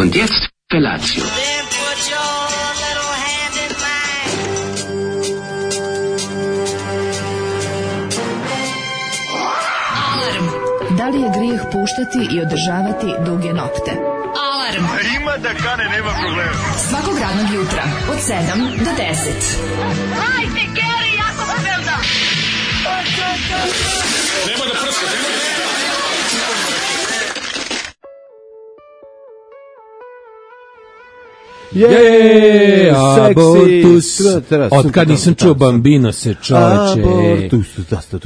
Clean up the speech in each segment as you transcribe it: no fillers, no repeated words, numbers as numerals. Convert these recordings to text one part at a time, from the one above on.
Und jetzt Felatio. Da li je grijeh puštati i održavati duge nokte? Alarm! Ima da kane, nema problema. Svakog radnog jutra, od 7 do 10. Hajde, Geri, jako se velda! Nema da prska, nema da... Je, abortus. Otkad nisam čuo Bambino se čoveče.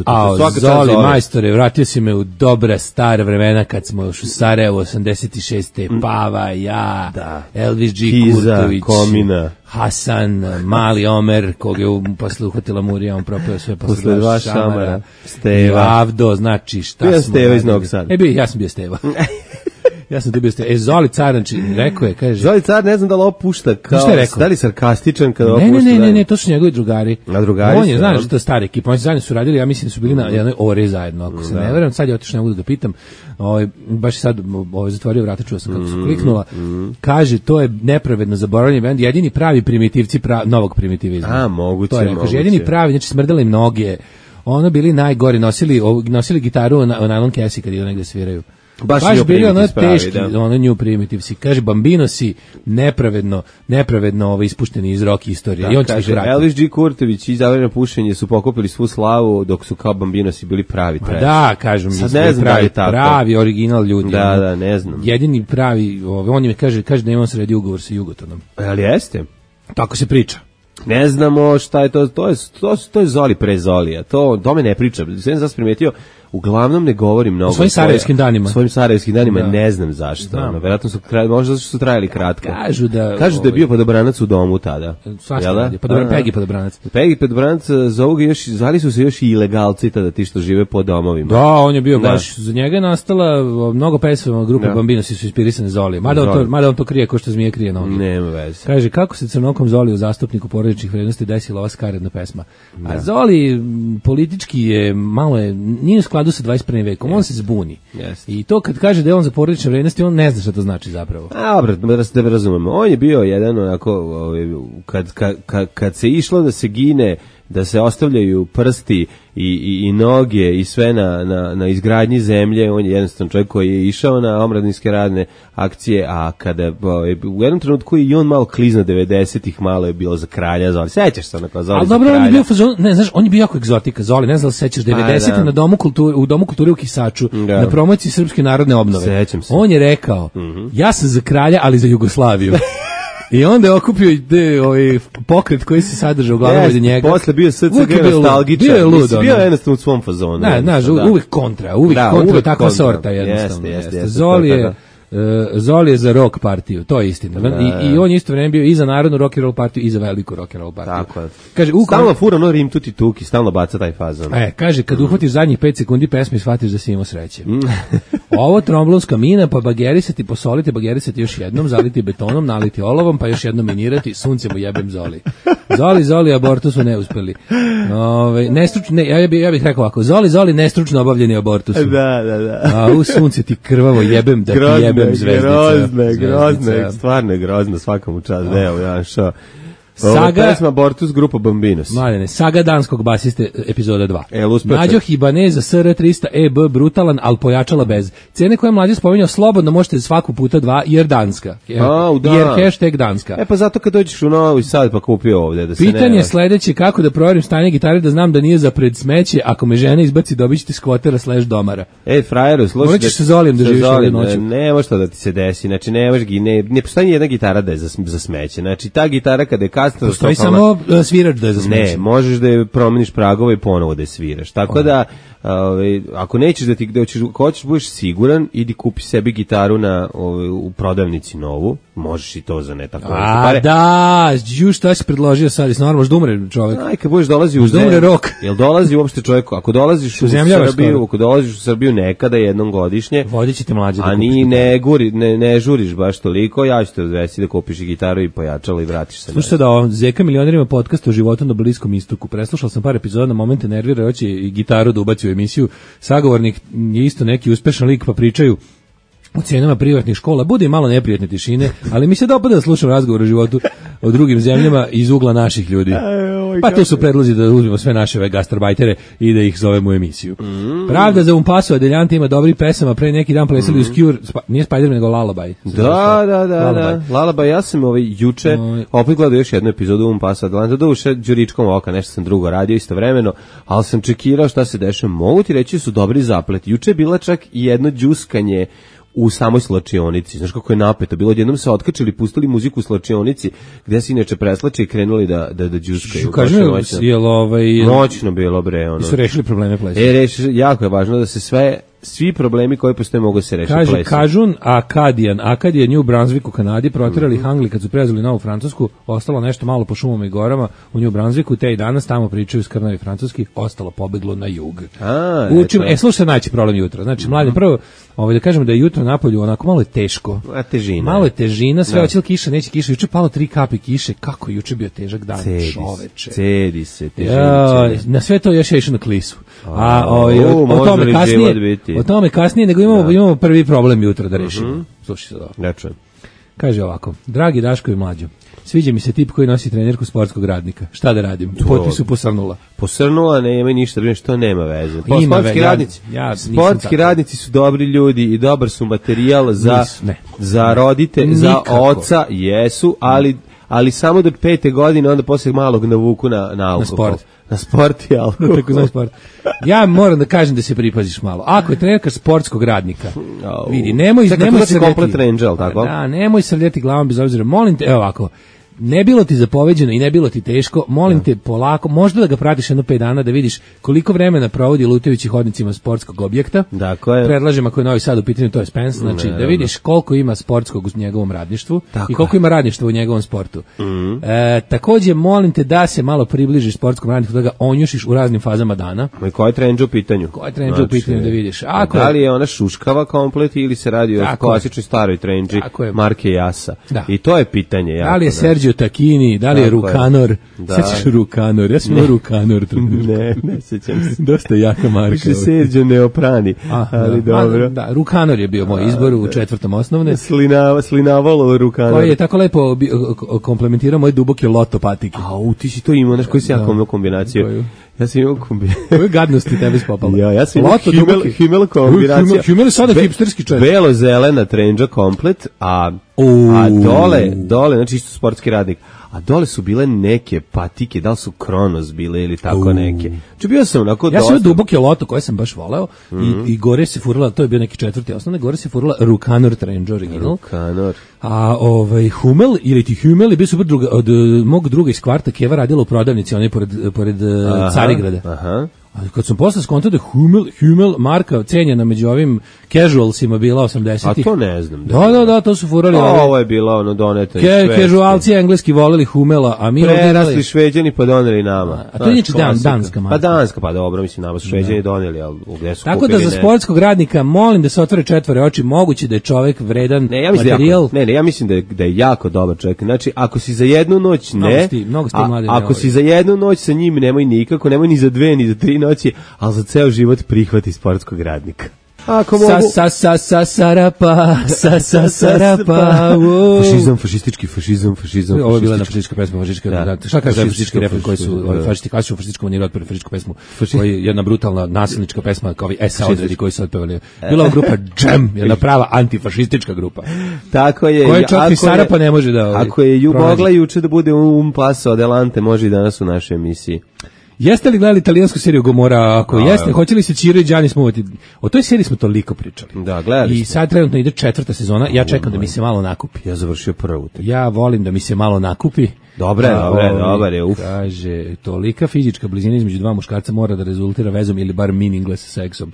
A Zoli majstore, vratio si me u dobra stara vremena kad smo još u Sarajevu 86. Pava, ja, Elvis G. Kurtović, Komina, Hasan, Mali Omer, koga je posle uhvatila Murija, on propio sve posle dva šamara, Steva, Avdo, znači šta bio smo Steva iz Novog Sada. Ja sam bio Steva. Ja sam dobio ste. Zoli Car, znači, rekao je, kaže. Zoli Car, ne znam da li opušta kao, da li sarkastičan kada opušta. Ne, to su njegovi drugari. A drugari on je, znaš, to je stara ekipa, oni zajedno su radili, ja mislim da su bili na jednoj ore zajedno, ako se ne verujem, sad je otišao, ne mogu da ga pitam, baš sad zatvorio vrata, čuo sam kako su kliknula, kaže, to je nepravedno zaboravljeni bend, jedini pravi primitivci novog primitivizma. A, moguće. Kaže, jedini pravi, znači smrdele im noge, ono bili najgori, nosili gitaru na nylon kesi kad idu negde sviraju. Baš bili ono teški, ono New Primitive si. Kaže, Bambino si nepravedno ispušteni iz rock istorije. Da, i on kaže, Elvis G. Kurtović i Zavrljeno pušenje su pokupili svu slavu, dok su kao Bambino si bili pravi trash. Da, kažem, pravi original ljudi. Da, ne znam. Jedini pravi, on mi kaže da imam sredi ugovor sa Jugotonom. Ali jeste? Tako se priča. Ne znamo šta je to je Zoli pre Zolija. To me ne priča. Sve sam primetio, uglavnom ne govorim mnogo. U svojim sarajevskim danima, ne znam zašto. Verovatno su možda su trajali kratko. Kažu da je bio Podobranac u domu tada. Pegi Podobranac. Pegi Podobranac, zovu ga još, zvali su se još i ilegalci tada, ti što žive po domovima. Da, on je bio baš, za njega je nastala mnogo pesama grupe Bambino su inspirisane Zolijem. Mada on to krije ko što zmije krije noge. Nema veze. Kaže, kako se crnokom Zoli u zastupniku porodičnih vrednosti desila ova skaredna pesma. A Zoli politički je nije u skladu sa 21. vekom, on se zbuni. I to kad kaže da je on za porodične vrednosti, on ne zna šta to znači zapravo. Da razumemo. On je bio jedan onako, kad se išlo da se gine, da se ostavljaju prsti i noge i sve na izgradnji zemlje, on je jednostavno čovjek koji je išao na omladinske radne akcije, a kada u jednom trenutku i on malo klizno 90-ih, malo je bilo za kralja Zoli. Sećaš se onako Zoli za kralja? Ali dobro, on je bio fazon, ne znaš, on je bio jako egzotika Zoli, ne znam da se sećaš 90-ih u Domu kulture u Kisaču, na promociji Srpske narodne obnove. Sećam se. On je rekao, ja sam za kralja, ali za Jugoslaviju. I onda je okupio pokret koji se sadržao uglavnom od njega. Posle bio SCG nostalgičan. Bio je lud. Bio je jednostavno u svom fazonu. Uvijek kontra, takva sorta jednostavno. Zoli je za rock partiju, to je istina. I on je isto vreme bio i za narodnu rock and roll partiju i za veliku rock and roll partiju. Tako je. Kaže, stalno fura Rim tuti tuki, stalno baca taj fazon. Kaže, kad uhvatiš zadnjih 5 sekundi pesme, shvatiš da si imao sreće. Ovo tromblonska mina, pa bagerisati, posoliti, bagerisati još jednom, zaliti betonom, naliti olovom, pa još jednom minirati, suncem u jebem Zoli. Zoli, abortus su neuspeli. Ja bih rekao ovako, Zoli, nestručno obavljeni abortus. Da. A u sunce ti krvavo jebem, da ti jebem zvezdica. Grozne, stvarno je grozno, svakom u čast. Evo, ja šo. Saga pesma Abortus, grupa Bambinos. Mladene, saga danskog basiste, epizoda 2. Mlađo Hibaneza SR300 EB brutalan, al pojačala bez. Cene koje Mlađo spominjao, slobodno možete svaku puta 2 jer danska. Jer hashtag danska. Pa zato kad dođeš u Novi Sad pa kupio ovde da se pitanje je sledeće, kako da proverim stanje gitare da znam da nije za pred smeće, ako me žena izbaci dobit ćete skvotera / domara. Frajeru, slušaj. Moraćeš se Zolijem da živiš ovdje noću. Ne može to da ti se desi, znači ne postoji jedna gitara da je za smeće. Znači ta gitara kada je postoji samo svirač da je za smeće. Ne, možeš da je promeniš pragove i ponovo da je sviraš. Tako da, ako nećeš da hoćeš budeš siguran, idi kupi sebi gitaru u prodavnici novu, možeš i to za ne tako pare. Šta si predložio sad, jesi normalno da umre čovjek? Kad budeš dolazi u zemlju, jel dolazi uopšte čovjek, ako dolaziš u Srbiju nekada jednom godišnje, vodit će te Mlađe da kupiš. Ne žuriš baš toliko, ja ću te odvesti da kupiš i gitaru i pojačalo i vratiš se. Slušaj da Zeka milionerima podcast o životu na Bliskom istoku. Preslušao sam par epizoda, na momente nervira, hoće i gitaru da ubaci u emisiju. Sagovornik je isto neki uspešan lik, pa pričaju u cijenama privatnih škola, bude malo neprijatne tišine, ali mi se dopada da slušam razgovor o životu o drugim zemljama iz ugla naših ljudi. Pa tu su predlozi da uzmemo sve naše gastarbajtere i da ih zovemo u emisiju. Pravda za Un Paso Adelante ima dobrih pesama, pre neki dan plesali uz Cure, nije Spider-Man nego Lullaby. Da. Lullaby, ja sam juče opet gledao još jednu epizodu Un Paso Adelante, doduše đuričkom oka, nešto sam drugo radio istovremeno, ali sam čekirao šta se dešava. Mogu ti reći su dobri zaplet. Juče je bila čak i jedno đuskanje u samoj slačionici. Znaš kako je napeto bilo, odjednom se otkačili, pustili muziku u slačionici, gde se inače preslače i krenuli da đuskaju. Noćno bilo, bre. I su rešili probleme plesa. Jako je važno da se svi problemi koji postoje mogu se rešiti plesom. Kaže Kažun Akadija New Brunswick u Kanadi, proterali Hangli kad su prelazili Novu Francusku, ostalo nešto malo po šumama i gorama u New Brunswicku, te i danas tamo pričaju skrnavi francuski, ostalo pobeglo na jug. Slušaj, najveći problem jutra. Znači, mladim, prvo, da kažemo da je jutro napolju onako malo je teško. Malo je težina, sve hoće li kiša, neće kiša. Juče palo 3 kapi kiše, kako je juče bio težak dan, čoveče. Cedi se, težinče. Na sve to još je išao na klisu. O tome kasnije, nego imamo prvi problem jutra da rešimo. Slušaj se dobro. Ne čujem. Kaže ovako, dragi Daško i Mlađo, sviđa mi se tip koji nosi trenerku sportskog radnika. Šta da radim? Potpisu posrnula. Posrnula, nema ništa, što nema veze. Sportski radnici su dobri ljudi i dobar su materijal za roditelje, za oca, jesu, ali samo do 5. godine, onda posle malog navuku na alkohol. Na sport i alkohol. Ja moram da kažem da se pripaziš malo. Ako je trenerka sportskog radnika, vidi, nemoj srljeti glavom bez obzira. Molim te, evo ovako, ne bilo ti zapoveđeno i ne bilo ti teško, molim te polako, možda da ga pratiš jedno 5 dana da vidiš koliko vremena provodi lutajući hodnicima sportskog objekta. Dakle. Predlažem ako je Novi Sad u pitanju, to je Spence, znači da vidiš koliko ima sportskog u njegovom radništvu i koliko ima radništva u njegovom sportu. Takođe molim te da se malo približiš sportskom radništvu, da ga onjušiš u raznim fazama dana. I koja je trendža u pitanju? Da vidiš. Da li je ona šuškava komplet ili se radi o klasičnoj staroj trendži marke Jasa? I to je pitanje. Da li je Sergio Tacchini, da li je Rukanor? Sećaš Rukanor? Ja sam Rukanor. Ne sećam se. Dosta jaka marka. Sergio Neoprani, ali dobro. Da, Rukanor je bio moj izbor u 4. osnovne. Slinavalo Rukanor. Koji je tako lepo komplementirao moje duboke loto patike. Ti si to imao, znaš koji si ja imao kombinaciju? Ja sam imao kombinaciju. Koje gadnosti tebe spopala? Ja sam imao Himmel kombinacija. Himmel je sada hipsterski čovjek. Belo-zelena trendža komplet, a dole, znači isto sportski radnik, a dole su bile neke patike, da li su Kronos bile ili tako neke. Znači bio sam onako ja sam duboke loto koje sam baš voleo i gore se furala, to je bio neki 4. osnovne, gore se furala Rukanor trendža original. Rukanor. A Hummel ili ti Hummel je bio super od mog druga iz kvarta, Keva radila u prodavnici, onaj pored Carigrada. Aha. Ali kad sam posle skontao da Hummel marka cenjena među ovim casualsima bila 80-ih. A to ne znam. Da, to su furali. Ovo je bilo doneto iz Švedske. Casualci engleski voleli Hummela, a mi prerasli Šveđani pa doneli nama. A to je niče danska marka. Pa danska, pa dobro, mislim, nama su Šveđani doneli, ali gde su tako kupili? Tako da za sportskog radnika molim da se otvore 4 oči, moguće da je čovjek vredan materijal. Ja mislim da je jako dobar čovjek. Znači, ako si za jednu noć ako si za jednu noć sa njim, nemoj nikako, nemoj ni za 2 ni za 3 noći, ali za ceo život prihvati sportskog radnika. Ako mogu... Sarapa. Fašizam. Ovo je bila na fašistička pesma, šta kaže fašistički refren koji su, fašisti klasičnu fašističku maniru otpili fašističku pesmu, koji je jedna brutalna nasilnička pesma, kao ovi SA odredi koji su otpevali. Bila grupa Jam, jedna prava antifašistička grupa. Tako je. Koja čak i Sarapa ne može da... Ako je mogla juče da bude Un Paso Adelante, može i danas u našoj emisiji. Jeste li gledali italijansku seriju Gomora? Ako jeste, hoće li se Ciro i Gianni smuvati? O toj seriji smo toliko pričali. Da, gledali i sad trenutno ide 4. sezona, ja čekam da mi se malo nakupi. Ja završio prvu. Ja volim da mi se malo nakupi. Dobre je. Kaže, tolika fizička blizina između dva muškarca mora da rezultira vezom ili bar meaningless seksom.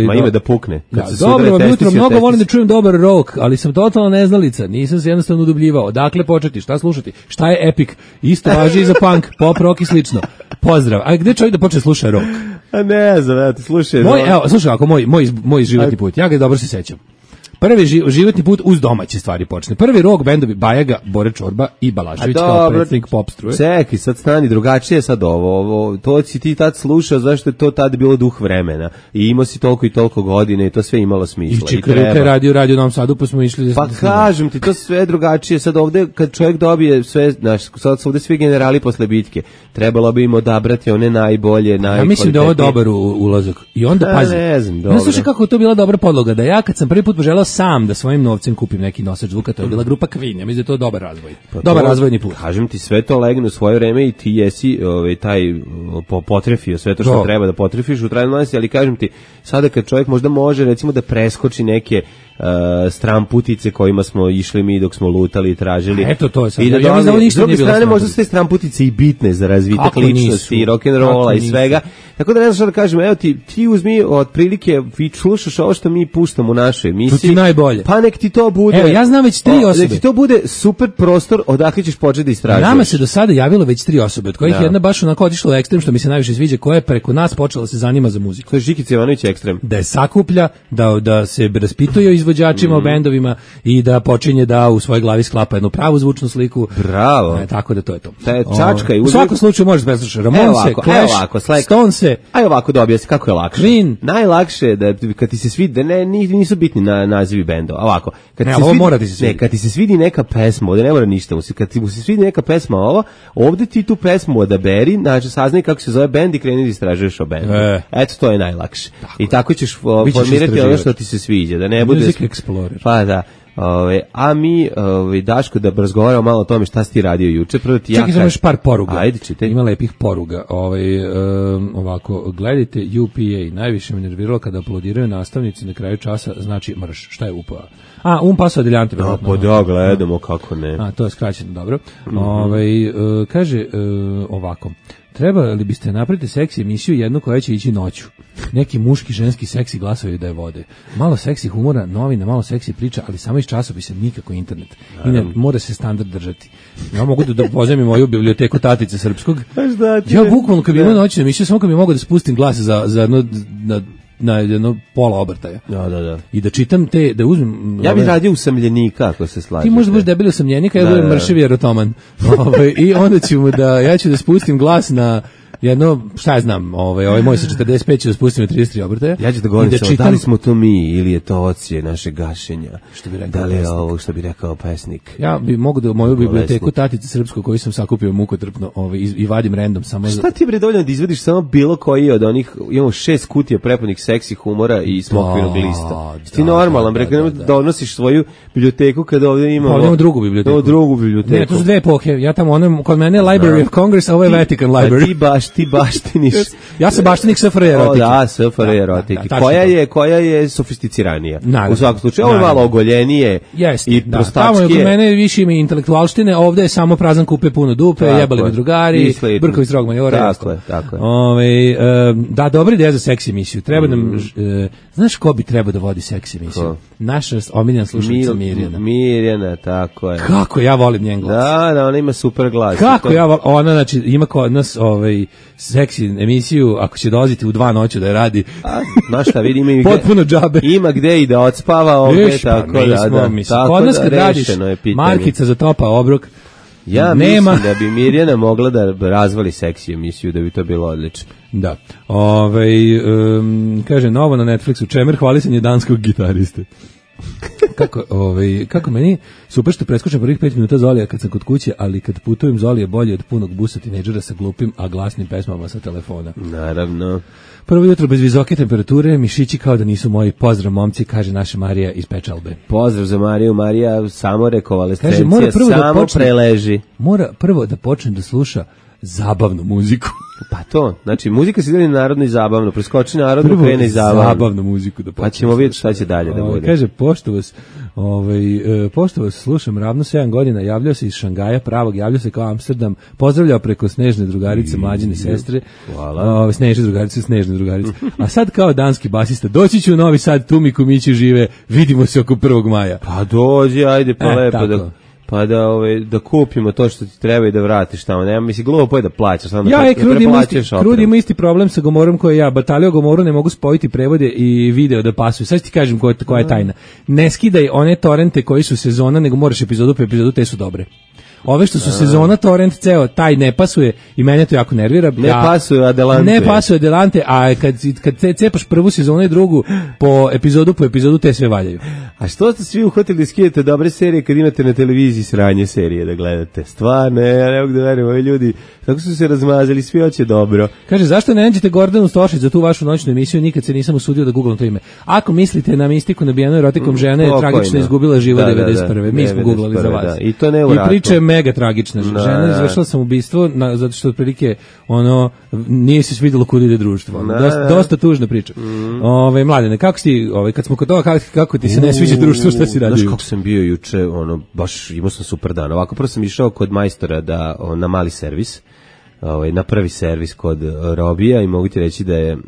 Ma ime da pukne. Dobro, jutro mnogo volim da čujem dobar rock, ali sam totalno neznalica, nisam se jednostavno udubljivao. Dakle, početi, šta slušati? Šta je epic? Isto važi i za punk, pop, rock i slično. Pozdrav. A gde čovjek da počne sluša rock? A ne znam, ja ti slušaj. Slušaj, ako moj životni put, ja ga dobro se sećam. Prvi životni put uz domaće stvari počne. Prvi rock bendovi Bajaga, Bore Čorba i Balašević kao predsjednik pop struje. Čekaj, sad stani, drugačije sad ovo, to si ti tad slušao, zašto je to tad bilo duh vremena i imao si toliko i toliko godine i to sve imalo smisla. I Čikaruka je radio u Novom Sadu, pa smo išli... Pa kažem ti, to sve drugačije, sad ovde kad čovjek dobije sve, znaš, sad su ovde svi generali posle bitke, trebalo bi im odabrati one najbolje, Ja mislim da je ovo dobar ulazak. I onda pazi. Ne znam, dobro. Ja slušaj kako je to bila dobra podloga, da ja kad sam prvi put poželeo sam da svojim novcem kupim neki nosač zvuka, to je bila grupa Queen. Ja mislim da je to dobar razvoj. Dobar razvojni put. Kažem ti, sve to legne u svoje vreme i ti jesi taj potrefio sve to što treba da potrefiš u trajnosti, ali kažem ti, sada kad čovjek možda može recimo da preskoči neke stramputice kojima smo išli mi dok smo lutali i tražili. Eto to je sad. I da ja mislim da ništa nije bilo. S druge strane možda su te stramputice i bitne za razvitak ličnosti i rock'n'rolla i svega. Tako da ne znam što da kažem, evo ti uzmi otprilike, vi slušaš ovo što mi puštamo u našoj emisiji. To ti najbolje. Pa nek ti to bude. Evo, ja znam već 3 osobe. Nek ti to bude super prostor odakle ćeš početi da istražuješ. Nama se do sada javilo već 3 osobe, od kojih jedna baš onako otišla u ekstrem, što mi se najviše sviđa, koja je preko nas počela se zanima za muziku. To je Žikica Jovanović ekstrem. Da je sakuplja, da se raspituje o izvođačima, o bendovima i da počinje da u svojoj glavi sklapa jednu pravu zvučnu sliku. Bravo. Tako da to je to. Čačka i u svakom slučaju možeš preslušati Ramonse, Clash, Stonese. Aj ovako da objasni kako je lakše. Queen. Najlakše je da kad ti se svidi, nisu bitni nazivi bendova. Ovako, kad ti se svidi neka pesma, ovde ne mora ništa, kad ti se svidi neka pesma ovde ti tu pesmu odaberi, znači saznaj kako se zove bend i kreni da istražuješ o bendu. Eto, to je najlakše. I tako ćeš formirati ono što ti se sviđa, da ne bude Music Explorer. Pa da. A mi, Daško, da razgovaramo malo o tome šta si ti radio juče. Prvo ti čekaj, imaš par poruga. Ajde, čitaj. Ima lepih poruga. Ovako, gledajte UPA. Najviše me nerviralo kada aplaudiraju nastavnici na kraju časa, znači mrš. Šta je UPA? Paso adeljante. Pa da, gledamo, kako ne. To je skraćeno, dobro. Kaže ovako. Trebali biste napraviti seksi emisiju jednu koja će ići noću. Neki muški, ženski seksi glasovi da je vode. Malo seksi humora, novine, malo seksi priča, ali samo iz časopisa, nikako internet. I ne, mora se standard držati. Ja mogu da pozajmim moju biblioteku Tatice Srpskog. Ja bukvalno kad bi imao noćnu emisiju, samo kad bi mogao da spustim glas za na jedno pola obrtaja. Da. I da čitam da uzmem... Ja bih radio usamljenika, ako se slažete. Ti možda budeš debili usamljenika, ja budem mršavi erotoman. I onda ja ću da spustim glas na jedno, šta ja znam, ovaj moj sa 45 će da spustim na 33 obrtaja. Ja ću da govorim da li smo to mi ili je to ocije naše gašenja. Što bi rekao da li je ovo što bi rekao pesnik? Ja bi mogu da moju biblioteku Tatice Srpskog koju sam sakupio mukotrpno i vadim random samo. Šta ti bre dovoljno da izvadiš samo bilo koji od onih, imamo 6 kutija prepunih seksi humora i smokvinog lista. Ti normalan bre, da odnosiš svoju biblioteku kada ovdje imamo drugu biblioteku. Ne, to su dve epohe. Ja tamo kod mene Library of Congress, a ovo je Vatican Library. Ti baštiniš. Ja sam baštenik SFRJ erotike. Da, SFRJ erotike. Koja je sofisticiranija. U svakom slučaju, ovo je malo ogoljenije i prostačkije. Tamo je kod mene više ima intelektualštine, ovde je samo prazan kupe puno dupe, jebali me drugari, Brković Drog Majora. Tako je. Da, dobra ideja za seksi emisiju. Treba nam, znaš ko bi trebao da vodi seksi emisiju? Naša omiljena slušalica Mirjana. Mirjana, tako je. Kako ja volim njen glas. Da, ona ima super glas. Kako ja volim, ona znači ima kod nas seksi emisiju, ako će dolaziti u 2 noći da je radi. Znaš šta, vidi, ima potpuno džabe. Ima gde i da odspava ovdje, tako da. Kod nas kad radiš markica za topa obrok, ja mislim da bi Mirjana mogla da razvali seksi emisiju, da bi to bilo odlično. Da. Kaže, novo na Netflixu, Čemer hvalisanje danskog gitariste. Kako meni super što preskočim prvih 5 minuta Zolija kad sam kod kuće, ali kad putujem Zolije bolje od punog busa tinejdžera sa glupim, a glasnim pesmama sa telefona. Naravno. Prvo jutro bez visoke temperature, mišići kao da nisu moji. Pozdrav momci, kaže naša Marija iz Pečalbe. Pozdrav za Mariju, Marija samo rekonvalescencija, samo preleži. Mora prvo da počne da sluša zabavnu muziku. Pa to, znači muzika se ide narodno i zabavno, preskoči narodno, krene i zabavnu muziku da počne. Pa ćemo vidjeti šta će dalje da bude. Kaže, pošto vas slušam ravno 7 godina, javljao se iz Šangaja pravog, javljao se kao Amsterdam, pozdravljao preko Snežne drugarice, mlađine sestre. Hvala. Snežne drugarice. A sad kao danski basista, doći ću u Novi Sad, tu mi kumići žive, vidimo se oko 1. maja. Pa dođi, ajde, pa lepo da... pa da kupimo to što ti treba i da vratiš tamo. Nema, mislim, glupo je da plaćaš. Krud ima isti problem sa Gomorom koji ja. Batalio Gomoru ne mogu spojiti prevode i video da pasuju. Sad ti kažem koja je tajna. Ne skidaj one torrente koji su sezona, nego moraš epizodu po epizodu, te su dobre. Ove što su sezona torrent ceo, taj ne pasuje i mene to jako nervira. Ne pasuje Adelante, a kad cepaš prvu sezonu i drugu po epizodu te sve valjaju. A što ste svi uhvatili da skidate dobre serije kad imate na televiziji sranje serije da gledate? Stvarno, ja ne mogu da verujem, ovi ljudi tako su se razmazali, svi hoće dobro. Kaže, zašto ne nađete Gordanu Stošić za tu vašu noćnu emisiju? Nikad se nisam usudio da googlam to ime. Ako mislite na mistiku nabijenu erotikom žene, je tragično izgubila život 91. Mi smo googlali za vas. I to ne u ratu. I priča je mega tragična. Žena izvršila samoubistvo zato što otprilike nije se svidjelo kuda ide društvo. Dosta tužna priča. Mladene, kako si kad smo kod toga, kako ti se ne sviđa društvo, šta si radio? Znaš kako sam bio juče, baš imao sam super dan. Ovako prvo sam išao kod majstora na mali servis. Na prvi servis kod Robija i mogu ti reći da je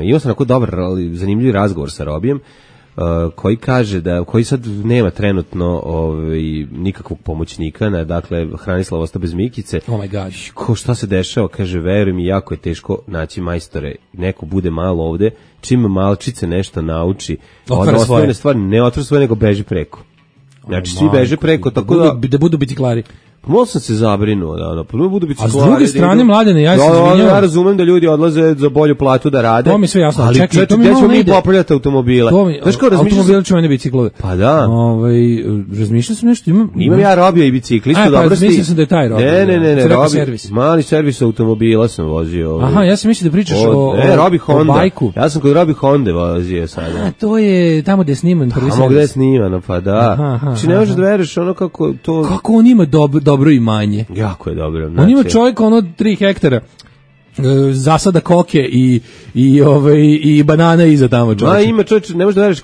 imao sam onako dobar, zanimljiv razgovor sa Robijem koji kaže koji sad nema trenutno nikakvog pomoćnika, dakle Hranislav ostao bez Mikice. Oh my god. Šta se dešava? Kaže, veruj mi, jako je teško naći majstore. Neko bude malo ovde, čim malčice nešto nauči, osnovne stvari ne otvara svoje, nego beži preko. Znači, svi beže preko, tako da budu biciklari. Malo sam se zabrinuo, budu biciklari. A s druge strane, Mladene, ja se izvinjavam. Ja razumem da ljudi odlaze za bolju platu da rade. To mi sve jasno. Ali čekaj, gdje ćemo mi popravljati automobile? Automobile ćemo ne biciklove. Pa da. Razmišljao sam nešto. Imam ja Robija i biciklistu. Pa mislio sam da je taj Robija. Ne, mali servis automobila sam vozio. Aha, ja sam mislio da pričaš o bajku. Ja sam kod Robi Honda vozio sada. To je tamo gde je sniman prvi servis. Tamo gde je snimano, pa da. Znači ne možeš da veriš ono kako to... Kako on ima dobro imanje. Jako je dobro. On ima čovjek 3 hektara zasada koke i banana iza tamo čovječe. Ima čovječe, ne možeš da veriš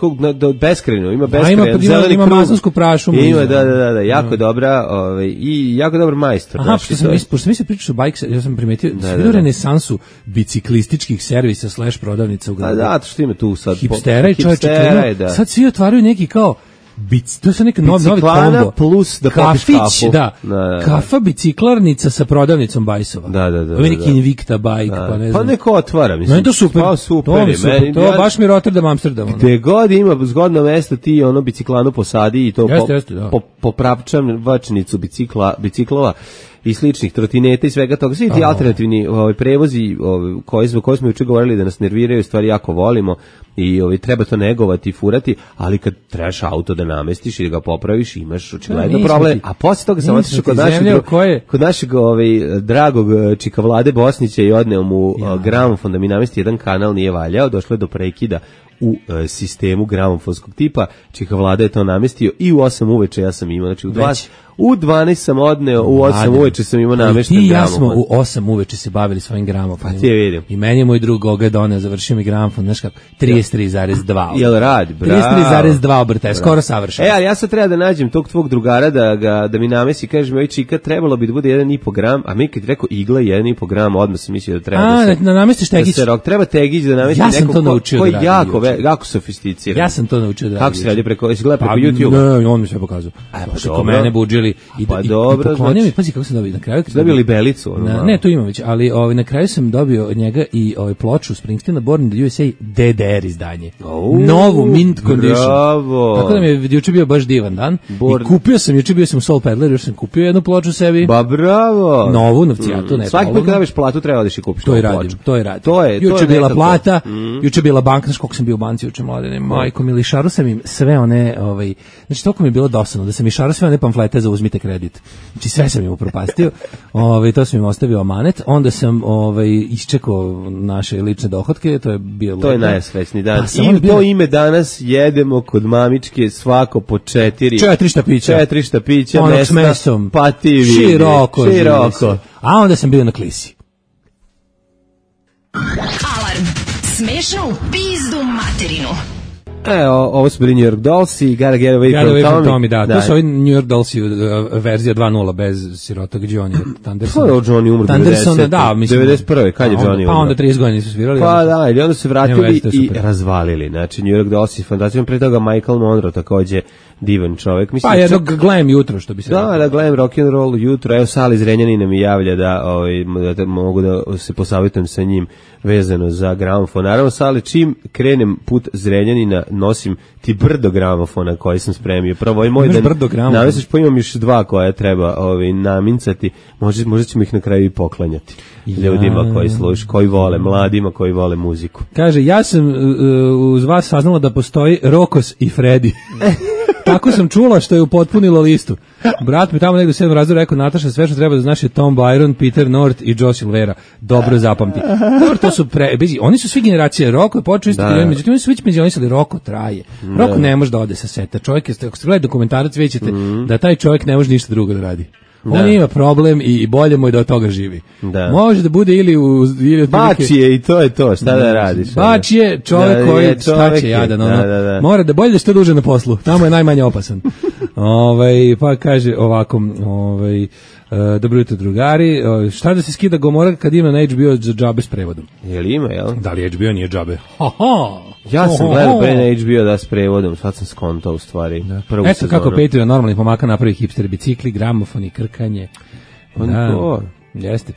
beskrajno, ima beskrajno zeleni krug. Ima maslansku prašumu. Ima, da, jako dobra i jako dobar majstor. Aha, pošto mi se pričaš o bike, ja sam primetio sviđu renesansu biciklističkih servisa / prodavnica u gradu. Da, što ima tu sad. Hipstera i čovječe, sad svi otvaraju neki kao to je neki novi kombo plus da popiš kafu. Kafa biciklarnica sa prodavnicom bajsova. Da. Ovo je neki Invicta bike, pa ne znam. Pa neko otvara, mislim. No, to super. To baš mi Rotterdam, Amsterdam. Gde god ima zgodno mesto, ti biciklanu posadi i to popravčam vačnicu biciklova i sličnih trotineta i svega toga. Svi ti alternativni prevozi koji smo juče govorili da nas nerviraju, stvari jako volimo i treba to negovati i furati, ali kad trebaš auto da namestiš i da ga popraviš, imaš očigledno problem. A posle toga sam otišao kod našeg dragog čika Vlade Bosnića i odneo mu gramofon da mi namesti jedan kanal, nije valjao, došlo je do prekida u sistemu gramofonskog tipa, čika Vlada je to namestio i u 8 uveče ja sam imao, znači u 12 sam odneo, u 8 uveče sam imao namešten gramofon. I ja smo u 8 uveče se bavili svojim gramofonima. Pa ti je vidim. I meni je moj drug Goga doneo, završio mi gramofon, znaš kako, 33,2. Jel radi, bravo. 33,2 obrtaja, skoro savršeno. Ali ja sad treba da nađem tog tvog drugara da mi namesi, kaže mi, oj čika, trebalo bi da bude 1,5 gram, a mi kad rekao igla 1,5 gram, odmah sam mislio da treba da se... namestiš tegić. Treba tegić da namesti neko koji je jako sofisticiran. Ja sam to naučio da radim. Kako se radi preko YouTube? Ne, on mi sve pokazao. Preko mene budžili i poklonio mi, pazi kako sam dobio na kraju. Dobili belicu. Ne, to imam već, ali na kraju sam dobio od njega i ploču Springsteena Born in the USA DDR izdanje. Novu mint condition. Bravo. Tako da mi je juče bio baš divan dan. I kupio sam, juče bio sam u Soul Peddler, još sam kupio jednu ploču sebi. Ba bravo. Novu, novcijatu, ne. Svaki put kada dobiš platu treba odeš i kupiš to i radim. Juče bila plata, juče bila banka, znaš koliko sam bio u banci juče, Mladene, majko mi, lišaru sam im sve one, znači toliko mi je bilo dosadno da sam išaru sve one pamflete za uzmite kredit. Znači sve sam im upropastio, to sam im ostavio amanet, onda sam isčekao naše lične dohotke, to je bilo... To je najsrećniji dan. I to ime danas jedemo kod mamičke svako po 4 štapića. 4 štapića, mesom, pa ti vidi. Široko. A onda sam bio na klisi. Alarm. Smešno u pizdu materinu. Ovo su bili New York Dolls i Gotta Get Away from Tommy. Da. To su ovi New York Dolls verzija 2.0 bez sirotog Johnny Thundersona. Pa Johnny umro 91. Kad je Johnny umro? Pa onda 30 godina su svirali. Pa da, ili onda se vratili i razvalili. Znači New York Dolls i fantastično, pre toga Michael Monroe takođe divan čovjek. Mislim, pa jednog glam jutro, što bi se rekao. Da, glam rock and roll jutro. Evo Sali iz Renjanina mi javlja da mogu da se posavjetujem sa njim vezano za gramofon. Naravno, Sali, čim krenem put Zrenjanina, nosim ti brdo gramofona koji sam spremio. Prvo, moj da navesiš, pa imam još 2 koja treba namincati. Možda ćemo ih na kraju i poklanjati ljudima koji slušaju, koji vole, mladima koji vole muziku. Kaže, ja sam uz vas saznala da postoji Rokos i Freddy. Tako sam čula, što je upotpunilo listu. Brat mi tamo negdje u 7. razredu rekao, Nataša, sve što treba da znaš je Tom Byron, Peter North i Joe Silvera. Dobro zapamti. Dobro, to su oni su svi generacije. Roko je počeo isto, međutim oni su već penzionisali. Roko traje. Roko ne može da ode sa seta. Čovjek je, ako ste gledali dokumentarac, vidjet ćete da taj čovjek ne može ništa drugo da radi. On ima problem i bolje mu je da od toga živi. Može da bude ili Bači je i to je to, šta da radiš? Bači je čovjek koji šta će jadan, mora da bolje da što duže na poslu, tamo je najmanje opasan. Pa kaže ovako, dobro jutro drugari, šta da se skida Gomora kad ima na HBO za džabe s prevodom? Jel ima, jel? Da li HBO nije džabe? Ja sam gledao pre na HBO da s prevodom, sad sam skontao u stvari. Eto kako Patreon normalni pomaka napravi hipster bicikli, gramofoni, krkanje. Jeste.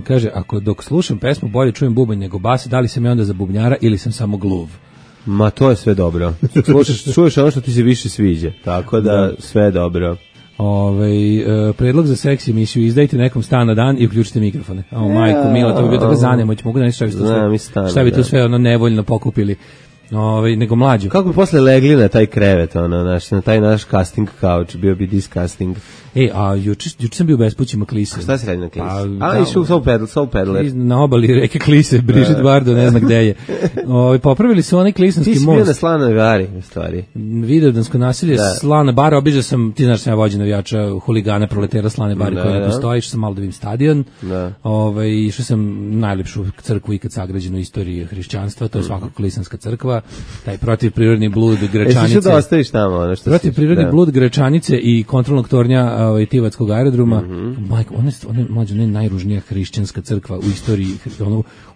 Kaže, ako dok slušam pesmu bolje čujem bubanj nego bas, da li sam ja onda za bubnjara ili sam samo gluv? Ma to je sve dobro. Čuješ ono što ti se više sviđa, tako da sve je dobro. Predlog za seksi emisiju, izdajte nekom stan na dan i uključite mikrofone. Majko mila, to bi bio tako zanemoć, mogu da nešto šta bi to sve nevoljno pokupili. Nego mlađu. Kako bi posle legli na taj krevet, na taj naš casting couch, bio bi disgusting. Juče sam bio u bespućima Klise. Šta si radi na Klise? Išao Soul Peddler. Na obali reke Klise, Brigitte Bardot, ne zna gde je. Popravili su onaj klisanski most. Ti si bio na Slanoj Bari, u stvari. Vidovdansko nasilje, Slana Bara, obiđao sam, ti znaš sam ja vođen navijača huligana proletera Slane Bari koja ne postoji, išao sam malo da vidim stadion. Išao sam najlepšu crkvu ikad sagrađenu u istoriji hrišćanstva, to je svakako Klisanska crkva, taj protivprirodni blud Grečanice. Da ostaviš tamo, protivprirodni blud Grečanice i kontrolnog tornja Tivatskog aerodroma. Majko, ona je najružnija hrišćanska crkva u istoriji,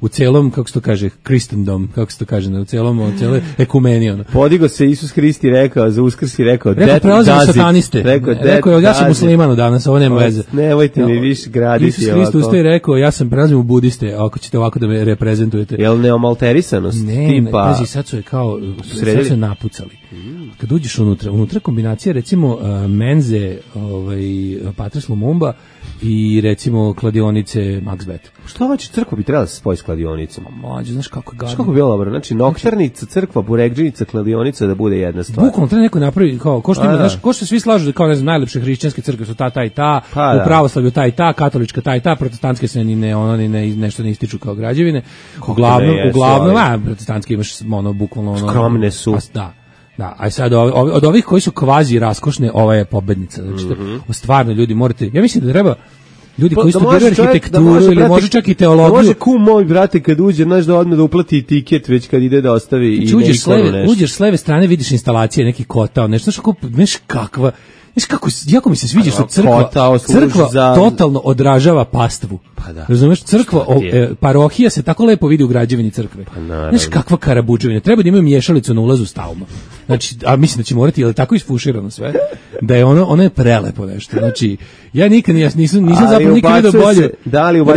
u celom, kako se to kaže, Kristendom, kako se to kaže, u celom, ekumeniji. Podigo se Isus Hristi rekao, za Uskrs i rekao, prelazimo sataniste. Rekao, ja sam muslimanu danas, ovo nema veze. Nemojte mi više graditi. Isus Hrist ustaje i rekao, ja sam prelazim u budiste, ako ćete ovako da me reprezentujete. Jel neomalterisanost? Ne, sad su je kao, sad su napucali. Kad uđeš unutra kombinacija, recimo, menze, Patres Lumumba i recimo kladionice Max Bet. Što ovaj crkva bi trebala da se spoji s kladionicama? Mlađe, znaš kako je gadno. Znaš kako bi bilo dobro? Znači, noktarnica, crkva, buregđinica, kladionica da bude jedna stvar. Bukvalno treba neko napravi, ko što ima, znaš, ko što svi slažu da kao, ne znam, najlepše hrišćanske crkve su ta i ta, u pravoslavlju ta i ta, katolička ta i ta, protestantske se nešto ne ističu kao građevine. Uglavnom, protestantske imaš bukvalno skromne su. Da, a sad od ovih koji su kvazi raskošne, ova je pobednica. Znači, stvarno ljudi morate, ja mislim da treba ljudi koji studiraju arhitekturu ili može čak i teologiju. Da može moj brate kad uđe, znaš da odmah da uplati tiket već kad ide da ostavi i uđeš s leve strane, vidiš instalacije, neki kotao, nešto, znaš kakva, znaš kako, jako mi se sviđa što crkva totalno odražava pastvu. Razumeš, crkva, parohija se tako lepo vidi u građevini crkve. Znaš kakva karabuđevina, treba da imaju mješalicu na ulazu stalno. Znači, a mislim da će morati, je li tako isfuširano sve, da je ono je prelepo nešto. Znači, ja nikad nisam zapravo nikad vidio bolje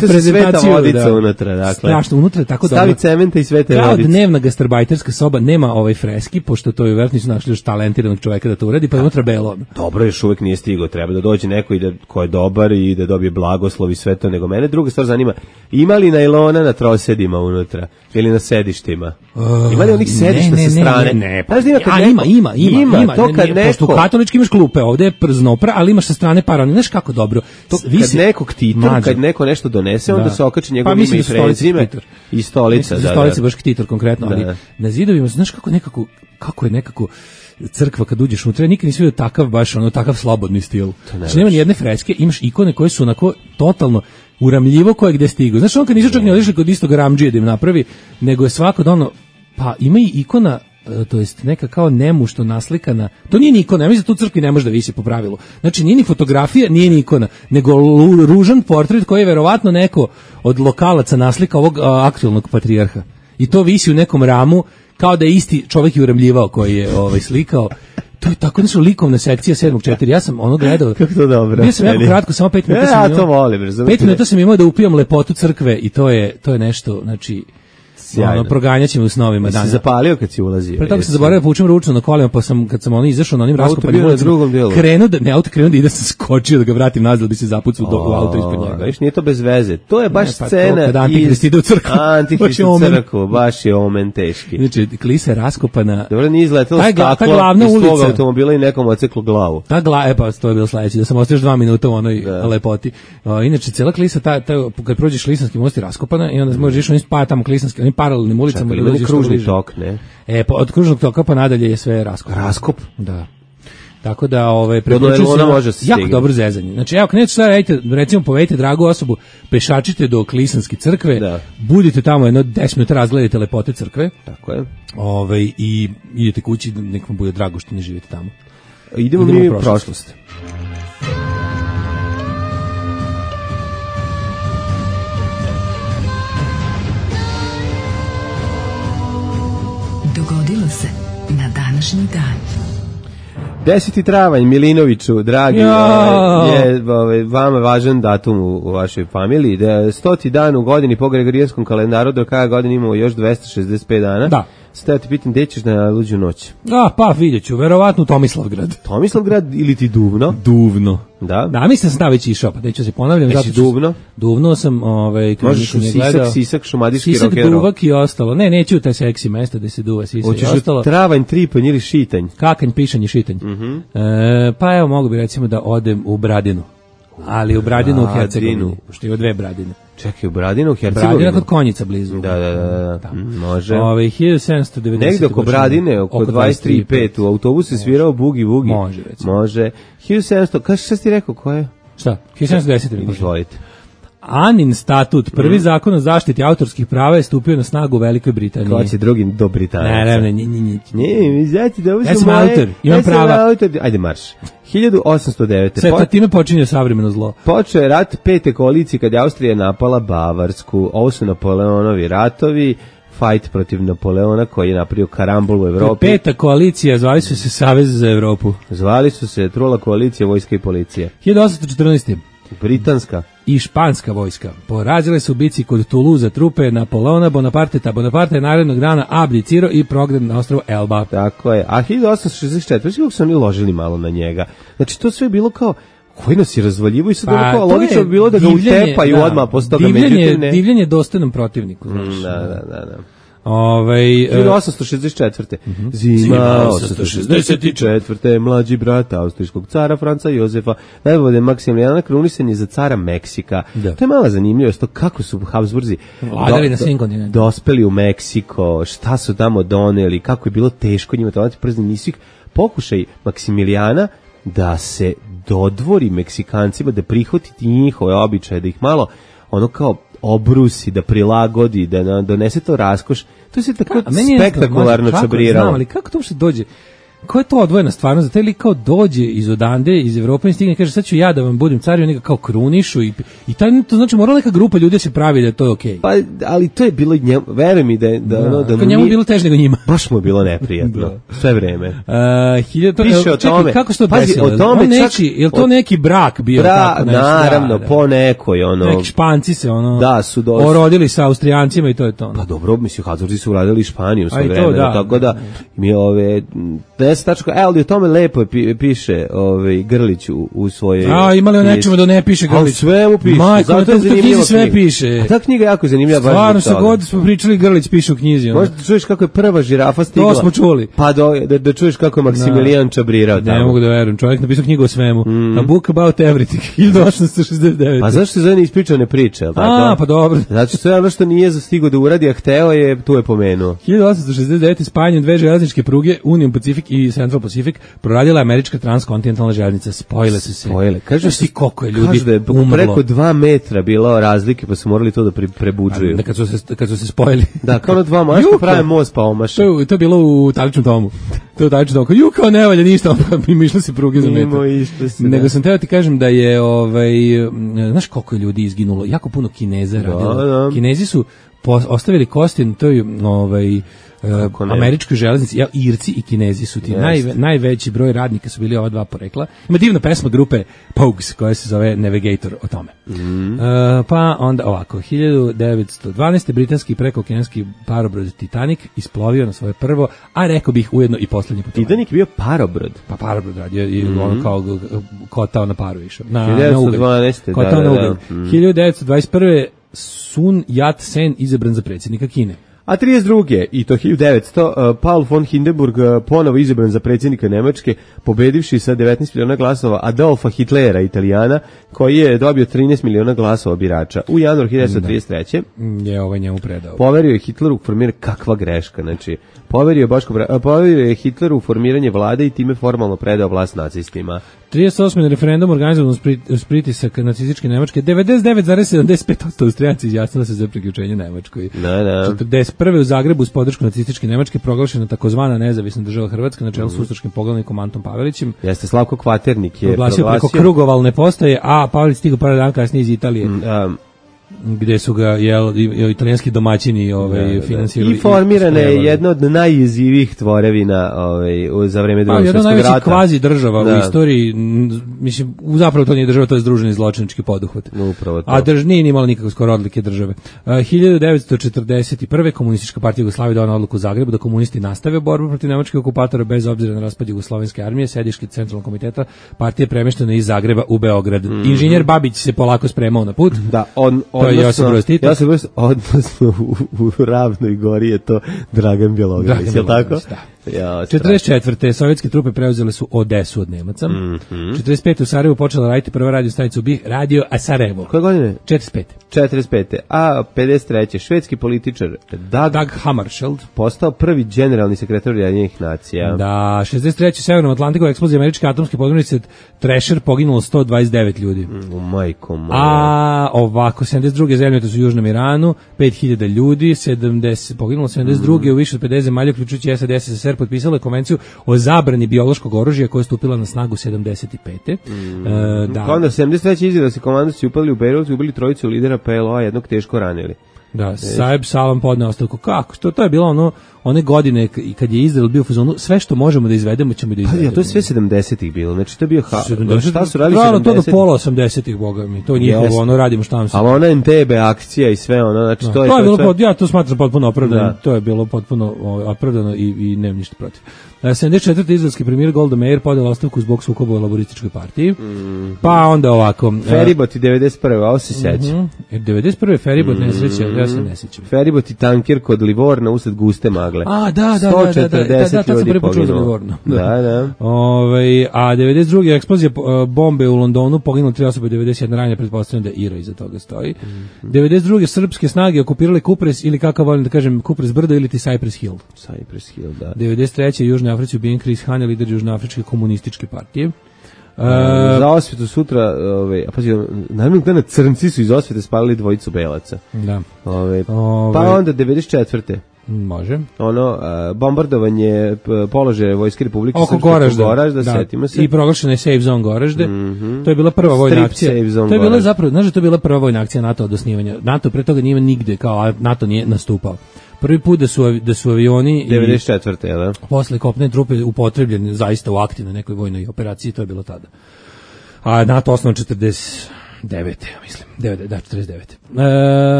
reprezentaciju. Vodica unutra, dakle. Strašno, unutra je tako dobro. Stavi cementa i svete vodice. Kao dnevna gastarbajterska soba, nema freski, pošto to je vjerojatno nisu našli još talentiranog čoveka da to uredi, pa je unutra belo. Dobro, još uvek nije stigao, treba da dođe neko ko je dobar i da dobije blagoslov i sve to, nego mene druga stvar zanima, ima li najlona na trosedima unutra ili na sedištima? Ima li onih sedišta sa strane? Ne. Ima. To kad neko... Pošto u katolički imaš klupe, ovde je prznopra, ali imaš sa strane parani. Znaš kako dobro. Kad nekog titor, kad neko nešto donese, onda se okače njegov ime i prezime i stolica. Stolica baš titor konkretno, ali na zidovima, znaš kako je nekako crkva kad uđeš unutra, nikad nisi vidio takav slobodni stil. Znači nema ni jedne freske, imaš ikone koje su onako totalno uramljivo koje gde stigu. Znaš, on kad nisu čak ne odešli kod istog ramdžije da im napravi, nego je svako pa ima i ikona, to jest neka kao nemušto naslikana, to nije ni ikona, ja mislim da tu crkvi ne može da visi po pravilu. Znači nije ni fotografija, nije ni ikona, nego ružan portret koji je verovatno neko od lokalaca naslika ovog aktualnog patrijarha. I to visi u nekom ramu kao da je isti čovjek i uremljivao koji je slikao. To je tako nešto likovna sekcija 7.4. Ja sam ono gledao. Kako to dobro. Bio sam jako kratko, samo 5 minuta sam imao. Ja to volim, razumete. 5 minuta sam imao da upijam lepotu crkve i to je nešto, znači proganjaće me u snovima. Si zapalio kad si ulazio? Pre toga sam zaboravio da poučem ručno na kolima, pa sam, kad sam izašao na onim raskopanim ulicama, krenuo da ide, sam skočio da ga vratim nazad, da bi se zapucao u auto ispred njega. Viš, nije to bez veze. To je baš scena iz Antihrist ide u crkvu. Antihrist u crkvu, baš je omen teški. Znači, klisa je raskopana. Dobro, nije izletelo staklo iz tvog automobila i nekom odseklo glavu. Pa to je bilo sledeće, da sam ostao još 2 minuta u onoj lepoti. Inače, cela klisa, kad prođeš Klisanski most je raskopana i onda možeš onim tamo Klisanski, onim paralelnim ulicama. Čekaj, kružni tok, ne? Pa od kružnog toka pa nadalje je sve raskop. Raskop? Da. Tako da preporučujem se jako dobro zezanje. Znači evo krenete šta radite, recimo povedite dragu osobu, pešačite do Klisanske crkve, budite tamo jedno 10 minuta razgledajte lepote crkve. Tako je. I idete kući, nek vam bude drago što ne živite tamo. Idemo mi u prošlost. Dogodilo se na današnji dan. 10. travanj, Milinoviću, dragi, je vama važan datum u vašoj familiji. 100. dan u godini po Gregorijanskom kalendaru, do kraja godine imamo još 265 dana. Da. Sada ti pitam, gde ćeš na luđu noć? Pa vidjet ću, verovatno u Tomislavgrad. Tomislavgrad ili ti Duvno? Duvno. Da, mislim da sam već išao, pa neću se ponavljam. Jesi Duvno? Duvno sam, možeš u Sisak, šumadijski rock'n'roll. Sisak, Duvak i ostalo. Ne, neću u taj seksi mesta gde se duva Sisak i ostalo. Hoćeš u Travanj, Tripanj ili Šitanj? Kakanj, Pišanj i Šitanj. Pa evo, mogu bi recimo da odem u Bradinu. Ali u Bradinu u Hercegovini, što je 2 Bradine. Čekaj, u Bradinu u Hercegovini? Bradina kod Konjica blizu. Da. Može. 1790. Negde oko Bradine, oko 23.5 u autobusu je svirao Bugi Vugi. Može. 1700, kaži šta si ti rekao, ko je? Šta? 1710. Izvolite. Anin statut, prvi zakon o zaštiti autorskih prava je stupio na snagu u Velikoj Britaniji. Ko će drugim do Britanaca? Ne, mi znači da ovo su moje... autor, imam prava. Ajde marš. 1809. Sve time počinje savremeno zlo. Počeo je rat 5. koalicije kad je Austrija napala Bavarsku. Ovo su Napoleonovi ratovi. Fight protiv Napoleona koji je napravio karambol u Evropi. 5. koalicija, zvali su se Savez za Evropu. Zvali su se Trula koalicija, vojska i policija. 1814. Britanska i španska vojska porazile su u bici kod Toulouse trupe Napoleona Bonaparte. Bonaparte je narednog dana abdicirao i prognan na ostrvo Elba. Tako je. A 1864. Kako su oni ložili malo na njega. Znači to sve je bilo kao koji nas je razvaljivo i sad kao logično bi bilo da ga utepaju odmah posle toga. Divljenje dostojnom protivniku. Da. 1864. Zima 864. Mlađi brat austrijskog cara Franca Jozefa najbolje Maksimilijana krunisan je za cara Meksika. To je mala zanimljivost, to kako su Habsburzi vladali na svim kontinentima, dospeli u Meksiko, šta su tamo doneli, kako je bilo teško njima to przni, nisu ih pokušaj Maksimilijana da se dodvori Meksikancima, da prihvatiti njihove običaje, da ih malo ono kao obrusi, da prilagodi, da donese to raskoš. To se tako spektakularno čabriralo. Znam, ali kako to uopšte dođe? Ko je to odvojena stvarno? Za taj lik kao dođe iz odande, iz Evrope i stigne i kaže sad ću ja da vam budem car i oni ga kao krunišu i to znači morala neka grupa ljudi se pravi da je to okej. Pa, ali to je bilo njemu, veruj mi da njemu bilo teže nego njima. Baš mu je bilo neprijatno. Sve vreme. Piše o tome. Kako što desilo? Je to neki brak bio tako nešto? Naravno, po nekoj neki Španci se orodili sa Austrijancima i to je to. Pa dobro, mislim, Habsburzi su uradili Španiju sve vreme, tako da mi ali o tome lepo piše Grlić u svojoj... imali o nečemu da ne piše Grlić. Sve mu piše. Majko, na knjizi sve piše. A ta knjiga je jako zanimljiva. Stvarno se god smo pričali, Grlić piše u knjizi. Možda da čuješ kako je prva žirafa stigla. To smo čuli. Pa da čuješ kako je Maksimilijan čabrirao. Ne mogu da verujem, čovjek napisao knjigu o svemu. A book about everything, 1869. Pa zašto se zove ispričane priče? Pa dobro. Znači, sve ono što nije zastigao da uradi, a hteo je, tu je pomenuo. 1869. spajanjem 2 železničke pruge, Union Pacific i Central Pacific, proradila američka transkontinentalna železnica. Spojile su se. Kaže si koliko je ljudi da je preko 2 metra bilo razlike, pa su morali to da prebuđuju. Kad su se spojili. Da, kao na 2 mosta prave most pa omaša. To je bilo u Taličnom domu. To je u Taličnom domu. Kao ne valja ništa, pa mi išlo se pruge za metar. Nego sam teo ti kažem da je, znaš koliko je ljudi izginulo? Jako puno Kineza radilo. Kinezi su ostavili kosti na toj američkoj železnici. Irci i Kinezi su ti najveći broj radnika su bili ova dva porekla. Ima divna pesma grupe Pogues koja se zove Navigator o tome. Pa onda ovako, 1912. britanski prekookeanski parobrod Titanic isplovio na svoje prvo, a rekao bih ujedno i poslednje putovanje. Titanic bio parobrod? Pa parobrod radio i ono kao kotao na paru išao. 1912. Kotao na ugalj. 1921. Sun Yat-sen izabran za predsjednika Kine. A 32. i to 1900. Paul von Hindenburg ponovo izabran za predsjednika Nemačke, pobedivši sa 19 miliona glasova Adolfa Hitlera, Italijana, koji je dobio 13 miliona glasova birača. U januaru 1933. Je ovaj njemu predao. Poverio je Hitleru formiranje, kakva greška, znači poverio je Hitleru formiranje vlade i time formalno predao vlast nacistima. 38. referendum organizovan uz pritisak nacističke Nemačke, 99,75% Austrijanci izjasnili se za priključenje Nemačkoj. 41. u Zagrebu uz podršku nacističke Nemačke proglašena takozvana nezavisna država Hrvatska na čelu s ustaškim poglavnikom Antom Pavelićem. Jeste, Slavko Kvaternik je proglasio preko krugovalne postaje, a Pavelić stigao par dana kasnije iz Italije. Gde su ga italijanski domaćini finansirali. I formirana je jedna od najjezivijih tvorevina za vreme Drugog svjetskog rata. Jedna najveći kvazi država u istoriji, mislim, zapravo to nije država, to je združeni zločinački poduhvat. Upravo to. A nije imala nikakve skoro odlike države. 1941. Komunistička partija Jugoslavije donela odluku u Zagrebu da komunisti nastave borbu protiv nemačkih okupatora bez obzira na raspad Jugoslovenske armije. Sedište Centralnog komiteta partije premješteno iz Zagreba u Beograd. Inženjer Babić se polako spremao na put. Da, odnosno u Ravnoj Gori je to Dragan Bjelogrlić, je li tako? Da. 44. sovjetske trupe preuzele su Odesu od Nemaca. 45. u Sarajevu počela raditi prva radio stanica u BiH, Radio Sarajevo. Koje godine? 45. A 53. švedski političar Dag Hammarskjöld postao prvi generalni sekretar Ujedinjenih nacija. Da, 63. u Severnom Atlantiku eksplozija američke atomske podmornice Thrasher poginulo 129 ljudi. Majko moja. A ovako, 72. zemljotres su u Južnom Iranu, 5000 ljudi, poginulo 72. u više od 50 zemalja, uključujući SAD, SSSR, potpisala je konvenciju o zabrani biološkog oružja koja je stupila na snagu 75. Pa onda 73. izraelski komandosi upali u Bejrut i ubili trojicu lidera PLO-a, jednog teško ranili. Da, Saeb Salam podneo ostavku. Kako? To je bilo one godine kad je Izrael bio u fazonu, sve što možemo da izvedemo ćemo da izvedemo. Pa to je sve 70-ih bilo, znači to je bio šta su radili 70-ih? To do pola 80-ih, boga mi, to njihovo, radimo šta nam se. Ali ona NTB akcija i sve znači to je bilo, ja to smatram potpuno opravdano, to je bilo potpuno opravdano i nemam ništa protiv. 74. izraelski premijer Golda Meir podela ostavku zbog sukoba u laborističkoj partiji. Pa onda ovako. Feribot i 91. Ovo se seća. 91. Feribot nesreća, ja se ne sećam. Feribot i tanker kod Livorna usred guste magle. A, da, 140 ljudi poginulo. Da. A 92. eksplozija bombe u Londonu, poginulo 3 osobe, 91 ranjena, pretpostavljam da Ira iza toga stoji. 92. srpske snage okupirale Kupres, ili kako volim da kažem, Kupres brdo ili ti Cypress Hill. Cypress Hill, da. 93. Južnoj Africi ubijen Chris Hani, lider Južnoafričke komunističke partije. Za osvetu sutra, naravno dana crnci su iz osvete spalili dvojicu belaca. Da. Pa onda 94. Može. Bombardovanje položaja Vojske Republike Srpske oko Goražda, setimo se. I proglašena je Safe Zone Goražde. To je bila prva vojna akcija. To je bila zapravo, znaš da to je bila prva vojna akcija NATO od osnivanja. NATO pre toga nije nigde, kao NATO nije nastupao. Prvi put da su avioni 94. je da? Posle kopne trupe upotrebljeni zaista u aktivnoj nekoj vojnoj operaciji, to je bilo tada. A NATO osnovan 49. mislim. 49.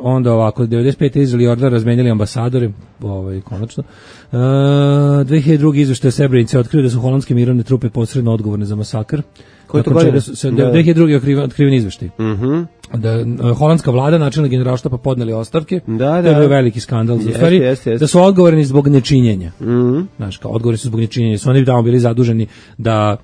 Onda ovako, 95. Izrael i Jordan razmenjali ambasadore, konačno. 2002. izveštaj Srebrenice otkrio da su holandske mirovne trupe posredno odgovorne za masakr. Koji to godine? 2002. otkriven izveštaj. Da holandska vlada, načelnik generalštaba podneli ostavke. Da. To je bio veliki skandal. Da su odgovorni zbog nečinjenja. Znaš, kao odgovorni su zbog nečinjenja. Su oni tamo bili zaduženi da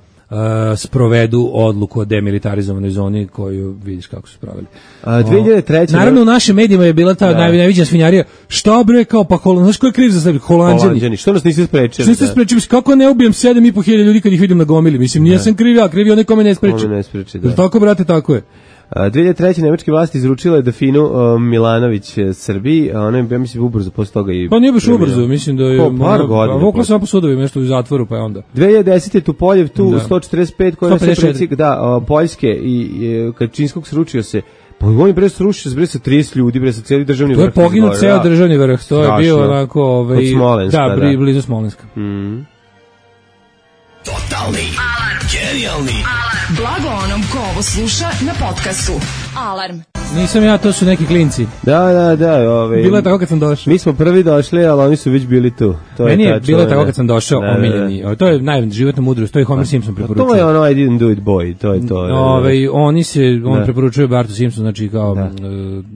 sprovedu odluku o demilitarizovanoj zoni koju vidiš kako su pravili. 2003. Naravno u našim medijima je bila ta najveća svinjarija. Šta bre, kao pa znaš ko je kriv za sve? Holanđani. Što nas niste sprečili? Što niste sprečili? Kako ne ubijem 7.500 ljudi kad ih vidim na gomili? Mislim, nisam kriv ja, kriv je onaj kome ne spreči. Tako, brate, tako je. 2003. nemačke vlasti izručile Dafinu Milanović Srbiji, a ona je, ja mislim, ubrzo posle toga i... Pa nije baš ubrzo, mislim da je... Par godina. Vukla sam po sudovima, nešto u zatvoru, pa je onda. 2010. Tupoljev, tu 145, koja se predsjek, Poljske i Kačinskog sručio se Pa on je bre srušio sa 30 ljudi, bre sa cijeli državni vrh. To je poginuo ceo državni vrh, to je bio onako... Od Smolenska, da. Blizu Smolenska. Totalni alarm. Genijalni alarm. Blago onom ko ovo sluša na podcastu. Alarm. Nisam ja, to su neki klinci. Da. Bilo je tako kad sam došao. Mi smo prvi došli, ali oni su već bili tu. Meni je bilo je tako kad sam došao, omiljeni. To je životna mudrost, to je Homer Simpson preporučuje. To je ono I didn't do it boy, to je to. On preporučuje Bartu Simpson, znači kao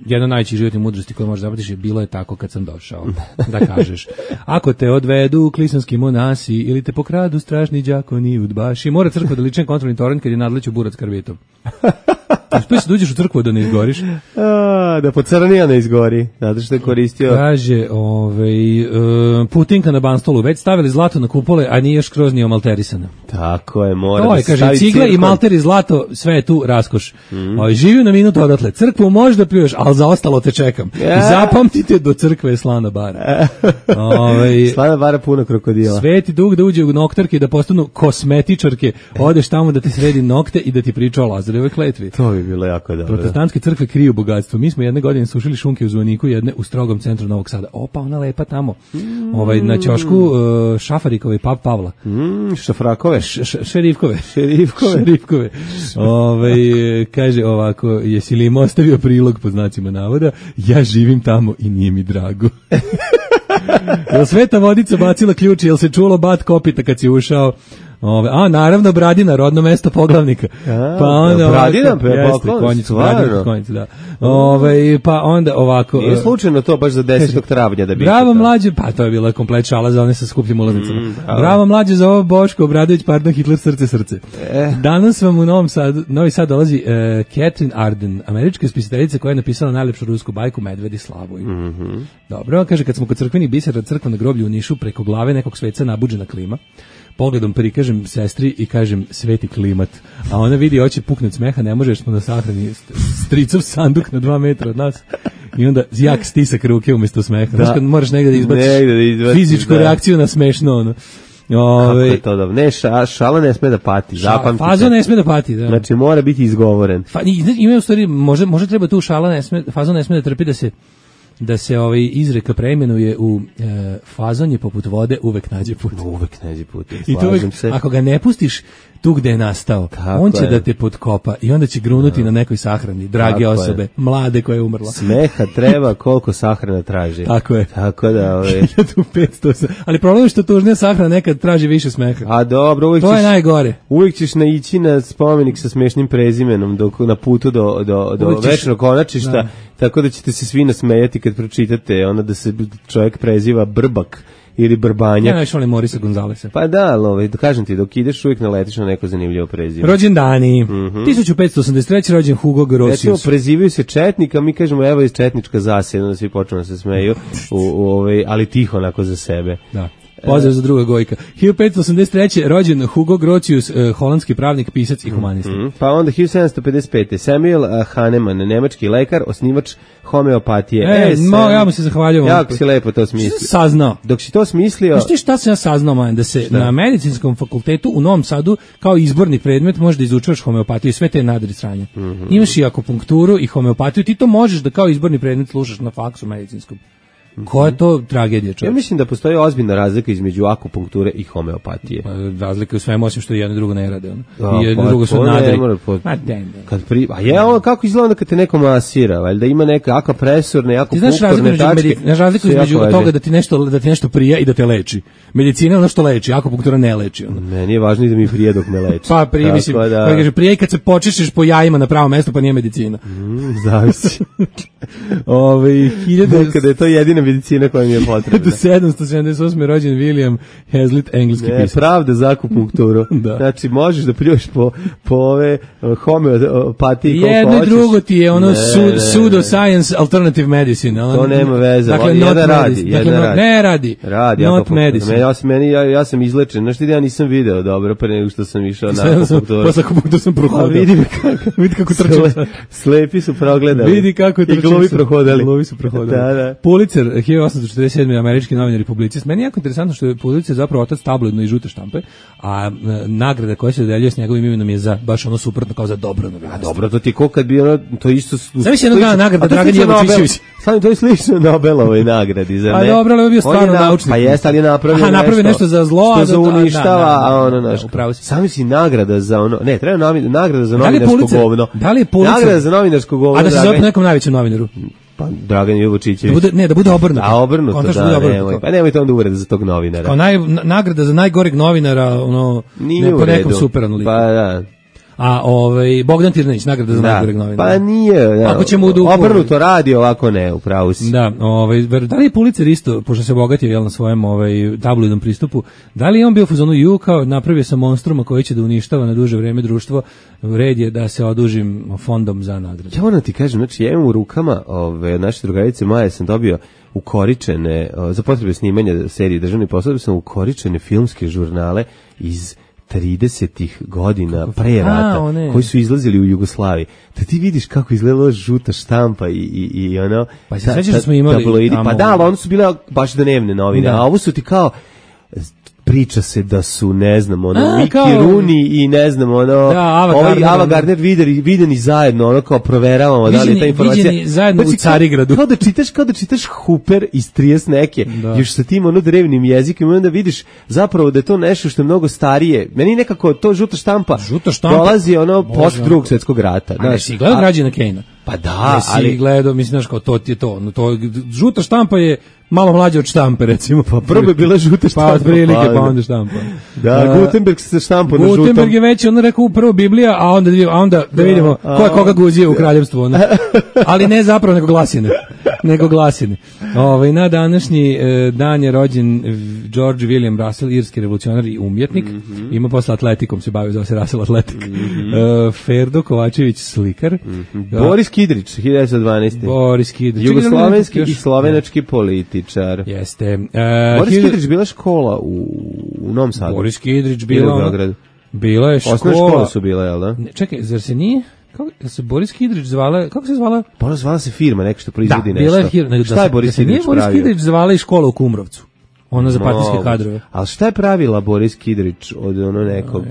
jedna od najvećih životnih mudrosti koje možeš zapamtiš je bilo je tako kad sam došao. Da kažeš. Ako te odvedu klisanski monasi ili te pokradu strašni đakoni udbaši, mora crkva da lične kontrolni torrent kad je nadleću burac karvitom. Uspio se da uđeš u crkvu da ne izgoriš. Da pocrnija ne izgori, zato što je koristio. Kaže, Putinka na Banstolu, već stavili zlato na kupole, a nije još skroz ni omalterisana. Tako je, mora da se kaže, stavi cigle cirkon. I malter i zlato, sve je tu raskoš. Živio na minutu odatle, crkvu možda pljuješ, ali za ostalo te čekam. I zapamtite, do crkve je slana bara. Slana bara puno krokodila. Sveti dug da uđe u noktarke i da postanu kosmetičarke, odeš tamo da ti sredi nokte i da ti priča o Lazarevoj kletvi. To bi bilo jako dobro. Protestantske crkve kriju bogatstvo. Mi smo jedne godine sušili šunke u zvoniku, jedne u strogom centru Novog Sada. Opa, ona lepa tamo. Na ćošku Šafarikove i Pap Pavla. Šafrakove. Šerifkove. Kaže ovako, jesi li im ostavio prilog po znacima navoda? Ja živim tamo i nije mi drago. Jel Sveta Vodica bacila ključ, jel se čulo bat kopita kad si ušao? Naravno Bradina, rodno mesto poglavnika. Pa onda Bradina, konjicu, da. Pa onda ovako. Nije slučajno to baš za 10. travnja da bi. Bravo mlađe, pa to je bila komplet šala za one sa skupljim ulaznicama. Bravo mlađe za ovo Boško Obradović, pardon, Hitler srce. Danas vam u Novi Sad dolazi Catherine Arden, američka spisateljica koja je napisala najlepšu rusku bajku Medvedi Slavoj. Dobro, kaže, kad smo kod crkvenih bisera, crkva na groblju u Nišu, preko glave nekog sveca nabuđena klima. Pogledom prikažem sestri i kažem sveti klimat, a ona vidi hoće puknut smeha, ne može, jer smo na sahrani stricov sanduk na 2 metra od nas i onda jak stisak ruke umjesto smeha. Znaš kad moraš negdje da izbaciš fizičku reakciju na smešno ono. Kako je to dobro? Ne, šala ne sme da pati, zapamtite. Fazon ne sme da pati, da. Znači mora biti izgovoren. Ima u stvari, može treba tu fazon ne sme da trpi da se izreka preimenuje u fazon je poput vode, uvek nađe put. I to uvek, ako ga ne pustiš tu gde je nastao, on će da te potkopa i onda će grunuti na nekoj sahrani, drage osobe, mlade koja je umrla. Smeha treba koliko sahrana traži. Tako je. Tako da, 1500. Ali problem je što tužnija sahrana nekad traži više smeha. A dobro, to je najgore. Uvijek ćeš naići na spomenik sa smešnim prezimenom na putu do večnog konačišta, tako da ćete se svi nasmejati kad pročitate ono da se čovjek preziva Brbak ili Brbanja. Ja najviše volim Morisa Gonzalesa. Pa da, kažem ti, dok ideš uvijek naletiš na neko zanimljivo prezime. Rođendani. 1583. rođen Hugo Grotius. Recimo, prezivaju se Četnika, mi kažemo evo iz Četnička zasjeda, da svi počnu da se smeju, ali tiho onako za sebe. Da. Pozdrav za druga Gojka. 1583. rođen Hugo Grotius, holandski pravnik, pisac i humanista. Pa onda 1755. Samuel Hahnemann, nemački lekar, osnivač homeopatije. Ja mu se zahvaljujem. Jako si lepo to smislio. Saznao. Dok si to smislio... Znaš ti šta sam ja saznao, man, da se na medicinskom fakultetu u Novom Sadu kao izborni predmet možeš da izučavaš homeopatiju i sve te nadri sranja. Imaš i akupunkturu i homeopatiju, ti to možeš da kao izborni predmet slušaš na faksu medicinskom. Koja je to tragedija, čovječ? Ja mislim da postoji ozbiljna razlika između akupunkture i homeopatije. Razlika u svemu, osim što jedno drugo ne rade. I jedno drugo su nadri. Kako izgleda kad te neko masira? Valjda ima neka akupresurne, akupunkturne tačke. Znaš razliku između toga da ti nešto prija i da te leči. Medicina je ono što leči, akupunktura ne leči. Meni je važno i da mi prije dok me leči. Pa prije, mislim, prije kad se počešeš po jajima na pravo mesto, pa nije medicina. Zavisi. Kada je to jedina medicina koja mi je potrebna. 1778. rođen William Hazlitt, engleski pisac. Pravda za akupunkturu. Znači, možeš da pljuješ po ove homeopatije koliko hoćeš. Jedno i drugo ti je ono pseudoscience alternative medicine. To nema veze. Dakle, jedan radi. Ne radi. Not medicine. Ja sam izlečen. Znaš ti da ja nisam video dobro pre nego što sam išao na akupunkturu. Posle akupunkturu sam prohodio. Vidi kako trčim. Slepi su progledali. Vidi kako trčim. I glovi prohodali. Pulitzer 1847. američki novinar i publicist. Meni je jako interesantno što je Pulitzer zapravo otac tabloidno i žute štampe, a nagrada koja se dodeljuje s njegovim imenom je za baš ono suprotno, kao za dobro novinarstvo. A dobro, to ti ko kad bi ono, to isto... Zamisli jednog dana nagrada Dragan Jevočićević. Samo to je slično Nobelovoj nagradi, za Pa dobro, ali je bio stvarno naučnik. Pa jeste, ali je napravio nešto za zlo, što za uništava, a ono nešto. Sami si nagrada za ono, ne, treba nagrada za novinarsko govno. Da li je Pulitzer? Nagrada za novinarsko govno. A da se zove nekom najvećem novinaru? Pa Dragan Jevočićević. Da bude obrnuto. A obrnuto, da, nemojte onda uvrede za tog novinara. Kao nagrada za najgoreg novinara, ono, ne po nekom superanu liku. Pa da. A Bogdan Tirnanić, nagrada za najgoreg novinara. Pa nije, da. Ako ćemo obrnuto radi, ovako ne, upravo si. Da, da li je Pulitzer isto, pošto se obogatio na svojem tabloidnom pristupu, da li je on bio u fazonu kao napravio sam monstruma koji će da uništava na duže vreme društvo, red je da se odužim fondom za nagradu. Ja moram ti kažem, znači ja imam u rukama od naše drugarice Maje sam dobio ukoričene, za potrebe snimanja serije Državni posao, sam ukoričene filmske žurnale iz 30-ih godina pre rata, koji su izlazili u Jugoslaviji. Da ti vidiš kako izgledala žuta štampa i ono... Pa se sveća da smo imali... Pa da, ali ono su bile baš dnevne novine, a ovo su ti kao... Priča se da su, ne znam, Mickey Rooney i ne znam, Ava Gardner videni zajedno, kao proveravamo da li je ta informacija. Viđeni zajedno u Carigradu. Kao da čitaš Hooper iz 30 neke, još sa tim drevnim jezikom i onda vidiš zapravo da je to nešto što je mnogo starije. Meni nekako to žuta štampa dolazi post Drugog svjetskog rata. A nesi gledao Građana Kejna? Pa da, ali gledao, mislim, znaš, kao to ti je to. Žuta štampa je malo mlađe od štampe, recimo. Pa prvo je bila žuta štampa. Pa od prilike, pa onda štampa. Da, Gutenberg se štampa na žutom. Gutenberg je već, rekao prvo Biblija, a onda da vidimo ko je koga guzio u kraljevstvu. Ali ne zapravo, nego glasine. Na današnji dan je rođen George William Russell, irski revolucionar i umjetnik. Ima posle atletikom, se bavio, zove se Russell Atletik. Ferdo Kovačević, slikar. Boris Kidrić, 1912. Boris Kidrić. Jugoslovenski i slovenački političar. Jeste. Boris Kidrić bila škola u Novom Sadu. Boris Kidrić bila je škola. Osnovne škole su bile, jel da? Čekaj, zar se nije? Kako se Boris Kidrić zvala? Kako se zvala? Pa zvala se firma, neko što proizvodi nešto. Da, bila je firma. Šta je Boris Kidrić pravio? Boris Kidrić zvala i škola u Kumrovcu. Ono za partijske kadrove. Ali šta je pravila Boris Kidrić od nekog?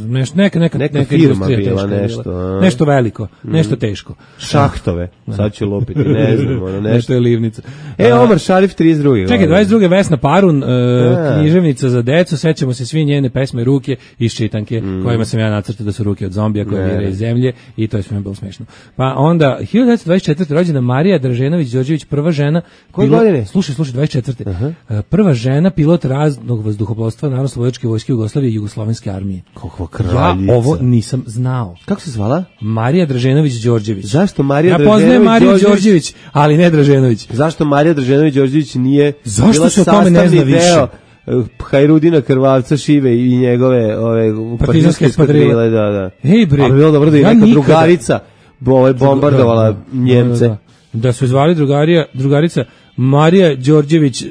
Ne znam, neka firma bila, nešto. Nešto veliko, nešto teško. Šahtove, sad ću lupiti, ne znam, nešto je livnica. Omar Šarif 32. Čekaj, 22. Vesna Parun, književnica za decu, sećamo se svi njene pesme Ruke iz čitanke, kojima sam ja nacrtao da su ruke od zombija koje vire iz zemlje i to je sve bilo smešno. Pa onda, 1924. rođena Marija Draženović-Đorđević, prva žena. Koje godine? Slušaj, 24. Prva žena pilot raznog vazduhoplovstva Narodnooslobodilačke vojske Jugoslavije i Jugoslovenske armije. Kakva kraljica. Ja ovo nisam znao. Kako se zvala? Marija Draženović-Đorđević. Zašto Marija Draženović? Ja poznajem Mariju Đorđević, ali ne Draženović. Zašto Marija Draženović-Đorđević nije bila sastavni deo Hajrudina Krvavca Šive i njegove partizanske eskadrile, da. Ej bre, ali bilo dobro da je neka drugarica bombardovala Njemce. Da su zvali drugarica Marija Đorđević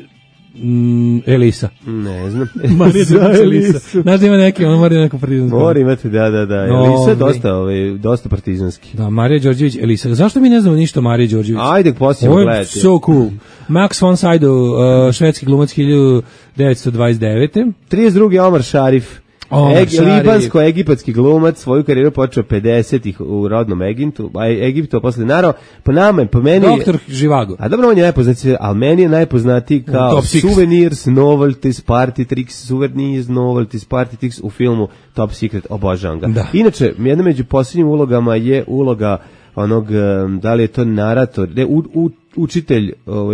Elisa. Ne znam. Marija Đorđević Elisa. Znaš da ima neki, ona mora neko partizanski. Mora imati, da. Elisa je dosta partizanski. Da, Marija Đorđević Elisa. Zašto mi ne znamo ništa o Mariji Đorđević? Ajde, posljedno gledati. So cool. Max von Sydow, švedski glumac 1929. 32. Omar Šarif. Libansko-egipatski glumac, svoju karijeru počeo 50-ih u rodnom Egiptu, a posle narao, po meni... Doktor Živago. A dobro, on je najpoznatiji, ali meni je najpoznatiji kao Souvenirs, Novelties, Party Tricks, Souvenirs, Novelties, Party Tricks u filmu Top Secret, obožavam ga. Inače, jedna među posljednjim ulogama je uloga onog, da li je to narator, učitelj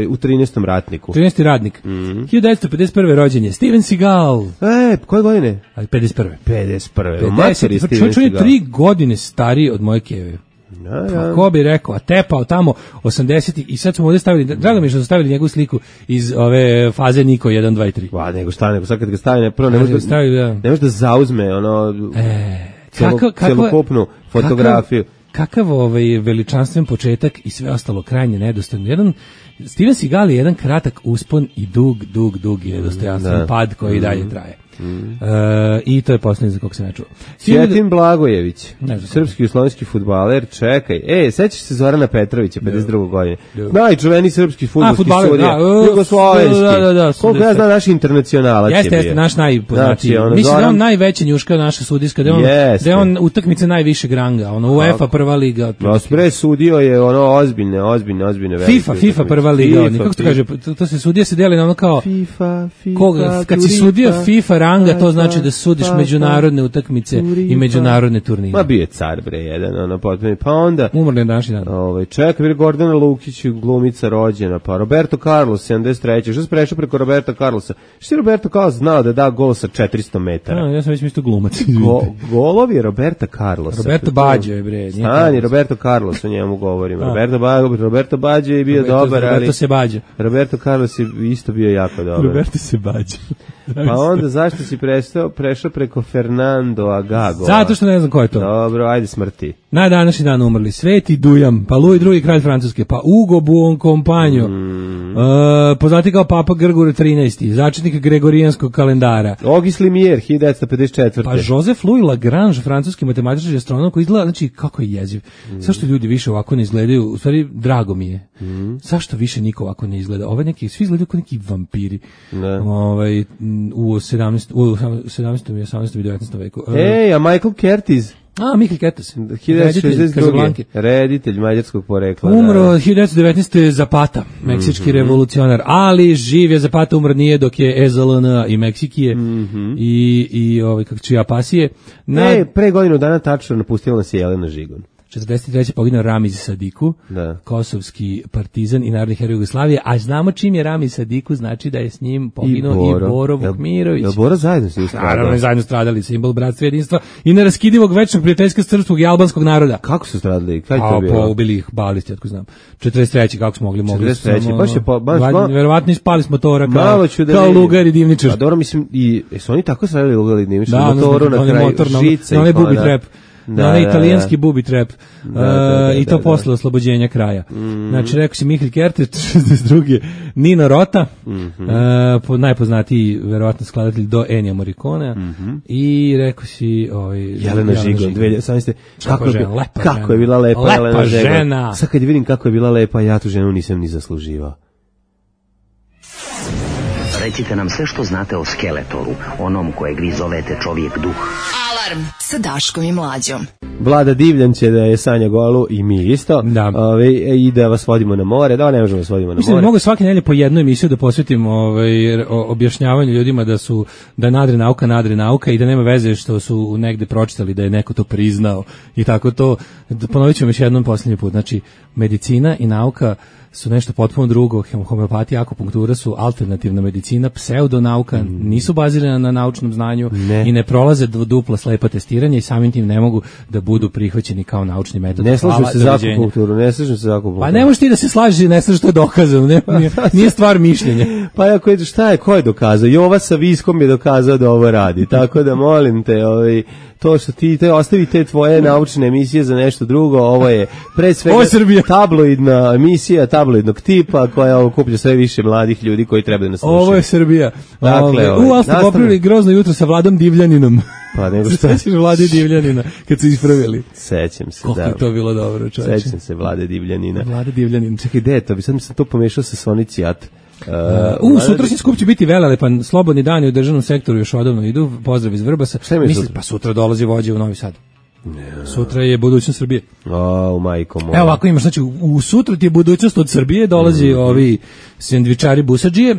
u 13. ratniku. 13. ratnik. 1951. rođenje. Steven Seagal. Koje godine? 51. 51. Čovjek je 3 godine stariji od moje keve. Ko bi rekao, a tepao tamo 80 i sad smo ovdje stavili, drago mi je što su stavili njegovu sliku iz ove faze Niko 1, 2 i 3. Nego sad kad ga stavi, prvo ne može da zauzme celokupnu fotografiju. Kakav veličanstven početak i sve ostalo krajnje nedostojno. Steven Seagal je jedan kratak uspon i dug i nedostojanstven pad koji dalje traje. I to je posljednji za kog se ne čuo. Sjetin Blagojević, srpski i slovenski fudbaler, čekaj. Sećaš se Zorana Petrovića, 52. godine? Najčuveniji srpski fudbalski sudija. Jugoslovenski. Koliko ja znam, naš internacionalac je bio. Jeste, naš najpoznatiji. Mislim da on najveća njuška naša sudijska, da je on utakmice najvišeg ranga, UEFA prva liga. Pre sudio je ozbiljne FIFA prva liga, kako se kaže, to se sudija se deli na ono kao FIFA. Kad si sudio FIFA ranga, to znači da sudiš međunarodne utakmice i međunarodne turnire. Ma bio je car bre jedan, potpuno. Pa onda umrli današnji dan. Čekaj, Gordana Lukić, glumica rođena, pa Roberto Carlos 73. Što se prešao preko Roberta Carlosa? Što je Roberto Carlos znao da da gol sa 400 metara? Ja sam već mislio glumac. Golovi je Roberta Carlosa. Roberto Baggio je bre. Stani, Roberto Carlos, o njemu govorim. Roberto Baggio je bio dobar, ali Roberto Carlos je isto bio jako dobar. Roberto se Baggio. Pa onda zašto si prešao preko Fernando Agago? Zato što ne znam ko je to. Dobro, ajde smrti. Na današnji dan umrli Sveti Dujam, pa Louis II, kralj Francuske, pa Ugo Buoncompagno, poznati kao Papa Grgur XIII, začetnik gregorijanskog kalendara. Auguste Limier, 1954. Pa Joseph Louis Lagrange, francuski matematičar i astronom, koji izgleda, znači kako je jeziv. Zašto ljudi više ovako ne izgledaju? U stvari, drago mi je. Zašto više niko ovako ne izgleda? Ove neki, svi izgledaju kao neki vampiri. U 17. i 18. i 19. veku. A Michael Curtiz? Michael Curtiz. 1962. Reditelj mađarskog porekla. Umro 1919. Zapata, meksički revolucionar, ali živ je Zapata, umro nije dok je EZLN i Meksikije i kako čija pasije. Pre godinu dana tačno napustila nas je Jelena Žigon. 43. poginuo Ramiz Sadiku, kosovski partizan i narodni heroj Jugoslavije, a znamo čim je Ramiz Sadiku, znači da je s njim poginuo i Boro Vukmirović. Jel Boro zajedno su stradali? Naravno, zajedno stradali, simbol bratstva i jedinstva i neraskidivog večnog prijateljstva srpskog i albanskog naroda. Kako su stradali? Kaj to bilo? Pa ubili ih balisti, otko znam. 43. kako smo mogli. 43. Verovatno ispali smo motora kao lugar i divničar. A dobro, mislim, su oni tako stradali lugar i divničar? Motoru na kraju žica i onaj bubi trep. Na italijanski bubi trap i to posle oslobođenja kraja. Znači, rekao si Mihael Kertes, 62. Nino Rota, najpoznatiji verovatno skladatelj do Ennija Morriconea, i rekao si Jelena Žigon, 2018. Kako je bila lepa Jelena žena. Sad kad vidim kako je bila lepa, ja tu ženu nisam ni zasluživao. Recite nam sve što znate o Skeletoru, onom kojeg vi zovete čovjek duh. Alarm sa Daškom i Mlađom. Vlada Divljan će da je Sanja Golu i mi isto. I da vas vodimo na more. Da, ne možemo vas vodimo na more. Mislim da mogu svake nedelje po jednu emisiju da posvetim objašnjavanju ljudima da je nadre nauka i da nema veze što su negde pročitali da je neko to priznao i tako to. Ponovit ćemo još jednom posljednji put. Znači, medicina i nauka su nešto potpuno drugo, homeopatija, akupunktura su alternativna medicina, pseudonauka, nisu bazirane na naučnom znanju i ne prolaze dupla slepa testiranja i samim tim ne mogu da budu prihvaćeni kao naučni metod. Ne slažem se za akupunkturu, Pa ne možeš ti da se slažeš i ne znaš što je dokazano, nije stvar mišljenja. Pa ako je, ko je dokazao? Jova sa Viskom je dokazao da ovo radi, tako da molim te, to što ti ostavi te tvoje naučne emisije za nešto drugo, ovo je pre svega tabloidna emisija, tabloidnog tipa koja okuplja sve više mladih ljudi koji treba da nas slušaju. Ovo je Srbija. Dakle, ali ste popravili grozno jutro sa Vladom Divljaninom. Pa nego šta? Sećaš Vlade Divljanina kad su ispravili? Sećam se, Koliko je to bilo dobro, čovječe. Sećam se Vlade Divljanina. Vlade Divljanin. Čekaj, gde je to? Sad sam to pomešao sa Sonicijat. Sutrašnji skup će biti velelepan, slobodni dani u državnom sektoru još odavno idu, pozdrav iz Vrbasa. Mislim, pa sutra dolazi vođa u Novi Sad. Sutra je budućnost Srbije. Majko moja. Evo ovako imaš, znači u sutra ti je budućnost od Srbije, dolazi ovi sendvičari busadžije.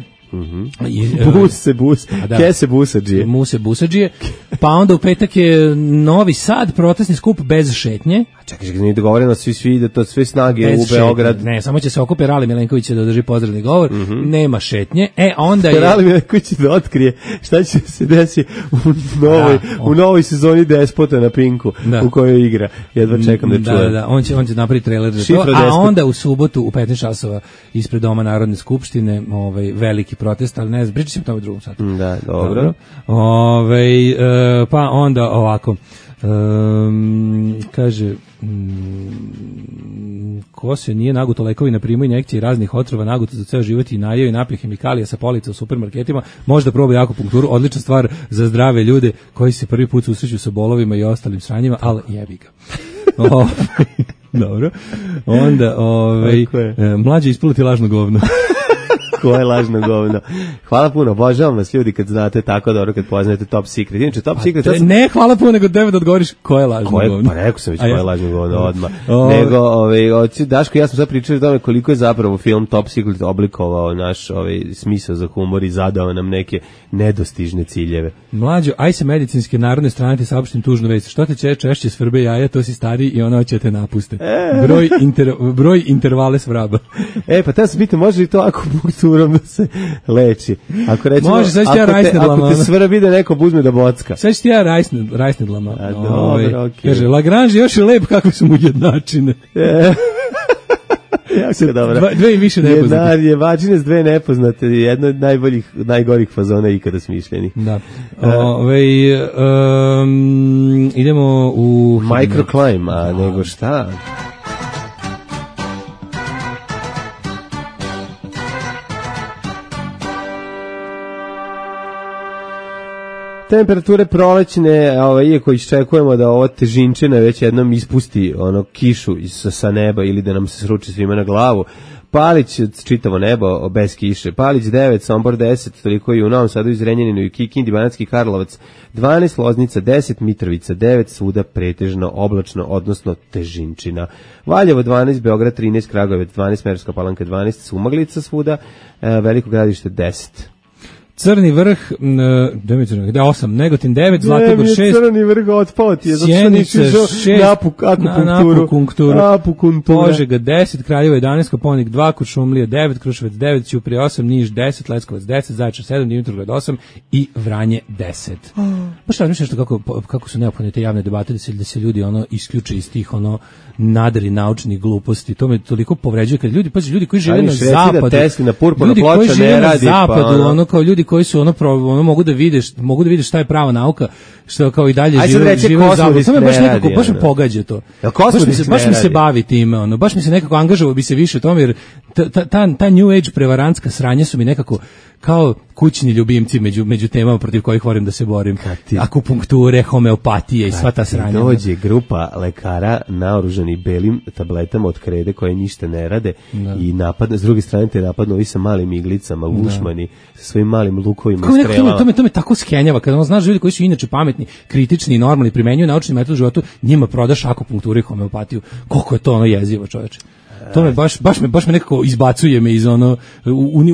Kese busadžije. Muse busadžije. Pa onda u petak je Novi Sad, protestni skup bez šetnje. Čekaj, nije dogovoreno svi da to sve snage bez u Beograd. Ne, samo će se okupe Rali Milenković da održi pozdravni govor. Nema šetnje. Onda je Rali Milenković da otkrije šta će se desiti u novoj sezoni Despota na Pinku u kojoj igra. Jedva čekam da čujem. Da, on će napraviti trailer za to. A onda u subotu u 15 časova ispred Doma Narodne skupštine veliki protest, ali ne znam, pričat ćemo to u drugom satu. Da, dobro. Pa onda ovako, kaže, ko se nije naguto lekovi na primu injekcije raznih otrova, naguto za ceo život i najeo i napio hemikalija sa polica u supermarketima, možda proba akupunkturu, odlična stvar za zdrave ljude koji se prvi put susreću sa bolovima i ostalim sranjima, ali jebi ga. Dobro. Onda, mlađe ispuluti lažno govno. Koje lažno govno. Hvala puno, obožavam vas ljudi kad znate tako dobro, kad poznajete Top Secret. Inače, Top Secret... Ne, hvala puno, nego tebe da odgovoriš koje je lažno govno. Pa rekao sam već koje je lažno govno odmah. Nego, Daško, ja sam sad pričao o tome koliko je zapravo film Top Secret oblikovao naš smisao za humor i zadao nam neke nedostižne ciljeve. Mlađo, aj se medicinske narodne strane ti saopštim tužnu vest. Što te češće svrbe jaja, to si stari i ona će te napuste. Broj intervale svraba. Pa ta se pita, može li to akupunkturom da se leči? Ako recimo, može, ako te svrbi da neko uzme da bocka. Sad ću ti ja rajsnedlama. Dobro, okej. Kaže, Lagrange još je lep kako su mu jednačine. Jako dobro. Dve i više nepoznate. Jebačine s dve nepoznate, jedno od najgorih fazona ikada smišljenih. Da. Idemo u... Microclimb, a nego šta? Temperature prolećne, iako iščekujemo da ova težinčina već jednom ispusti kišu sa neba ili da nam se sruči svima na glavu. Palić, čitavo nebo, bez kiše. Palić 9, Sombor 10, toliko i u Novom Sadu, i Zrenjaninu, i Kikindi, Banatski Karlovac 12, Loznica 10, Mitrovica 9, svuda pretežno oblačno, odnosno težinčina. Valjevo 12, Beograd 13, Kragujevac 12, Smederevska Palanka 12, Sumaglica svuda, Veliko Gradište 10. Crni vrh, 8, Negotin 9, Zlatibor 6. Crni vrh otpao ti je, zato što nisi na akupunkturu. Požega 10, Kraljevo 11, Koponik 2, Kuršumlija 9, Kruševac 9, Ćuprija 8, Niš 10, Leskovac 10, Zaječar 7, Dimitrovgrad 8 i Vranje 10. Baš razmišljaš kako su neophodne te javne debate da se ljudi isključe iz tih nadri naučnih gluposti. To me toliko povređuje kad ljudi koji žive na zapadu, ljudi koji žive na zapadu, kao ljudi koji su mogu da vide šta je prava nauka, što kao i dalje žive u zapadu. To me baš nekako baš me pogađa to. Baš mi se bavi time, baš mi se nekako angažovao bi se više u tome, jer ta new age prevarantska sranja su mi nekako kao kućni ljubimci među temama protiv kojih volim da se borim. Akupunkture, homeopatije i sva ta sranja. Dođe grupa lekara naoružani belim tabletama od krede koje ništa ne rade i napadne, s druge strane te napadnu ovi sa malim iglicama, vušmani, sa svojim malim lukovima i strelama. To me tako skenjava, kada znaš ljudi koji su inače pametni, kritični i normalni, primenjuju naučni metod u životu, njima prodaš akupunkturu i homeopatiju. Koliko je to jezivo, čoveče. To me baš me nekako izbacuje me iz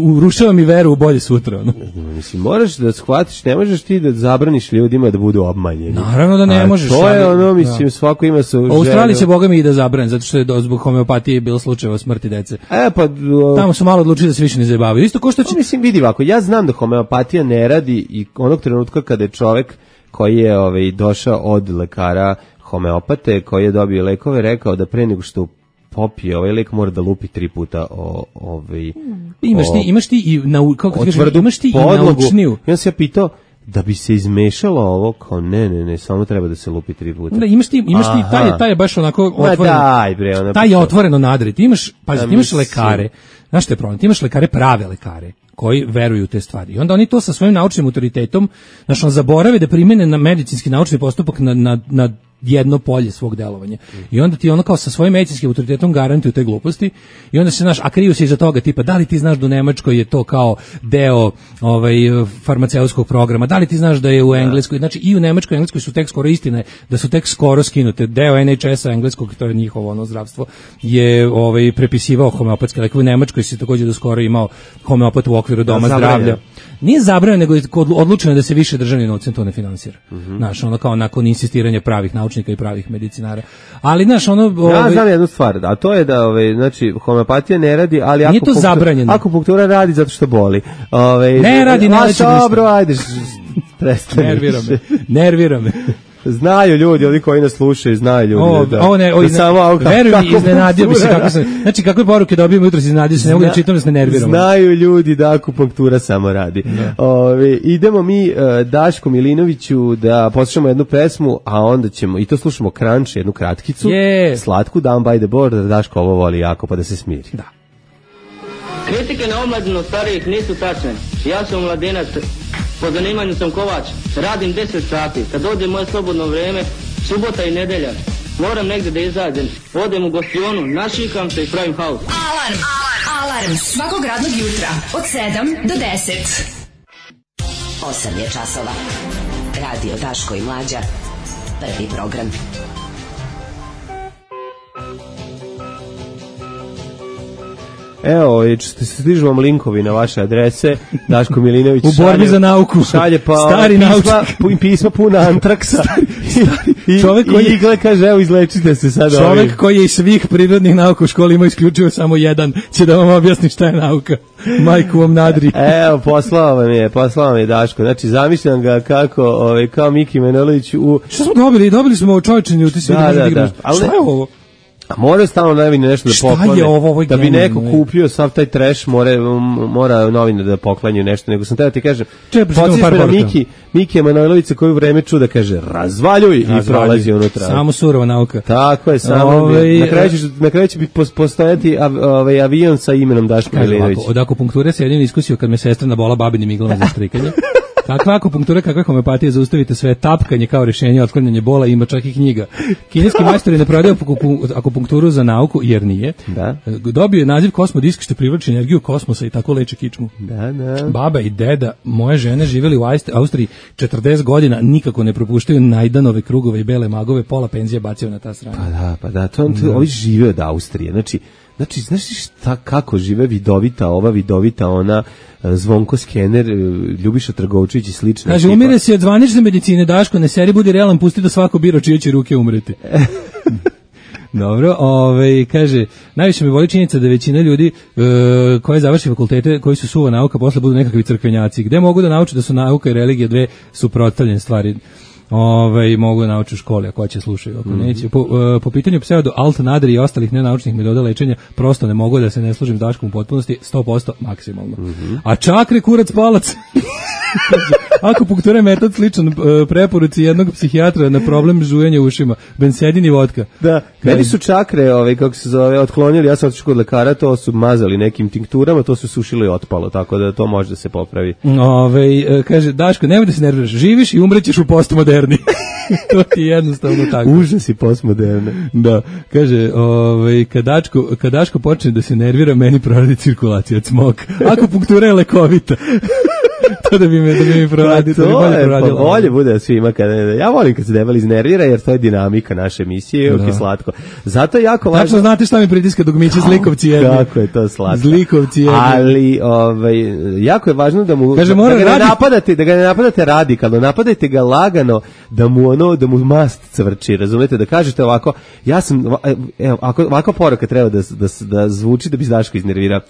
urušava mi veru u bolje sutra. Mislim, moraš da shvatiš, ne možeš ti da zabraniš ljudima da budu obmanjeni. Naravno da ne možeš. To je mislim, svako ima svoju želju. U Australiji će boga mi i da zabrane, zato što je zbog homeopatije bilo slučajeva smrti dece. Tamo su malo odlučili da se više ne zabavaju. Isto ko što će... Mislim, vidi ovako, ja znam da homeopatija ne radi i onog trenutka kada je čovek koji je došao od lekara homeopate, koji je dobio lekove, rekao da pre nego što popije ovaj lek mora da lupi 3 puta imaš ti i naučniju. Ja sam ja pitao da bi se izmešalo ovo, kao ne, samo treba da se lupi 3 puta. Da, imaš ti taj je baš onako otvoreno. Taj je otvoreno nadrit. Imaš lekare. Znaš što je problem? Ti imaš lekare, prave lekare, koji veruju u te stvari. I onda oni to sa svojim naučnim autoritetom, zaborave da primene na medicinski naučni postupak na jedno polje svog delovanja. I onda ti kao sa svojim medicinskim autoritetom garantuju te gluposti i onda se a kriju se iza toga tipa, da li ti znaš da u Nemačkoj je to kao deo farmaceutskog programa, da li ti znaš da je u Engleskoj, znači i u Nemačkoj i Engleskoj su tek skoro istine, da su tek skoro skinute, deo NHS-a engleskog, to je njihovo zdravstvo, je prepisivao homeopatske lekove. U Nemačkoj se također do skoro imao homeopat u okviru doma zdravlja. Nije zabranjeno, nego je odlučeno da se više državni novcem to ne finansira. Znaš, kao nakon insistiranja pravih naučnika i pravih medicinara. Ali znaš, ja znam jednu stvar, a to je da znači homeopatija ne radi, ali akupunktura radi zato što boli. Ne radi, dobro, ajde. Nervira me. Znaju ljudi, oni koji nas slušaju, znaju ljudi. Veruj mi, iznenadio bi se kako sam. Znači, kakve poruke dobijemo jutros, iznenadio se, ne mogu da čitam da se ne nerviramo. Znaju ljudi da akupunktura samo radi. Idemo mi Daško Milinoviću da poslušamo jednu pesmu, a onda ćemo, i to slušamo Crunch, jednu kratkicu, slatku, Down by the Border, Daško ovo voli jako, pa da se smiri. Da. Kritike na omladinu starijih nisu tačne. Ja sam mladenac, po zanimanju sam kovač, radim 10 sati. Kad dođe moje slobodno vreme, subota i nedelja, moram negde da izađem. Odem u gostionu, našikam se i pravim haos. Alarm svakog radnog jutra od 7 do 10. 8 je časova. Radio Daško i Mlađa. Prvi program. Evo, stižu vam linkovi na vaše adrese. Daško Milinović u borbi za nauku šalje pa stari pisma puna antraksa i igle kaže evo izlečite se sad. Čovek koji je iz svih prirodnih nauka u školi ima isključivo samo jedan će da vam objasni šta je nauka. Majku vam nadri. Evo, poslao vam je Daško. Znači, zamišljam ga kako, kao Miki Manojlović u... Šta smo dobili? Dobili smo čovječni utisak. Da. Šta je ovo? A mora stalno novine nešto da poklone. Da bi neko kupio sav taj trash, mora novine da poklanju nešto. Nego sam teo ti kažem, podsjeti me na Miki Manojlovića koji u vreme čuda kaže razvaljuj i prolazi unutra. Samo surova nauka. Tako je, samo. Na kraju će postojati avion sa imenom Daško Milinović. Od akupunkture se jedin iskusio kad me sestra nabola babinim iglama za strikanje. Kakva akupunktura, kakva homeopatija, zaustavite sve, tapkanje kao rješenje, otklanjanje bola, ima čak i knjiga. Kineski majstori ne prodaju akupunkturu za nauku, jer nije. Da. Dobio je naziv kosmodisk što privlači energiju kosmosa i tako leče kičmu. Da. Baba i deda moje žene živjeli u Austriji 40 godina, nikako ne propuštaju Najdanove krugove i bele magove, pola penzije bacio na ta strana. Pa da, ovi žive od Austrije, znači, znaš šta, kako žive vidovita ona, Zvonko Skener, Ljubiša Trgovčević i slična. Kaže, umire se od zvanične medicine, Daško, ne seri, budi realan, pusti da svako biro čije će ruke umreti. Dobro, kaže, najviše me boli činjenica da većina ljudi koji završi fakultete, koji su suva nauka, posle budu nekakvi crkvenjaci. Gde mogu da nauče da su nauka i religija dve suprotstavljene stvari? Mogu da nauče u školi, ako će slušaju, ako neće. Po pitanju pseudo alt nadri i ostalih nenaučnih metoda lečenja, prosto ne mogu da se ne služim Daškom u potpunosti, 100% maksimalno. A čakre, kurac, palac. Akupunktura je metod sličan preporuci jednog psihijatra na problem žujenja ušima, bensedin i vodka. Da, meni su čakre, kako se zove, otklonili, ja sam otišao kod lekara, to su mazali nekim tinkturama, to su sušilo i otpalo, tako da to može da se popravi. Kaže, Daško, nemoj da se nerviraš, živiš i umrećeš u postmoderni. To ti je jednostavno tako. Užas i postmoderne. Da, kaže, kad Daško počne da se nervira, meni proradi cirkulacija od smoka. Akupunktura je lekovita. To da bi mi proradilo. Pa bolje bude svima ja volim kad se debeli iznervira jer to je dinamika naše emisije, je slatko. Zato je jako važno. Tačno znate šta mi pritiska dugmiće zlikovci jedni. Kako je to slatko. Zlikovci jedni. Ali jako je važno da mu kaže, da ga ne napadate radikalno, napadajte ga lagano da mu mast cvrči, razumete, da kažete ovako, ja sam ovako poruka treba da zvuči da bi Daško iznervirao.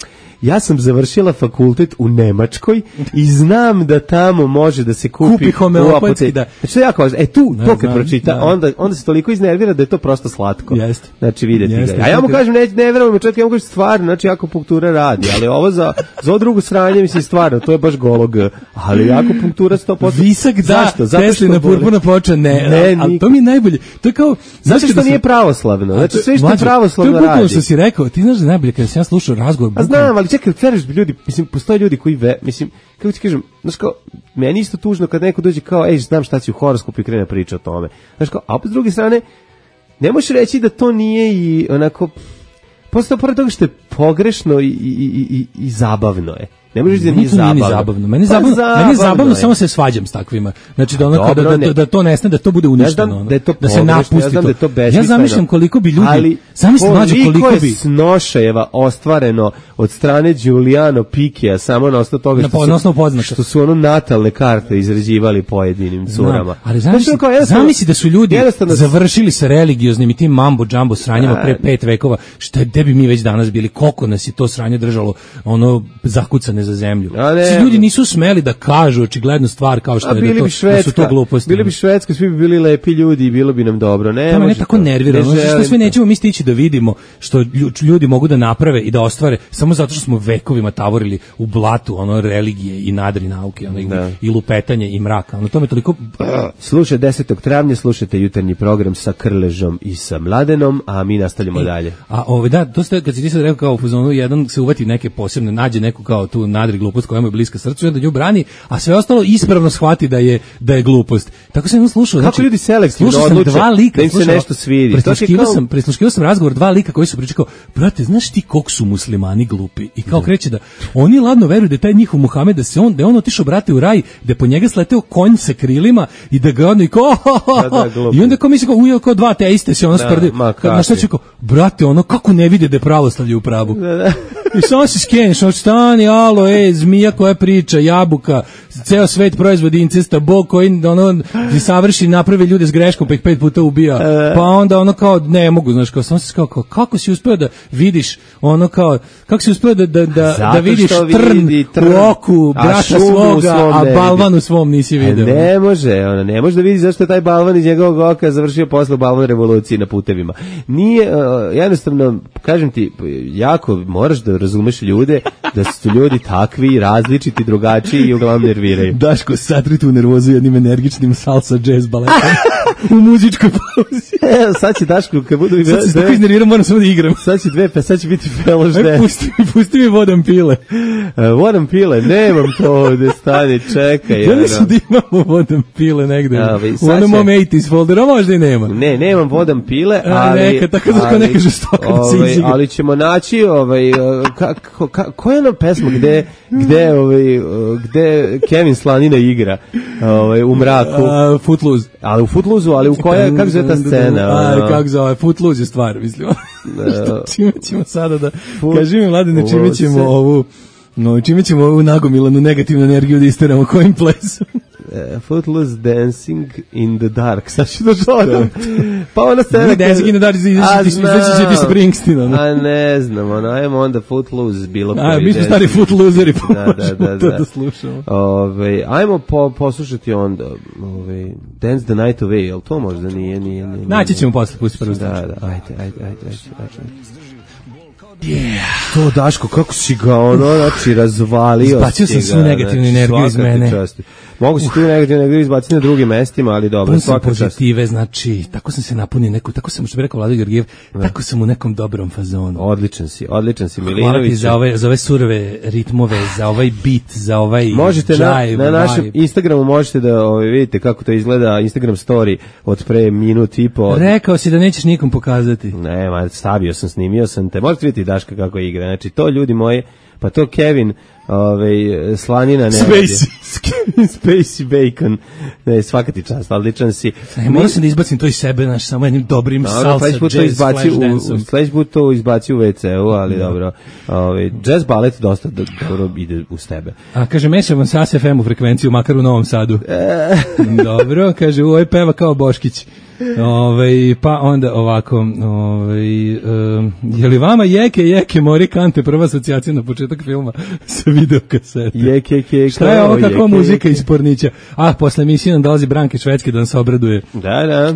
Ja sam završila fakultet u Nemačkoj i znam da tamo može da se kupi homeopatski, da. Znači, jako važno. To kad pročita, onda se toliko iznervira da je to prosto slatko. Jeste. Znači, vidjeti ga. A ja mu kažem, ne verujem, čak ja mu kažem, stvarno, znači, akupunktura radi, ali ovo za ovo drugo sranje, mislim, stvarno, to je baš golog, ali akupunktura 100%. Visak, da, Teslina purpurna ploča, ne, ali to mi je najbolje. To je kao, znači što nije pravoslavno, znači sve što je pravoslavno radi. To je bukvalno što si rekao, ti znaš da najbolje kada sam ja slušao razgovor. A znam, ali čekaj, ljudi, mislim, postoje ljudi koji kako ti kažem, znaš kao, meni isto tužno kad neko dođe kao, znam šta će u horoskopu i krene priča o tome. Znaš kao, a s druge strane, ne možeš reći da to nije i onako, pored toga što je pogrešno i zabavno je. Ne možeš da nije zabavno. Meni je zabavno, samo se svađam s takvima. Znači da to nestane, da to bude uništeno, da se napusti to. Ja zamišljam koliko bi ljudi, koliko je snošajeva ostvareno od strane Giuliano Pikija samo na osnovu toga što su natalne karte izrađivali pojedinim curama. Ali zamisli da su ljudi završili sa religioznim i tim mambo džambo sranjima pre 5 vekova, gde bi mi već danas bili, koliko nas je to sranje držalo zakucane opasne za zemlju. Ljudi nisu smeli da kažu očiglednu stvar kao što je da su to gluposti. Bili bi Švedska, svi bi bili lepi ljudi i bilo bi nam dobro. Ne tako nervirano. Što sve nećemo mi stići da vidimo što ljudi mogu da naprave i da ostvare samo zato što smo vekovima tavorili u blatu religije i nadri nauke, i lupetanje i mraka. To me toliko... Slušaj, 10. travnja slušajte jutarnji program sa Krležom i sa Mladenom, a mi nastavljamo dalje. To ste, kad si ti sad rekao kao u fazonu, jedan se uvati neke posebne, nađe neku kao tu nadri glupost koja mu je bliska srcu i onda nju brani, a sve ostalo ispravno shvati da je glupost. Tako sam slušao. Kako ljudi selektivno odluče da im se nešto svidi. Presluškivao sam razgovor dva lika koji su pričali kao, brate, znaš ti koliko su muslimani glupi? I kao kreće da oni ladno veruju da je taj njihov Muhamed, da je on otišao, brate, u raj, da je po njega sleteo konj sa krilima i da ga ono i kao, i onda kao misli kao dva teiste se sprdi. Na što će kao, brate, kako ne vide da je pravoslavlje u pravu? I samo se skeneš, stani, alo, zmija koja priča, jabuka, ceo svet proizvodi incesta, Bog koji savrši, napravi ljude s greškom pa ih 5 puta ubija, pa onda kao ne mogu, znaš, kao samo se kao kako si uspeo da vidiš kako si uspeo da vidiš trn u oku brata svoga, a balvan u svom nisi video. Ne može da vidi zašto je taj balvan iz njegovog oka završio posle balvan revolucije na putevima. Nije, jednostavno, kažem ti, jako moraš da razumeš ljude, da su ljudi takvi, različiti, drugačiji i uglavnom nerviraju. Daško, satri tu nervozu jednim energičnim salsa jazz baletom u muzičkoj pauzi. Sad će Daško, kad budu... Sad se tako iznerviram, moram samo da igram. Sad će biti feloš dance. Pusti mi vodam pile. Vodam pile, nemam to ovde, stani, čekaj. Ja mislim da imamo vodam pile negde. U onom mom 80s folderu, možda i nema. Ne, nemam vodam pile, neka žestoka ali ćemo naći koja je ona pesma gde Kevin Slanina igra u mraku? Footloose. Ali u Footloose-u, ali u koja, kako zove ta scena? Kako zove, Footloose je stvar, mislim. Čime ćemo sada da... Kaži mi, Mladine, čime ćemo ovu nagomilanu negativnu energiju da isteramo, kojim plesom? Footloose Dancing in the Dark. Sad ću da dodam. Pa ona scena... Dancing in the Dark izaći će ti Springsteen. A ne znam, ajmo onda Footloose bilo koji. Mi smo stari Footlooseri, možemo to da slušamo. Ajmo poslušati onda Dance the Night Away, jel to možda nije? Naći ćemo posle, pusti prvo slušati. Ajde. To, Daško, kako si ga razvalio. Izbacio sam svu negativnu energiju iz mene. Mogu si tu negativnu energiju izbaciti na drugim mestima, ali dobro. Pun sam pozitive, znači, tako sam se napunio, tako sam, što bi rekao Vlado Georgijev, tako sam u nekom dobrom fazonu. Odličan si, Milinović. Hvala ti za ove surove ritmove, za ovaj beat, za ovaj jive. Na našem Instagramu možete da vidite kako to izgleda, Instagram story od pre minut i po. Rekao si da nećeš nikom pokazati. Ne, stavio sam, snimio sam te. Možete vidjeti Daška kako igra. Znači, to ljudi moji, pa to Kevin Slanina ne Spacey Bacon, ne, svaka ti čast, odličan si. Moram se da izbacim to iz sebe, samo jednim dobrim salsa, jazz, flash dance-om. Sledeći put to izbaci u WC-u, ali dobro. Jazz balet dosta dobro ide uz tebe. A kaže, mešavam sa FM-u frekvenciju, makar u Novom Sadu. Dobro, kaže, ovo je peva kao Boškić. Pa onda ovako, je li vama jeke mori kante prva asocijacija na početak filma sa videokasete? Šta je ovo, kako muzika iz Pornića? Posle emisije nam dolazi Branke Švedske da nam se obraduje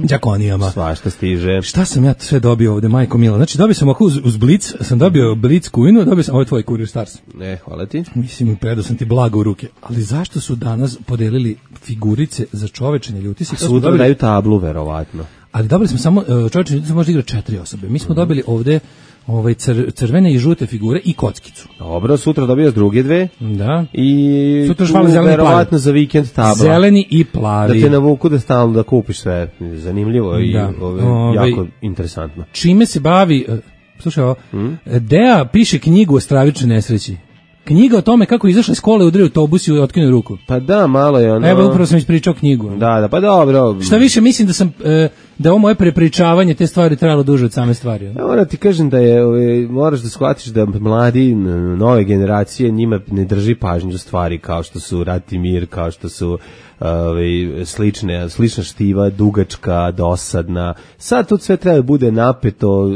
đakonijama. Svašta stiže. Šta sam ja sve dobio ovde, majko mila? Znači, dobio sam uz Blic, sam dobio Blic Kuinu, dobio sam, ovo je tvoj Kurir Stars. Hvala ti. Mislim, predao sam ti blago u ruke. Ali zašto su danas podelili figurice za čovečenje ljuti se? Sutra daju tablu, verovatno. Ali dobili smo samo, čovečenje ljuti se može igrati 4 osobe. Mi smo dobili ovde crvene i žute figure i kockicu. Dobro, sutra dobio druge dve. Da. I sutra švala zeleni i plavi. Za vikend tabla. Zeleni i plavi. Da te navuku da stalno da kupiš sve. Zanimljivo i jako interesantno. Čime se bavi, slušaj ovo, Dea piše knjigu o stravičnoj nesreći. Knjiga o tome kako izašla iz škole, udario autobus i otkinuo ruku. Pa da, malo je ono... Evo, upravo sam ispričao knjigu. Da, pa dobro. Šta više, mislim da sam da ovo moje prepričavanje te stvari trajalo duže od same stvari. Ja moram ti kažem da moraš da shvatiš da mladi, nove generacije, njima ne drži pažnju za stvari kao što su Rat i mir, kao što su slična štiva, dugačka, dosadna. Sad to sve treba da bude napeto,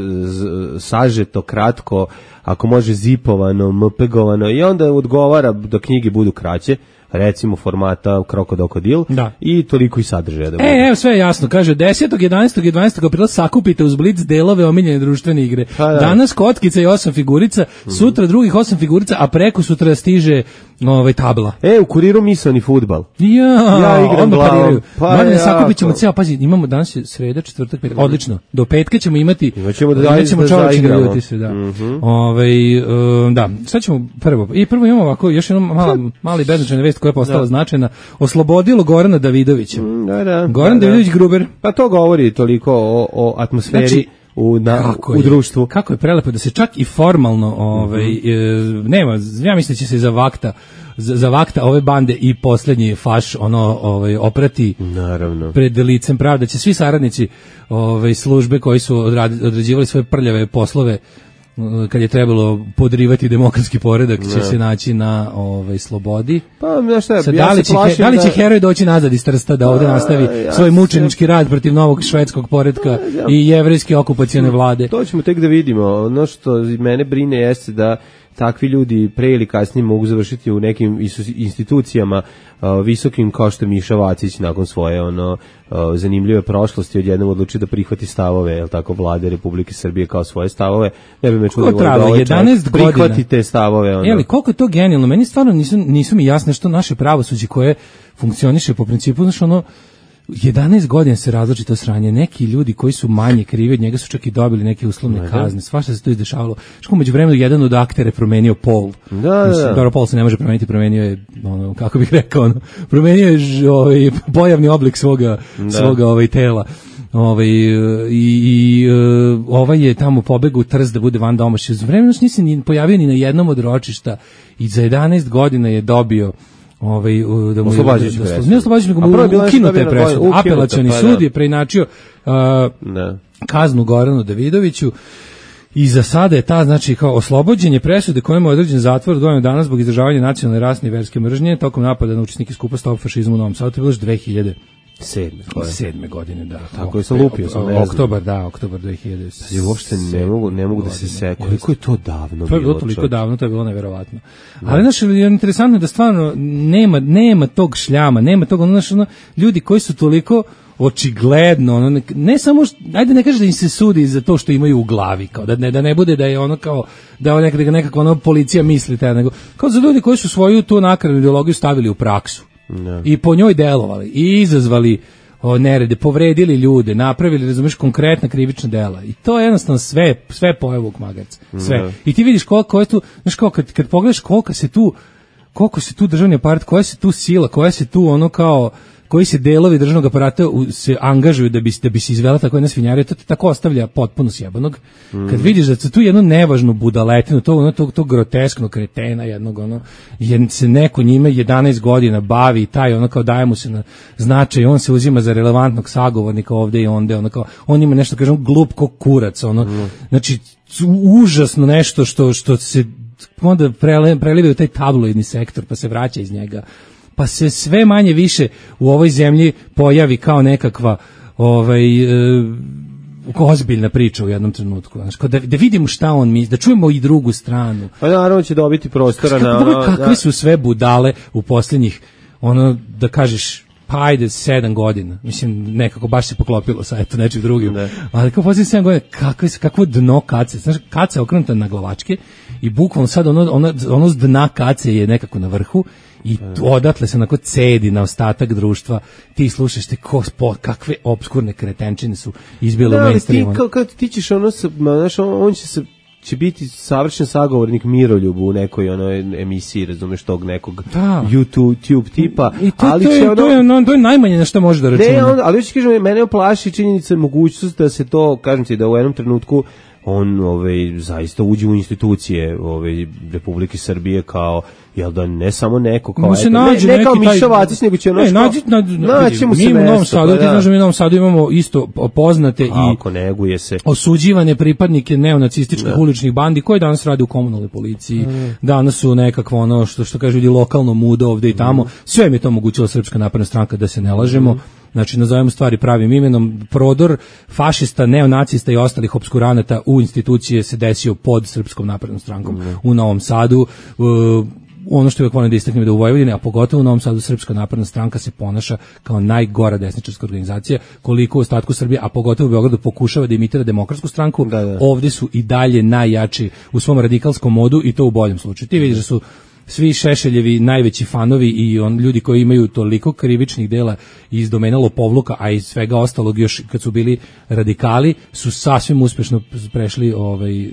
sažeto, kratko, ako može zipovano, mpegovano, i onda odgovara da knjige budu kraće, recimo formata Krokodil, i toliko i sadržaja da bude. Evo sve je jasno, kaže 10., 11. i 12. aprila sakupite uz Blic delove omiljene društvene igre. Danas kockica i 8 figurica, sutra drugih 8 figurica, a preko sutra stiže tabla. U Kuriru misaoni fudbal. Ja igram glavom. Mladine, sakupit ćemo ceo, pazi, imamo danas je sreda, četvrtak, petak, odlično. Do petka ćemo imati, imaćemo čovječne ljudise, da. Da, sad ćemo prvo imamo ovako, još jednom mali beznačajna vest koja je postala značajna, oslobodilo Gorana Davidovića. Goran Davidović Gruber. Pa to govori toliko o atmosferi, znači, u društvu. Kako je prelepo da se čak i formalno nema, ja mislim da će se za vakta ove bande i posljednji faš oprati pred licem pravde, da će svi saradnici službe koji su odrađivali svoje prljave poslove kad je trebalo podrivati demokratski poredak, će se naći na slobodi. Pa, znaš šta, da li će heroj doći nazad iz Trsta da ovde nastavi svoj mučenički rad protiv novog švedskog poretka i jevrejske okupacione vlade? To ćemo tek da vidimo. Ono što mene brine jeste da takvi ljudi pre ili kasnije mogu završiti u nekim institucijama visokim, kao što je Miša Vacić nakon svoje zanimljive prošlosti odjednom odluči da prihvati stavove, je li tako, vlade Republike Srbije kao svoje stavove. Ne bi me čudo da ovaj čovjek prihvati te stavove. Koliko je to genijalno? Meni stvarno nisu mi jasne što naše pravosuđe koje funkcioniše po principu, 11 godina se različito sranje. Neki ljudi koji su manje krivi od njega su čak i dobili neke uslovne kazne. Svašta se to izdešavalo. Što među vremenu jedan od aktere promenio pol. Dobro, pol se ne može promeniti, promenio je, kako bih rekao, promenio je pojavni oblik svoga tela. Ovaj je tamo pobegao u Trst da bude van domaći. Za vremenu se nisi ni pojavio ni na jednom od ročišta i za 11 godina je dobio da mu ukinuta je presuda. Apelacioni sud je preinačio kaznu Goranu Davidoviću i za sada je ta, znači, kao oslobođenje presude kojemu je određen zatvor od godinu dana zbog izražavanja nacionalne, rasne i verske mržnje tokom napada na učesnike skupa Stop fašizmu u Novom Sadu. To je bilo još 2007. godine, da. Tako je, sam lupio sam. Oktobar 2007. Uopšte ne mogu da se setim. Koliko je to davno? To je bilo toliko davno, to je bilo neverovatno. Ali, znaš, je interesantno da stvarno nema tog šljama, nema tog, ljudi koji su toliko očigledno, ne samo, ajde ne kaže da im se sudi za to što imaju u glavi, kao da ne bude da je kao, da nekako policija misli, nego kao za ljudi koji su svoju tu nakranu ideologiju stavili u praksu. I po njoj delovali i izazvali nerede, povredili ljude, napravili, razumeš, konkretna krivična dela. I to je jednostavno sve pojave ovog magarca. Sve. I ti vidiš koliko je tu, znaš, kad pogledaš koliko se tu državni aparat, koja se tu sila, koja se tu koji se delovi državnog aparata se angažuju da bi se izvela tako jedna svinjarija, to te tako ostavlja potpuno sjebanog. Kad vidiš da se tu jednu nevažnu budaletinu, to groteskno kretena jednog, jer se neko njime 11 godina bavi i taj, kao daje mu se na značaj, on se uzima za relevantnog sagovornika ovde i onde, on ima nešto, kažem, glup ko kurac, znači, užasno nešto što se onda preliva u taj tabloidni sektor, pa se vraća iz njega, pa se sve manje više u ovoj zemlji pojavi kao nekakva ozbiljna priča u jednom trenutku. Da vidimo šta on misli, da čujemo i drugu stranu. Pa naravno će dobiti prostora kakve su sve budale u posljednjih, da kažeš, pa ajde 7 godina. Mislim, nekako baš se poklopilo sa nečim drugim. Ali kao posljednjih 7 godina, kakvo dno kace. Znaš, kaca je okrenuta na glavačke i bukvalno sad ono s dna kace je nekako na vrhu i odatle se onako cedi na ostatak društva. Ti slušaš kakve obskurne kretenčine su izbile u mainstreamu. Kad ti ćeš on će biti savršen sagovornik Miroljubu u nekoj emisiji, razumeš, tog nekog YouTube tipa. I to je najmanje na što može da računa. Ali već kažem, mene plaši činjenica, mogućnost da se to, kažem ti, da u jednom trenutku on zaista uđe u institucije Republike Srbije kao jel da ne samo neko kao ne kao Miša Vacić, nego će naći mu se mi u Novom Sadu, ti znaš da mi u Novom Sadu imamo isto poznate i neguje se osuđivane pripadnike neonacističkih uličnih bandi koji danas rade u komunalnoj policiji, danas su nekakvo ono što kažu ljudi lokalno muda ovde i tamo, sve mi je to omogućila Srpska napredna stranka, da se ne lažemo. Znači, nazovemo stvari pravim imenom, prodor fašista, neonacista i ostalih opskuranata u institucije se desio pod Srpskom naprednom strankom u Novom Sadu. Ono što je volim da istaknem da u Vojvodini, a pogotovo u Novom Sadu, Srpska napredna stranka se ponaša kao najgora desničarska organizacija, koliko u ostatku Srbije, a pogotovo u Beogradu pokušava da imitira Demokratsku stranku, ovdje su i dalje najjači u svom radikalskom modu i to u boljem slučaju. Ti vidiš da su svi Šešeljevi najveći fanovi i ljudi koji imaju toliko krivičnih dela iz domena lopovluka, a iz svega ostalog još kad su bili radikali, su sasvim uspešno prešli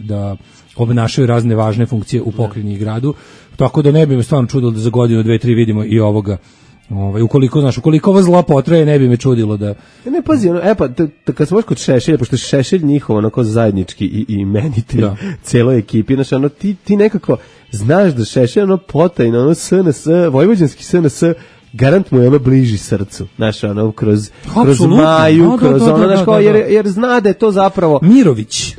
da obnašaju razne važne funkcije u pokrajini i gradu. Tako da ne bi me stvarno čudilo da za godinu, 2, 3 vidimo i ovoga. Ukoliko ovo zlo potraje, ne bi me čudilo da... Ne, pazi, kad smo kod Šešelja, pošto je Šešelj njihov onako zajednički i imenitelj celoj ekipi, znači ti nekako znaš da Šešelj potajno, SNS, vojvođanski SNS, garant mu je bliži srcu, znaš, kroz Maju, kroz jer zna da je to zapravo... Mirović,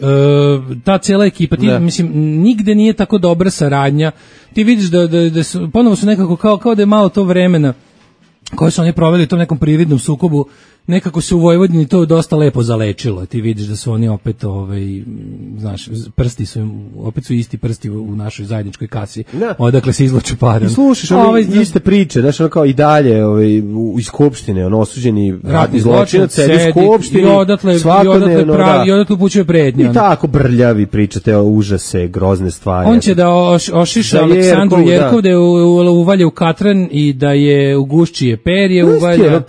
ta cijela ekipa, mislim, nigde nije tako dobra saradnja, ti vidiš da su, ponovo su nekako kao da je malo to vremena koje su oni proveli u tom nekom prividnom sukobu, nekako se u Vojvodini to dosta lepo zalečilo. Ti vidiš da su oni opet, znaš, prsti su, opet su isti prsti u našoj zajedničkoj kasi, odakle se izvlače pare. I slušaš iste priče, znaš, kao i dalje iz Skupštine, osuđeni ratni zločinac sedi u Skupštini, i odatle upućuje pretnje. I tako brljavi pričate o užase, grozne stvari. On će da ošiša Aleksandru Jerkov, da je uvalje u katran i da je u guščije perje uvalja.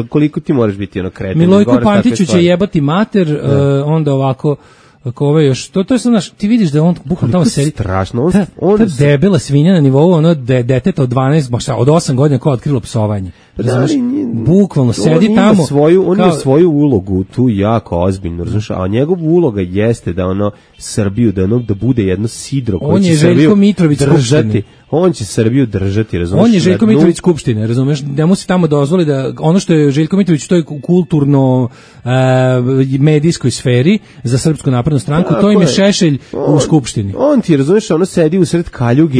Koliko ti moraš biti kreten. Milojko Pantiću će jebati mater, onda ovako ako još to je sad, ti vidiš da on bukvalno tamo sedi strašno, on debela svinja na nivou ono deteta od 12, od 8 godina koja je otkrilo psovanje. Razumeš? Bukvalno sedi tamo. On ima svoju ulogu tu jako ozbiljno, razumeš? A njegova uloga jeste da Srbiju, da bude jedno sidro koje će Srbiju držati. On će Srbiju držati, razumeš? On je Željko Mitrović Skupštine, razumeš? Da mu se tamo dozvoli da ono što je Željko Mitrović u toj kulturno medijskoj sferi za Srpsku naprednu stranku, to im je Šešelj u Skupštini. On ti, razumeš, sedi u sred kaljuge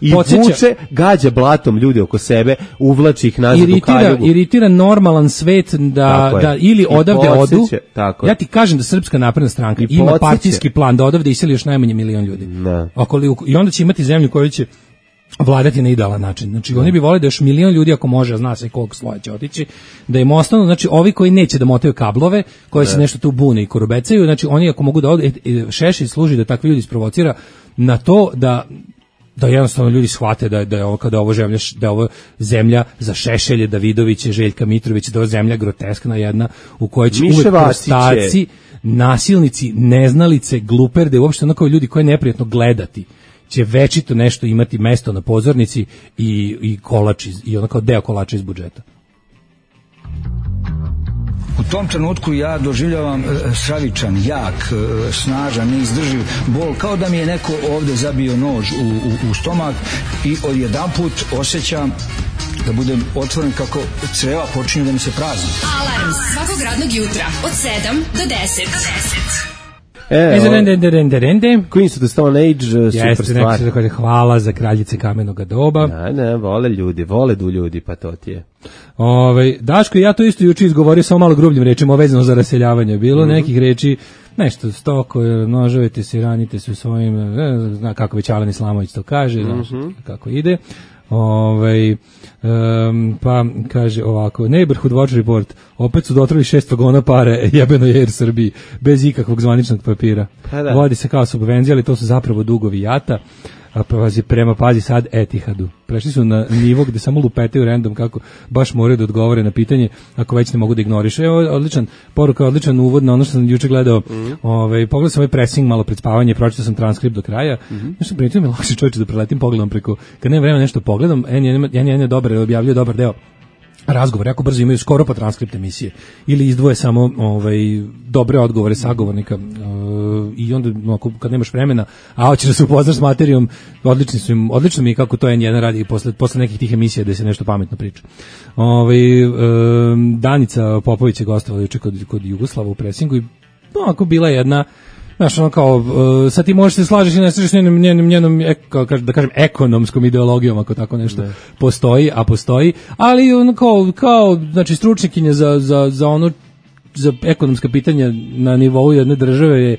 i vuče, gađa blatom ljudi oko sebe, uvlači ih nazad u kaljugu. Iritira normalan svet da ili odavde odu. Ja ti kažem da Srpska napredna stranka ima partijski plan da odavde iseli još najmanje 1 milion ljudi. I onda će imati zemlju koju će vladati na idealan način. Znači, oni bi voleli da još 1 milion ljudi, ako može, a zna se koliko sloja će otići, da im ostanu, znači, ovi koji neće da motaju kablove, koji se nešto tu bune i korubecaju, znači, oni ako mogu da odu, Šešelj služi da takvi ljudi sprovocira na to da jednostavno ljudi shvate da je ovo zemlja za Šešelje, Davidoviće, Željka Mitrovića, da je ovo zemlja groteskna jedna u kojoj će uvek prostaci, nasilnici, neznalice, gluperde, uopšte onako ljudi koje je neprijatno gledati, će večito nešto imati mesto na pozornici i kolač i onako deo kolača iz budžeta. U tom trenutku ja doživljavam stravičan, jak, snažan, neizdrživ bol, kao da mi je neko ovde zabio nož u stomak i odjedanput osjećam da budem otvoren kako creva počinju da mi se prazni. Alarm svakog radnog jutra od 7 do 10. Queens of the Stone Age, super stvar. Hvala za kraljice kamenoga doba. Ne, vole ljudi, pa to ti je. Daško, ja to isto juče izgovorio samo malo grubljim rečima, vezano za raseljavanje. Bilo nekih reči, nešto stoko, nožovete se, ranite se u svojim, zna kako već Alen Islamović to kaže, kako ide. Pa kaže ovako, Neighborhood Watch Report, opet su dotrali 6 vagona pare jebenoj Air Srbiji bez ikakvog zvaničnog papira. Vodi se kao subvencija, ali to su zapravo dugovi JAT-a. Pazi sad Etihadu. Prešli su na nivo gde samo lupetaju random kako baš moraju da odgovore na pitanje ako već ne mogu da ignorišu. Evo, odličan poruka, odličan uvod na ono što sam juče gledao. Pogledao sam ovaj pressing malo pred spavanje, pročitao sam transkript do kraja. Nešto primetio mi lakše čovječe da preletim pogledom preko, kad nema vremena nešto pogledam, N1 je dobar, objavljuje dobar deo razgovor, jako brzo imaju skoro pa transkript emisije ili izdvoje samo dobre odgovore sagovornika i onda kad nemaš vremena, a hoćeš da se upoznaš s materijom, odlično mi je kako to N1 radi posle nekih tih emisija da se nešto pametno priča. Danica Popović je gostovala juče kod Jugoslava u presingu i ako bila jedna, znaš, ono kao, sad ti možeš se slažeš i ne slažeš s njenom, da kažem, ekonomskom ideologijom, ako tako nešto postoji, ali ono kao znači, stručnjakinja za ono, za ekonomska pitanja na nivou jedne države je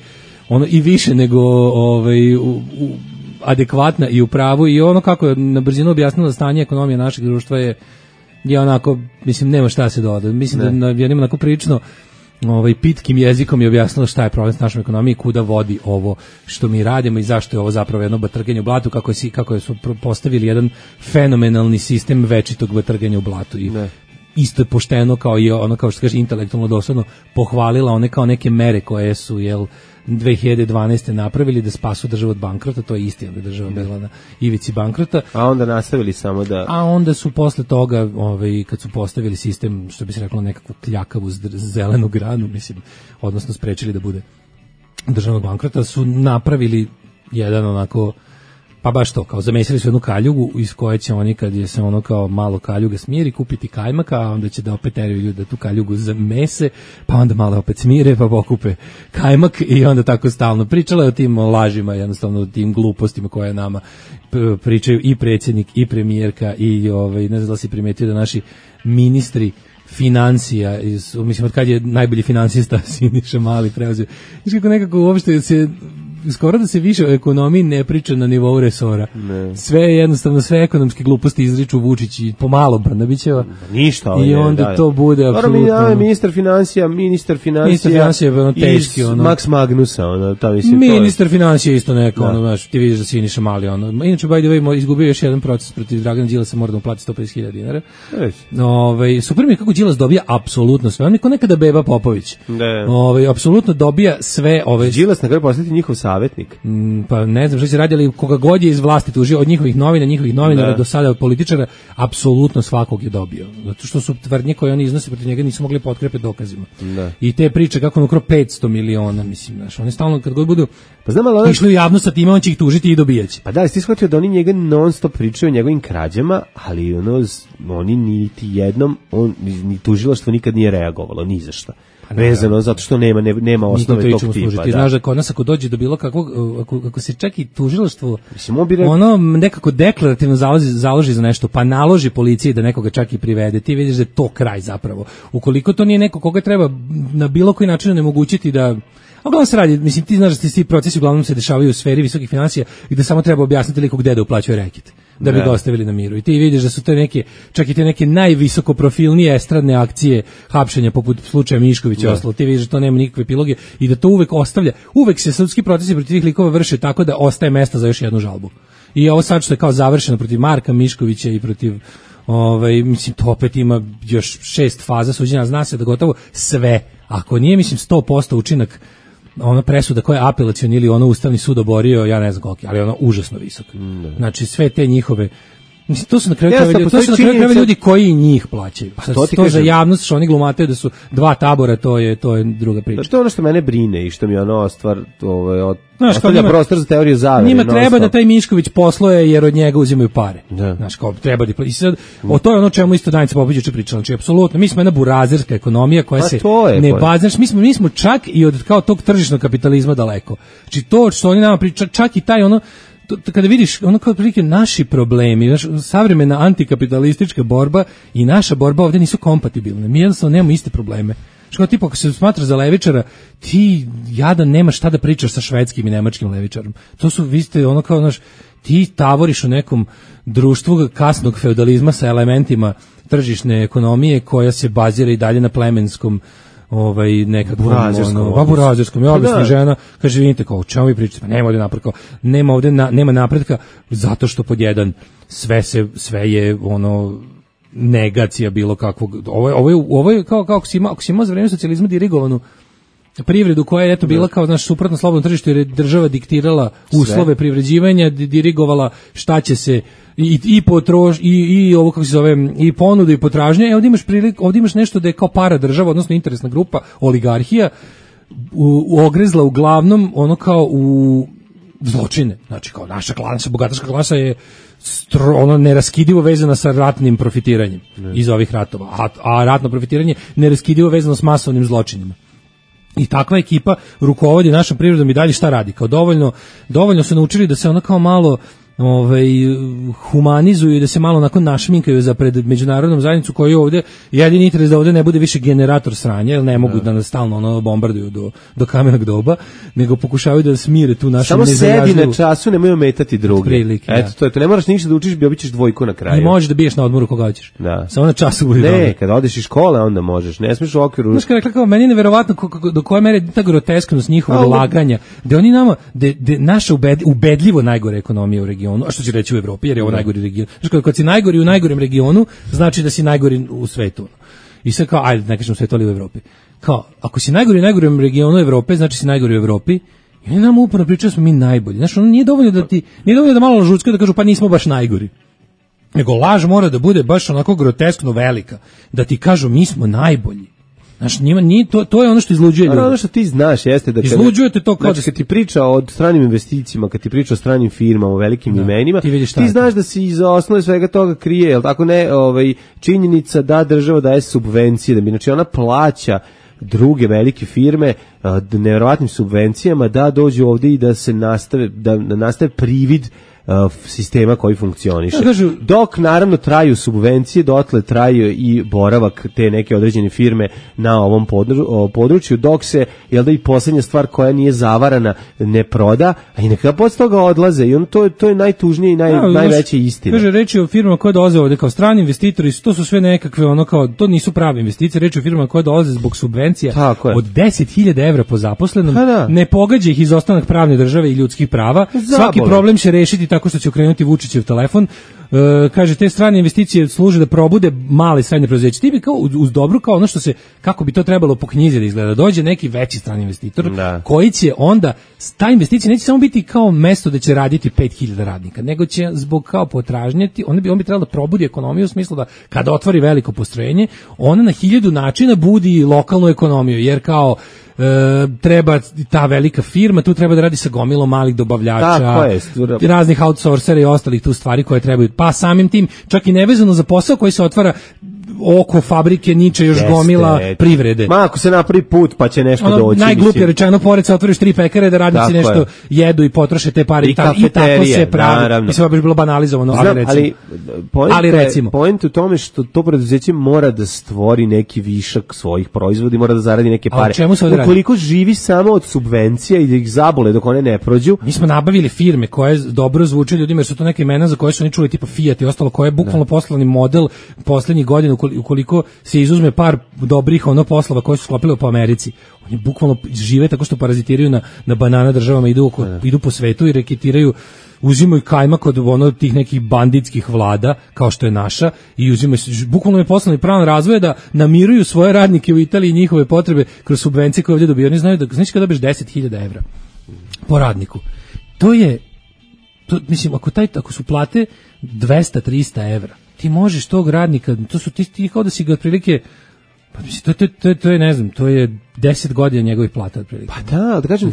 ono i više nego adekvatna i u pravu i ono kako je na brzinu objasnila stanje ekonomije našeg društva je onako, mislim, nema šta se doda. Mislim da jednim onako prilično pitkim jezikom je objasnila šta je problem s našom ekonomijom i kuda vodi ovo što mi radimo i zašto je ovo zapravo jedno batrganje u blatu, kako su postavili jedan fenomenalni sistem večitog batrganja u blatu i isto je pošteno kao i ono, kao što kaže, intelektualno doslovno pohvalila one kao neke mere koje su 2012. napravili da spasu državu od bankrota, to je istina da država bila na ivici bankrota. A onda nastavili samo da... A onda su posle toga, kad su postavili sistem, što bi se reklo, nekakvu kljakavu zelenu granu, mislim, odnosno sprečili da bude državnog bankrota, su napravili jedan onako, pa baš to, kao zamesili su jednu kaljugu iz koje će oni, kad je se ono kao malo kaljuga smiri, kupiti kajmaka, a onda će da opet teraju ljudi da tu kaljugu zamese, pa onda malo opet smire, pa pokupe kajmak i onda tako stalno. Pričala je o tim lažima, jednostavno o tim glupostima koje nama pričaju i predsjednik i premijerka i ne znam da si primetio da naši ministri financija, mislim od kad je najbolji finansista Siniša Mali preuzeo. Znači kako nekako uopšte se skoro da se više o ekonomiji ne priča na nivou resora. Ne. Sve jednostavno, sve ekonomske gluposti izriču Vučić i pomalo Brnabićeva. Ništa. I onda to bude apsolutno. Ministar financija je teški, Max Magnusa, ministar financija isto neko, ti vidiš da Siniša Mali, inače, by the way, izgubio još jedan proces protiv Dragana Đilasa, mora da mu plati 150.000 dinara. Super mi je kako Đilas dobija apsolutno sve, niko nekada Beba Popović. Apsolutno dobija sve. Đilas na kraju postati njihov savjetnik. Pa ne znam što se radi, ali koga god je iz vlasti tužio, od njihovih novinara do sada od političara, apsolutno svakog je dobio. Zato što su tvrdnje koje oni iznose protiv njega nisu mogli potkrepiti dokazima. I te priče kako on ukrao 500 miliona, mislim, znaš, oni stalno kad god budu išli u javnost sa time, on će ih tužiti i dobijaće. Pa da, jesi ti shvatio da oni njega non stop pričaju o njegovim krađama, ali oni niti jednom, ni tužilaštvo nikad nije reagovalo, ni za šta. Vezano, zato što nema osnove tog tipa. Ti znaš da kod nas ako dođe do bilo kakvog, ako se čak i tužilaštvo ono nekako deklarativno založi za nešto, pa naloži policiji da nekoga čak i privede, ti vidiš da je to kraj zapravo. Ukoliko to nije neko koga treba na bilo koji način onemogućiti da... Uglavnom se radi, mislim, ti znaš da ti procesi uglavnom se dešavaju u sferi visokih financija i da samo treba objasniti liko gde da uplaćuje reket, da bi ga ostavili na miru. I ti vidiš da su to neke, čak i te neke najvisoko profilnije estradne akcije hapšenja poput slučaja Miškovića i ostalo. Ti vidiš da to nema nikakve epiloge i da to uvek ostavlja. Uvek se sudski procesi protiv tih likova vrše tako da ostaje mesta za još jednu žalbu. I ovo sad što je kao završeno protiv Marka Miškovića i protiv mislim, to opet ima još 6 faza suđenja, zna se da gotovo sve, ako nije, mislim, 100% učinak ona presuda koja je apelacioni ili ono Ustavni sud oborio, ja ne znam koliki, ali ono užasno visok. Znači sve te njihove, mislim, to su na kraju krajeva ljudi koji njih plaćaju. Pa to za javnost što oni glumataju da su dva tabora, to je druga priča. To je ono što mene brine i što mi ono stvar ostavlja prostor za teoriju zavere. Njima treba da taj Mišković posluje jer od njega uzimaju pare. Znaš, kao treba da i sad, to je ono čemu isto Danica Popović juče pričala. Znači apsolutno mi smo jedna burazerska ekonomija koja se ne bazi, mi smo čak i od kao tog tržišnog kapitalizma daleko. Znači to što oni nama pričaju, čak i taj ono kada vidiš ono kao prilike naši problemi, savremena antikapitalistička borba i naša borba ovdje nisu kompatibilne. Mi jednostavno nemamo iste probleme. Što tipa ako se smatra za levičara, ti jadan nemaš šta da pričaš sa švedskim i nemačkim levičarom. To su, vi ste ono kao, znaš, ti tavoriš u nekom društvu kasnog feudalizma sa elementima tržišne ekonomije koja se bazira i dalje na plemenskom nekakvom burazerskom. Ja objasnim žena, kaže, vidite kao, o čemu vi pričate? Pa nema ovdje nema napretka, zato što pod jedan sve je ono negacija bilo kakvog. Ovo je kao ako si imao za vreme socijalizma dirigovanu privredu koja je eto bila kao naš suprotno slobodno tržište jer je država diktirala uslove privređivanja, dirigovala šta će se i ovo kako se zove i ponudu i potražnje. Ovdje imaš nešto da je kao para država, odnosno interesna grupa, oligarhija ogrezla uglavnom ono kao u zločine. Znači kao naša bogataška klasa je ono neraskidivo vezana sa ratnim profitiranjem iz ovih ratova, a ratno profitiranje neraskidivo vezano s masovnim zločinima. I takva ekipa rukovodi našom privredom i dalje šta radi? Kao dovoljno su naučili da se ona kao malo humanizuju i da se malo onako našminkaju za pred međunarodnom zajednicu koji ovde jedini interes da ovde ne bude više generator sranja, jer ne mogu da nas stalno ono bombarduju do kamenog doba, nego pokušavaju da smire tu našu nezajažljivu. Samo sedi na času, nemoj ometati druge. Prilike, eto, to ne moraš ništa da učiš, obićeš dvojku na kraju. I možeš da biješ na odmoru koga hoćeš. Da. Samo na času budi dobro. Ne, kada odeš iz škole onda možeš, ne smiješ u okviru. Znaš kada rekla, meni je neverovatno do koje mere ta grotesknost njihovog laganja, da oni nama, da naša ubedljivo najgore ekonomija u regionu, a što će reći u Evropi, jer je ovo najgori region. Znači, kad si najgori u najgorem regionu, znači da si najgori u svetu. I sad kao, ajde, ne kažem u svetu, ali u Evropi. Kao, ako si najgori u najgorem regionu Evrope, znači si najgori u Evropi, i oni nam uporno pričaju smo mi najbolji. Znači, ono nije dovoljno da malo lažucka da kažu, pa nismo baš najgori. Nego laž mora da bude baš onako groteskno velika, da ti kažu mi smo najbolji. Znaš, nije to je ono što izluđuje ljudi. Ono što ti znaš jeste da izluđujete to kao znači, kad ti priča o stranim investicijama, kad ti priča o stranim firmama, o velikim imenima, ti znaš da se iza osnove svega toga krije, jel tako ne, činjenica da država daje subvencije, da bi znači ona plaća druge velike firme nevjerovatnim subvencijama da dođu ovdje i da se nastave privid sistema koji funkcioniše. Dok naravno traju subvencije, dotle traju i boravak te neke određene firme na ovom području, dok se, jel da i posljednja stvar koja nije zavarana ne proda, a i neka posle toga odlaze i to je najtužnije i najveće istina. Kaže, reči o firmama koje dolaze ovde kao strani investitori, to su sve nekakve ono kao, to nisu prave investicije, reči o firmama koje dolaze zbog subvencija od 10.000 evra po zaposlenom, ne pogađa ih izostanak pravne države i ljudskih prava, svaki problem će rešiti tako što će okrenuti Vučićev telefon. Kaže, te strane investicije služe da probude male i srednje preduzeće. Ti bi kao uz dobru, kao ono što se, kako bi to trebalo po knjizi da izgleda, dođe neki veći strani investitor koji će onda, ta investicija neće samo biti kao mesto da će raditi 5.000 radnika, nego će zbog kao potražnjeti, on bi trebalo da probudi ekonomiju u smislu da kada otvori veliko postrojenje, ona na 1000 načina budi lokalnu ekonomiju, jer kao treba ta velika firma, tu treba da radi sa gomilom malih dobavljača, raznih outsourcera i ostalih tu stvari koje trebaju, pa samim tim, čak i nevezano za posao koji se otvara oko fabrike niče još gomila privrede. Ma ako se napravi put pa će nešto doći. Najgluplje rečeno, pored se otvoriš 3 pekare da radnici nešto jedu i potroše te pare i tako se pravi. Mislim da bi bilo banalizovano, ali recimo. Point u tome što to preduzeće mora da stvori neki višak svojih proizvoda i mora da zaradi neke pare. Ukoliko živi samo od subvencija i da ih zabole dok one ne prođu. Mi smo nabavili firme koje dobro zvuče ljudima jer su to neke imena za koje su oni čuli tipa Fiat i ostalo, koje je bukvalno poslovni model poslednjih godina ukoliko se izuzme par dobrih poslova koji su sklopili po Americi. Oni bukvalno žive tako što parazitiraju na banana državama, idu po svetu i reketiraju, uzimaju kajmak od tih nekih banditskih vlada kao što je naša i uzimaju, bukvalno je poslovni plan razvoja da namiruju svoje radnike u Italiji i njihove potrebe kroz subvencije koje ovdje dobiju. Oni znaju da znači kada dobiješ 10.000 evra po radniku. Mislim, ako su plate 200-300 evra, ti možeš tog radnika, to su ti kao da si ga otprilike, pa mislim, to je ne znam, to je 10 godina njegovih plata otprilike. Pa da kažem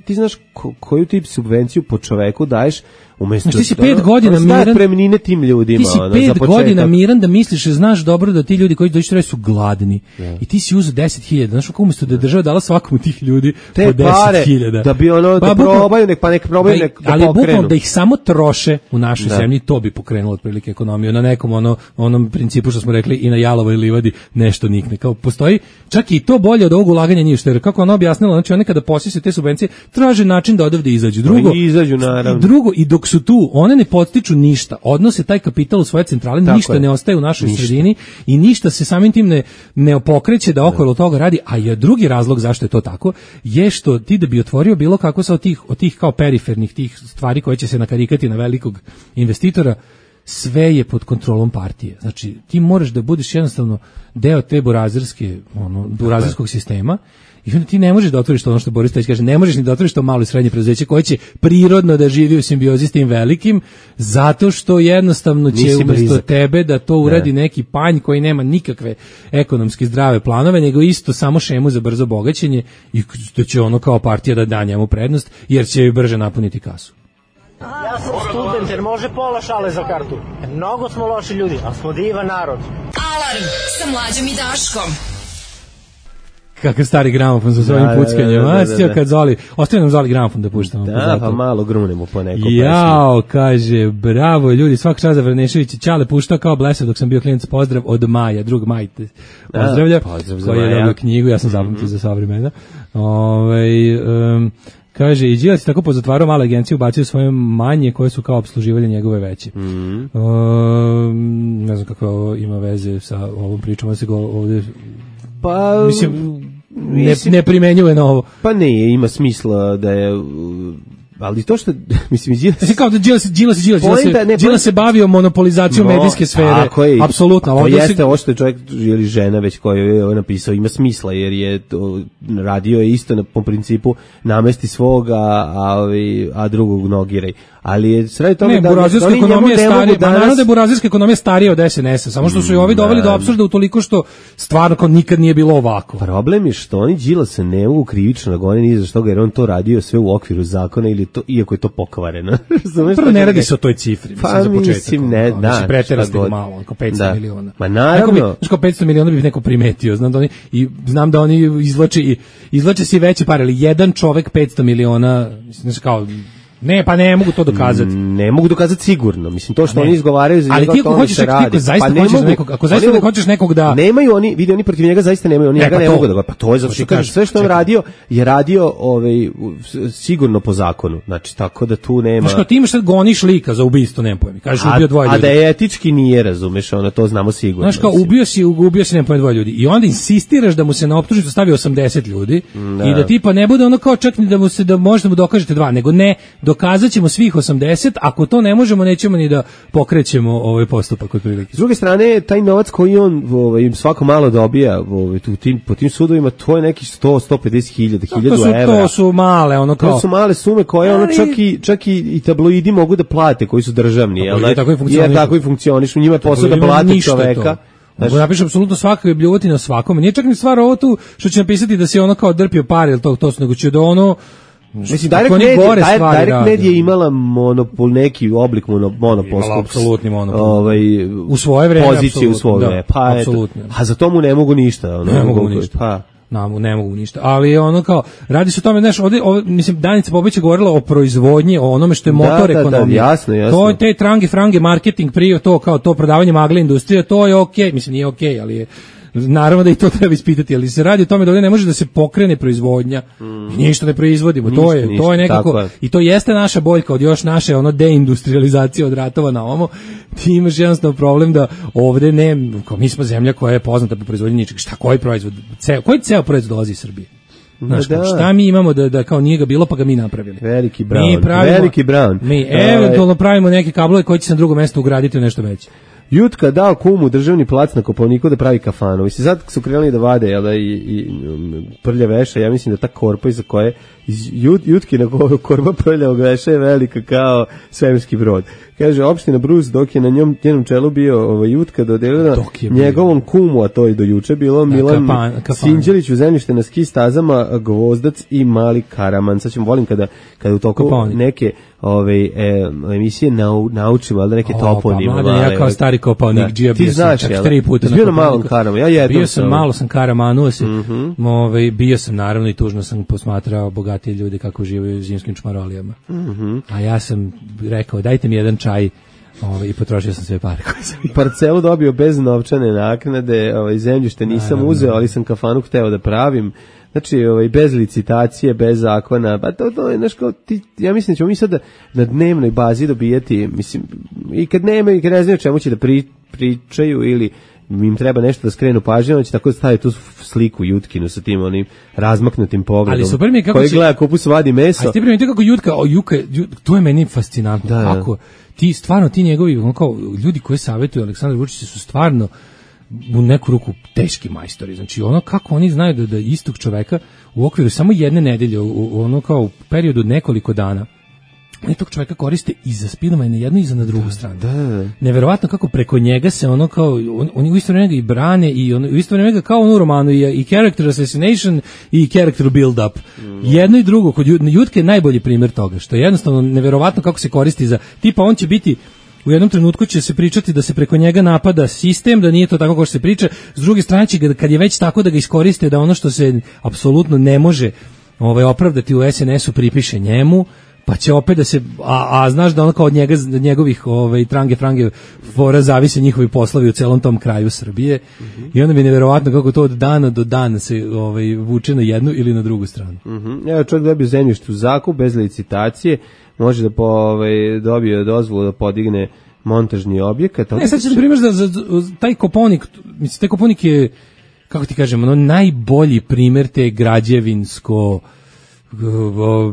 ti znaš koju tip subvenciju po čoveku daješ umjesto ti si 5 godina miran premnine tim ljudima. Ti si 5 godina miran da misliš, znaš dobro da ti ljudi koji dođu traje su gladni. I ti si uzeo 10.000, znaš kako umjesto da je država dala svakom tih ljudi po 10.000. Da bi da probaju, nek probaju, nek da ali bukvalno da ih samo troše u našoj zemlji, to bi pokrenulo otprilike ekonomiju na nekom onom principu što smo rekli i na jalovoj livadi nešto nikne. Kao postoji čak i to bolje od ovog ulaganja nije što, jer kako ona objasnila, znači one kada posise te subvencije traže način da odavde izađu. Drugo, i dok su tu, one ne podstiču ništa, odnose taj kapital u svoje centrale, ništa ne ostaje u našoj sredini i ništa se samim tim ne pokreće da okolo toga radi, a je drugi razlog zašto je to tako, je što ti da bi otvorio bilo kako sa od tih kao perifernih tih stvari koje će se nakarikati na velikog investitora, sve je pod kontrolom partije. Znači, ti moraš da budeš jednostavno deo te burazerskog sistema I onda ti ne možeš da otvoriš to, ono što Boris Tadić kaže, ne možeš ni da otvoriš to malo i srednje preduzeće koje će prirodno da živi u simbiozi s tim velikim, zato što jednostavno će umesto tebe da to uradi neki panj koji nema nikakve ekonomski zdrave planove, nego isto samo šemu za brzo bogaćenje i da će ono kao partija da da njemu prednost, jer će joj brže napuniti kasu. Ja sam student jer može pola šale za kartu. Mnogo smo loši ljudi, ali smo divan narod. Alarm sa Mlađom i Daškom. Kakav stari gramofon sa svojim puckanjem. Kad Zoli, ostaje nam Zoli gramofon da puštamo. Da, pa malo grunemo po nekom pesmu. Jao, kaže, bravo ljudi, svaka čast za Vranešević, Ćale puštao kao blesav dok sam bio klinac, pozdrav od Maja, drug Maj te pozdravlja, koji je dobio knjigu, ja sam zapamtio za sva vremena. Kaže, i Đilas je tako pozatvarao male agencije, ubacio svoje manje koje su kao obsluživali njegove veće. Ne znam kako ovo ima veze sa ovom pričom, se go ovde... Pa... Mislim, ne primenjuje na ovo. Pa ne, ima smisla da je... Ali to što, mislim, Đilas se bavio monopolizacijom medijske sfere. Apsolutno. To jeste ovo što je čovjek ili žena već koji je napisao, ima smisla, jer je radio je isto po principu namesti svoga, a drugog nogiraj. Ali je sve tome ne, burazilska ekonomija je starija, naravno da je burazilska ekonomija starija od SNS-a, samo što su i ovi doveli do apsurda utoliko što stvarno kao nikad nije bilo ovako. Problem je što oni Đilasa ne mogu krivično da gone ni za što ga, jer on to radio sve u okviru zakona ili to, iako je to pokvareno. Prvo ne radi se o toj cifri, mislim, za početak. Mislim, ne, da. Preterasti malo, oko 500 miliona. Ma naravno. Znači, 500 miliona bi neko primetio, znam da oni izvlače si veće pare, ali jedan čovek 500 miliona, znači kao... Ne, pa ne mogu to dokazati. Ne mogu dokazati sigurno. Mislim, to što oni izgovaraju za njega, to se radi. Ali ti ako zaista hoćeš nekog da... Nemaju oni, vidi, oni protiv njega zaista nemaju, oni njega ne mogu da... Pa to je zato što kaže, sve što on radio, je radio sigurno po zakonu. Znači, tako da tu nema... Znaš, ti imaš sad goniš lika za ubistvo, nema pojmi. Kažeš, ubio dvoje ljudi. A da je etički nije, razumeš, ono, to znamo sigurno. Znaš, kao, ubio si nema pojmi dvoje ljudi. I onda insistiraš da mu se na optužnicu stavi 80 ljudi i da tipa ne bude ono kao čak ni da možete mu dokažete dva, nego ne, dokazat ćemo svih 80, ako to ne možemo, nećemo ni da pokrećemo ovaj postupak od prilike. S druge strane, taj novac koji on svako malo dobija po tim sudovima, to je neki 100-150 hiljada evra. To su male, ono kao... To su male sume koje ono čak i tabloidi mogu da plate, koji su državni. Jer tako i funkcionišu. Njima je posao da plate čoveka. Mogu napišu apsolutno svakog bljuvotina svakome. Nije čak ni stvar ovo tu što će napisati da se ono kao drpio pare ili to su, nego će da ono... Mislim, Direct Media je imala monopol, neki oblik monopolskog, apsolutni monopol. U svoje vreme, poziciju u svoje vreme. Pa apsolutno. A za to mu ne mogu ništa. Ne mogu ništa. Ne mogu ništa. Ali ono kao, radi se o tome, znaš, ovdje, mislim, Danica Popović je govorila o proizvodnji, o onome što je motor ekonomije. Jasno. To je te frange, marketing, prije to, kao to prodavanje magle industrije, to je okej. Mislim, nije okej, ali je... Naravno da i to treba ispitati, ali se radi o tome da ovdje ne može da se pokrene proizvodnja, ništa ne proizvodimo, to je nekako, i to jeste naša boljka od još naše deindustrializacije od ratova na ovo. Ti imaš jednostavno problem da ovdje mi smo zemlja koja je poznata po proizvodnji ničega. Koji proizvod, koji ceo proizvod dolazi iz Srbije? Znaš, šta mi imamo da kao nije ga bilo pa ga mi napravili? Veliki Brown. Mi eventualno pravimo neke kablove koji će se na drugo mesto ugraditi u nešto veće. Jutka dao kumu državni plac na Kopaoniku da pravi kafanu. Mislim, sad su krenuli da vade i prlja veša, ja mislim da ta korpa iza koje Jutki na korpa prljavog veša je velika kao svemirski brod. Kaže, opština Brus, dok je na njenom čelu bio Jutka dodelila njegovom kumu, a to je do juče bilo, Milan Sinđelić u zemljište na ski stazama, Gvozdac i Mali Karaman. Sad ćemo volim kada u toku neke emisije naučimo, ali da neke toponime. Pa mladen, ja kao stari Kopaonik, bio sam čak 3 puta na Kopaoniku. Malom Karamanu, bio sam malo sam Karamanu, bio sam naravno i tužno sam posmatrao bogatije ljude kako živaju u zimskim čmarolijama. A ja sam rekao, dajte mi jedan čaj i potrošio sam sve pare koje sam imao. Parcelu dobio bez novčane naknade, zemljište nisam uzeo, ali sam kafanu hteo da pravim. Znači, bez licitacije, bez zakona, pa to je, znaš, kao ja mislim da ćemo mi sad na dnevnoj bazi dobijati, mislim, i kad nema, i kad ne znaju čemu će da pričaju ili im treba nešto da skrenu pažnju, on će tako staviti tu sliku Jutkinu sa tim onim razmaknutim pogledom. Ali super mi je kako koji gleda kupus vadi meso. A ti primite kako Jutka, to je meni fascinantno. Kako ti njegovi, kao ljudi koji savjetuju Aleksandar Vučić su stvarno u neku ruku teški majstori. Znači ono kako oni znaju da istog čoveka u okviru samo jedne nedelje, ono kao u periodu nekoliko dana, oni tog čoveka koriste i za spinova i na jednu i za na drugu stranu. Neverovatno kako preko njega se ono kao, oni u isto vreme ga i brane i u isto vreme ga kao u romanu i character assassination i character build up. Jedno i drugo, kod Jutke je najbolji primjer toga, što je jednostavno neverovatno kako se koristi za, tipa on će biti u jednom trenutku će se pričati da se preko njega napada sistem, da nije to tako kao što se priča. S druge strane će ga, kad je već tako da ga iskoriste, da ono što se apsolutno ne može opravdati u SNS-u pripiše njemu, pa će opet da se, a znaš da ono kao od njega, njegovih trange frange fora zavise njihovi poslovi u celom tom kraju Srbije. I onda mi je nevjerovatno kako to od dana do dana se vuče na jednu ili na drugu stranu. Evo, čovjek dobio zemljište u zakup bez licitacije, može da dobije dozvolu da podigne montažni objekat. Ne, sad će na primjer za taj Koponik, mislim, taj Koponik je, kako ti kažem, ono najbolji primjer te građevinsko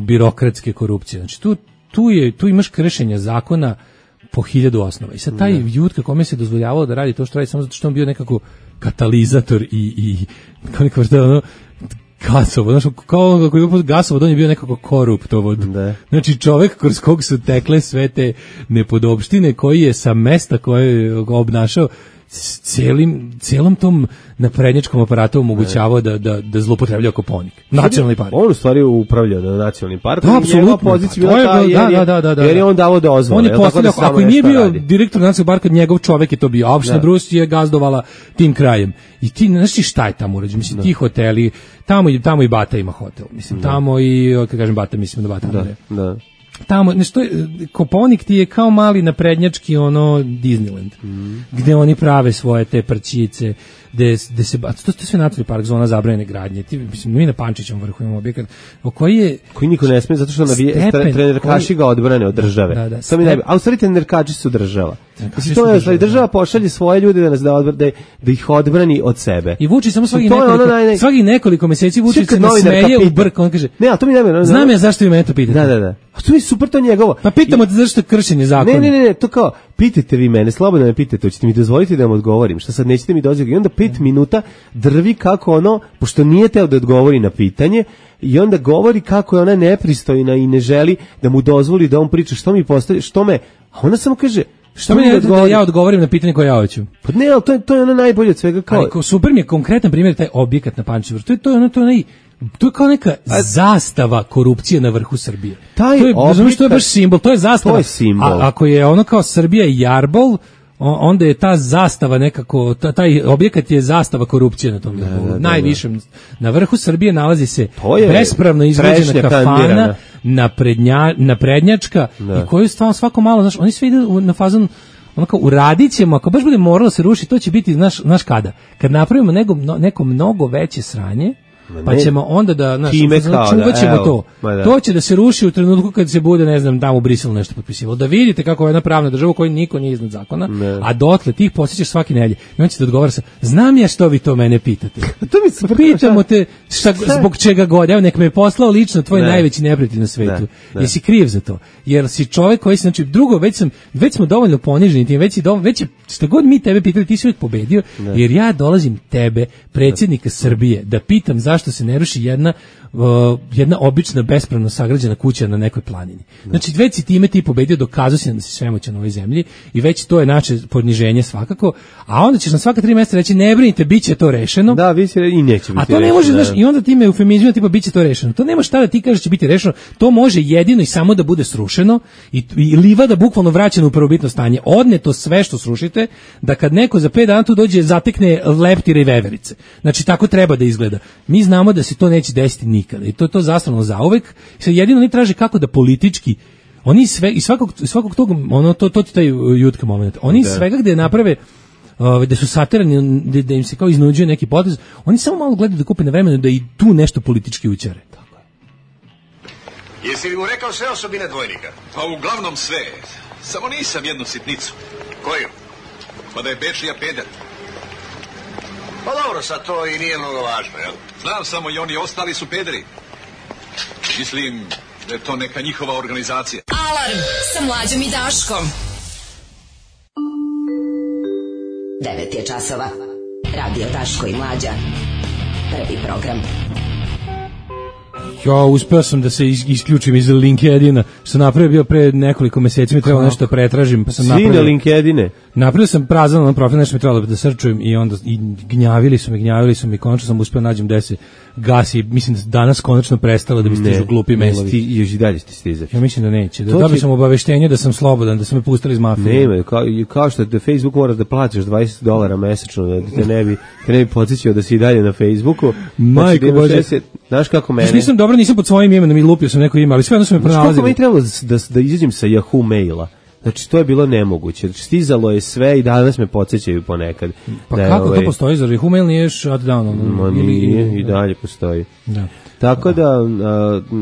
birokratske korupcije. Znači tu imaš kršenja zakona po 1000 osnova. I sad taj Jutka kome se dozvoljavalo da radi to što radi samo zato što on bio nekako katalizator i kao neka vrsta ono gasovod, znači kao kako je gasovod, on je bio nekako koruptovod. Znači čovjek kroz kog su tekle sve te nepodopštine, koji je sa mesta koje je obnašao celom tom naprednjačkom aparatu omogućavao da zlupotrebljava Koponik. Nacionalni park. On u stvari upravlja na nacionalni park. Da, apsolutno. Pozicija bila jer je on davo dozvole. On je postavljao, ako i nije bio direktor nacionalnog parka, njegov čovek je to bio. A opština Brus je gazdovala tim krajem. I ti, znaš ti šta je tamo urađeno? Mislim, ti hoteli, tamo i Bata ima hotel. Mislim, tamo i, kad kažem Bata, mislim da Bata ne. Da. Tamo, nešto Koponik ti je kao mali naprednjački Disneyland, gde oni prave svoje te prčice, gde se to je sve nacionalni park, zona zabranjene gradnje. Mislim, mi na Pančićevom vrhu imamo objekat koji niko ne sme, zato što trenerkaši ga odbrane od države. A u stvari trenerkači su država. Mislim, to je, država pošalje svoje ljude da nas da ih odbrani od sebe. I Vučić samo svaki nekoliko meseci Vučić se nasmeje u brk, on kaže, ne, a to mi ne, znam ja zašto vi mene to pitate. Da. A to mi super, to njegovo. Pa pitamo te zašto je kršenje zakona. Ne, to kao, pitajte vi mene, slobodno me pitajte, hoćete mi dozvoliti da vam odgovorim, šta sad nećete mi dozvoliti. I onda 5 minuta drvi kako pošto nije teo da odgovori na pitanje, i onda govori kako je ona nepristojna i ne želi da mu dozvoli da on priča što mi postaje, a ona samo kaže, što mi da ja odgovorim na pitanje koje ja hoću. Pa ne, ali to je ono najbolje od svega kao. Ali super mi je konkretan primjer taj objekat na Pančićevom vrhu. To je kao neka zastava korupcije na vrhu Srbije. To je baš simbol, to je zastava. To je simbol. A ako je ono kao Srbija i Jarbol, onda je ta zastava nekako, taj objekat je zastava korupcije na tom vrhu. Najvišem. Na vrhu Srbije nalazi se bespravno izgrađena kafana, naprednjačka, i koju stvarno svako malo, znaš, oni sve idu na fazon, ono kao uradit ćemo, ako baš bude moralo se rušiti, to će biti, znaš kada? Kad napravimo neko mnogo veće sranje, pa ćemo onda čuvat ćemo to. To će da se ruši u trenutku kad se bude, ne znam, tamo u Briselu nešto potpisivalo. Da vidite kako je jedna pravna država u kojoj niko nije iznad zakona, a dotle ti ih posjećaš svaki nedelje. I on će te odgovara sa, znam ja što vi to mene pitate. Pitamo te zbog čega god. Evo, nek me je poslao lično tvoj najveći neprijatelj na svetu. Jesi kriv za to? Jer si čovjek koji, znači, drugo, već smo dovoljno poniženi tim, već je što god mi tebe pitali, ti si uvijek pobedio, jer ja dolazim tebe, predsjednika Srbije, da pitam zašto se ne ruši jedna obična bespravno sagrađena kuća na nekoj planini. Znači, već si time ti pobedio, dokazao si da si svemoćan u ovoj zemlji i već to je naše poniženje svakako, a onda ćeš na svaka 3 mjeseca reći, ne brinite, bit će to rešeno. Da, vi se i neće biti. A to ne može, znaš, i onda time eufemizmima tipa bit će to rešeno. To nema šta da ti kažeš će biti rešeno, to može jedino i samo da bude srušeno i livada bukvalno vraćena u prvobitno stanje. Odneto sve što srušite, da kad neko za 5 dana tu dođe, zatekne leptire i veverice. Znači, tako treba da izgleda. Mi znamo da se to neće desiti nikada i to je zastavno zauvek. Jedino oni traže kako da politički, oni sve i svakog tog, to ti taj Jutka moment, oni svega gde naprave, da su satirani, da im se kao iznuđuje neki potez, oni samo malo gledaju da kupe na vremenu da i tu nešto politički učare. Tako je. Jesi li mu rekao sve osobine dvojnika? Pa uglavnom sve, samo nisam jednu sitnicu. Koju? Pa da je Bečija peder. Pa dobro, sad to i nije mnogo važno, jel? Znam samo i oni ostali su pederi. Mislim da je to neka njihova organizacija. Alarm sa Mlađom i Daškom. 9 je časova. Radio Daško i Mlađa. Prvi program. Ja, uspeo sam da se isključim iz LinkedIna, što sam napravio bio pre nekoliko meseci, mi trebalo nešto pretražim, pa sam napravio... Svi na Linkedine? Napravio sam prazan profil, nešto mi trebalo da srčujem i onda gnjavili su mi, konačno sam uspeo nađem gde se gasi, mislim da danas konačno prestalo da mi stižu glupi mailovi. Još i dalje stizati. Ja mislim da neće. Dobio sam obaveštenje da sam slobodan, da su me pustili iz mafije. Nema, kao što da Facebook moraš da platiš $20 mesečno, da te ne bi podsjećao da si i dalje na Facebooku. Majko Bože. Znaš kako mene? Nisam pod svojim imenom i lupio sam neko ime, ali sve jedno su me pronalazili. Kako mi trebalo da izađem sa Yahoo maila? Znači, to je bilo nemoguće. Stizalo je sve i danas me podsjećaju ponekad. Pa kako to postoji? Zar Yahoo mail nije shut down? Nije, i dalje postoji. Da. Tako da,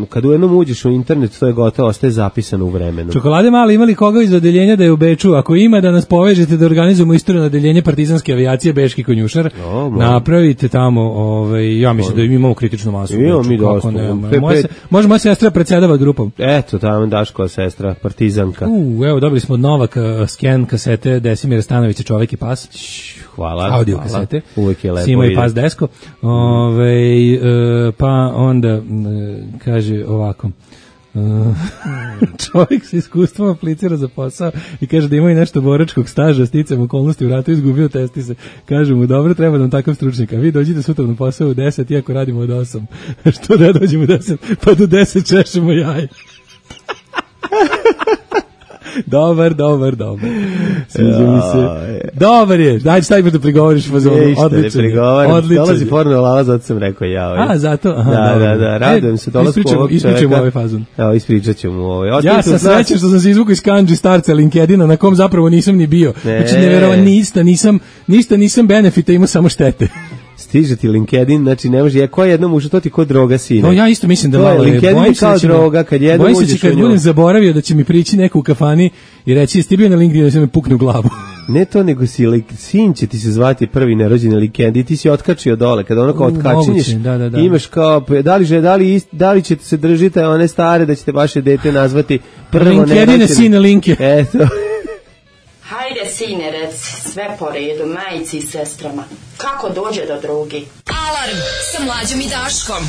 kad u jednom uđeš u internet, to je gotovo, ostaje zapisano u vremenu. Čokolade mali, imali koga iz odeljenja da je u Beču? Ako ima, da nas povežete da organizujemo istoriju odeljenje partizanske avijacije Bečki konjušar. Napravite tamo, ja mislim da imamo kritičnu masu. Imamo mi dosta. Može moja sestra predsedava grupom. Eto, tamo Daškova sestra, partizanka. Evo, dobili smo od Novaka scan kasete Desimira Stanovića, Čovek i pas. Hvala. Audio kasete. Uvijek je lepo. Sima i pas desko. Pa onda kaže ovako, čovjek sa iskustvom aplicira za posao i kaže da ima i nešto boračkog staža, sticam okolnosti u ratu, izgubio testi se. Kaže mu, dobro, treba nam takav stručnik, a vi dođite sutra na posao u 10, iako radimo od 8. Što da dođemo u 10, pa do 10 češemo jaje. Dobar. Sviđa mi se. Dobar je. Daj, stavimo da prigovoriš fazonu. Odličan. Dolazi porno lala, zato sam rekao ja. Zato? Da, radujem se dolasku ovog čovjeka. Ispričamo ovaj fazon. Evo, ispričat ću mu ovaj. Ja sam srećan što sam se izvukao iz kanđi starca LinkedIna, na kom zapravo nisam ni bio. Znači, neverovatno, ništa nisam benefita, imao samo štete. Stiže ti LinkedIn, znači ne može, ko jednom ušao, to ti ko droga sine. No, ja isto mislim da malo LinkedIn je kao droga, kad jednom uđeš u nju. Bojim se kad budem zaboravio da će mi prići neko u kafani i reći, jesi ti bio na LinkedInu, da se me pukne u glavu. Ne to, nego sin će ti se zvati prvi nerođeni LinkedIn, ti si otkačio dole, kada ono kao otkačinješ, imaš kao, da li ćete se držiti one stare, da ćete vaše dete nazvati prvo nerođeni. LinkedIn je sine linke. Eto. Hajde, sine, reci, sve po redu, majici i sestrama. Kako dođe do drugi? Alarm sa Mlađom i Daškom.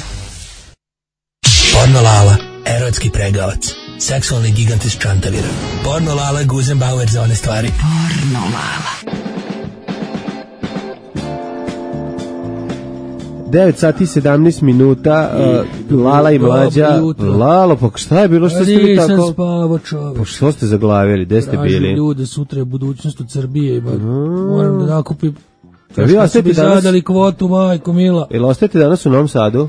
Porno Lala, erotski pregavac, seksualni gigant iz Čantavira. Porno Lala, Guzenbauer za one stvari. Porno Lala. 9 sati 17 minuta, Lala i Mlađa. Lalo, pa šta je bilo, što ste bili tako? Nisam spavao, čovjek. Pa što ste zaglavili, gde ste bili? Tražim ljude, sutra je budućnost od Srbije, moram da nakupim. Vi ostajete danas? Zadali kvotu, majko mila. Ili ostajete danas u Novom Sadu?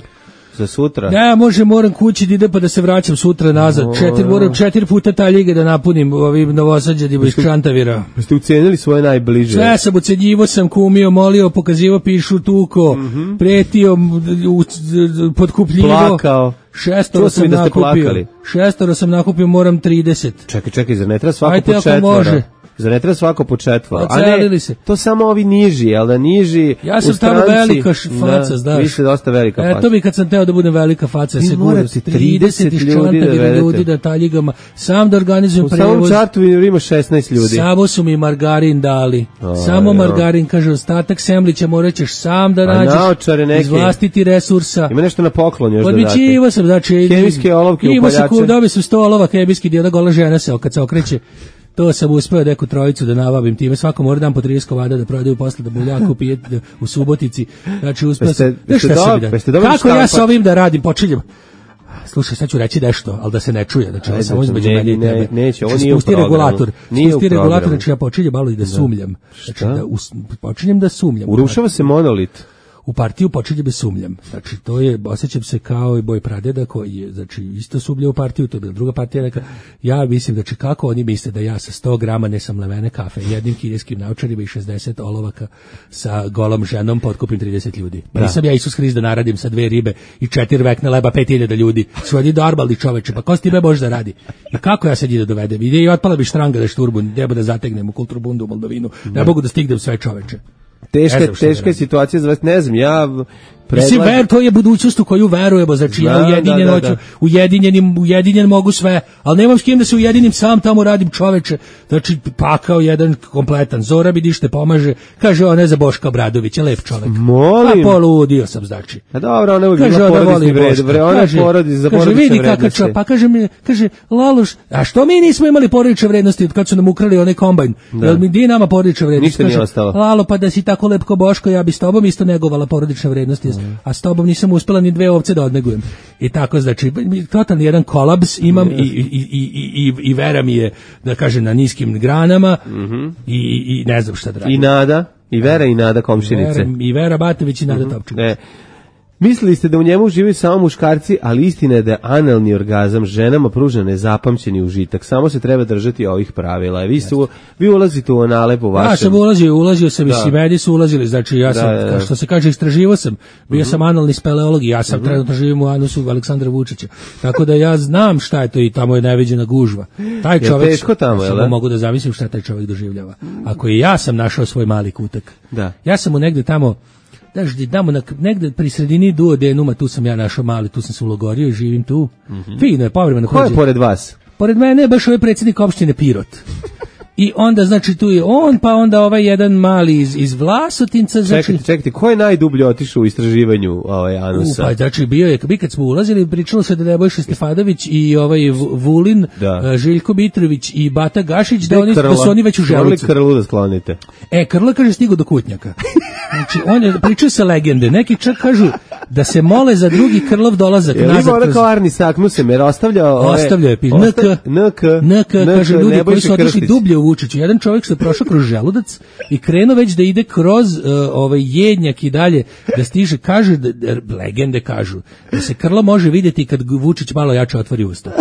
Za sutra? Ne, moram kući da ide pa da se vraćam sutra nazad. Moram 4 puta ta liga da napunim ovim Novosađanima iz Čantavira. Ste ucenili svoje najbliže? Sve sam ucenjivo, sam kumio, molio, pokazivo, pišu, tuko, pretio, podkupljivo. Plakao. 6 sam nakupio, moram 30. Čekaj, zar ne treba svako po 4? Za ne treba svako po 4. A ne, to samo ovi niži, ali da niži ja sam tamo velika faca, znaš. Vi ste dosta velika faca. Eto mi kad sam teo da budem velika faca, vi morate 30 iz Čantavira ljudi da taljigama, sam da organizujem prevoz. U samom čartu ima 16 ljudi. Samo su mi margarin dali. Samo margarin, kaže, ostatak semlića morat ćeš sam da nađeš iz vlastiti resursa. Ima nešto na poklon još da date. Odbićivo sam, znači. Hemijske olovke, upaljače. Dobio sam 100 olovaka hemijskih, jedna gola žena se kad se okreće. To sam uspeo neku trojicu da nabavim time, svako mora dan po 30 komada da prodaju posle da buljako pije u Subotici. Znači uspeo sam. Kako ja sa ovim da radim, počinjem. Slušaj, sad ću reći nešto, ali da se ne čuje, znači samo između mene i tebe. Neće, ovo nije u programu. Spusti regulator, znači ja počinjem malo i da sumljam. Znači počinjem da sumljam. Urušava se monolit. U partiju počinje bez sumljam. Znači, to je, osjećam se kao i Boj Pradeda koji je, znači, isto sumlja u partiju, to je bila druga partija neka. Ja mislim, znači, kako oni misle da ja sa 100 grama nesamlevene kafe, jednim kineskim naučarima i 60 olovaka sa golom ženom potkupim 30 ljudi. Nisam ja Isus Hrist da naradim sa 2 ribe i 4 vekna leba 5000 ljudi. Su oni normalni čoveče, pa ko s time može da radi? I kako ja sad da dovedem? Ide i otpala bi štranga da šturbun, deba da zategnem u Kulturbundu u Moldovinu. Ne mogu da stignem sve čoveče. Teška je situacija za vas, ne znam, Mislim, to je budućnost u koju verujemo, znači ja ujedinjen mogu sve, ali nemam s kim da se ujedinim, sam tamo radim, čoveče, znači pakao jedan kompletan, Zora mi ništa pomaže, kaže on ne za Boška Obradovića, lep čovek. Molim. Pa poludio sam, znači. A dobro, ona uvijek ima porodični vred, ona porodi za porodične vrednosti. Pa kaže, Laloš, a što mi nismo imali porodične vrednosti kad su nam ukrali onaj kombajn? Jel mi di nama porodične vrednosti? Ništa nije ostalo. Lalo, pa da si tako lep ko Boško, ja bi s tobom isto negovala porodične vrednosti, a s tobom nisam uspela ni 2 ovce da odnegujem. I tako, znači, totalni jedan kolaps imam i vera mi je, da kažem, na niskim granama i ne znam šta da radim. I Nada, i Vera i Nada komšinice. I Vera Batović i Nada Topčević. Mislili ste da u njemu živaju samo muškarci, ali istina je da analni orgazam ženama pruža nezapamćeni užitak. Samo se treba držati ovih pravila. Vi ulazite u anale po vašem. Ja sam ulazio sam i medi su ulazili, znači ja sam, što se kaže, istraživao sam, bio sam analni speleolog i ja sam trenutno živim u anusu Aleksandra Vučića. Tako da ja znam šta je to i tamo je neviđena gužva. Taj čovjek, teško tamo, samo mogu da zamislim šta taj čovjek doživljava. Ako i ja sam našao svoj mali kutak. Ja sam mu negde tamo negde pri sredini duodenuma, tu sam ja našao mali, tu sam se ulogorio i živim tu. Fino je, povremeno. Ko je pored vas? Pored mene je baš ovaj predsjednik opštine Pirot. I onda, znači, tu je on, pa onda ovaj jedan mali iz Vlasotinca. Znači... Čekajte, ko je najdublje otišao u istraživanju anusa? Pa, znači, bio je, kad smo ulazili, pričalo se da Nebojša Stefanović i ovaj Vulin, Željko Mitrović i Bata Gašić, da su oni već u želucu. Krlu da sklonite. Krla, kaže, stigo do Kutnjaka. Znači, pričaju se legende. Neki čak kažu da se mole za drugi Krlov dolazak nazad. Ima ona kao Arni Saknusem, jer ostavljao je NK, kaže, ljudi koji su otišli dublje u Vučiću. Jedan čovjek što je prošao kroz želudac i krenuo već da ide kroz jednjak i dalje, da stiže, kaže, legende kažu, da se Krlo može vidjeti kad Vučić malo jače otvori usta.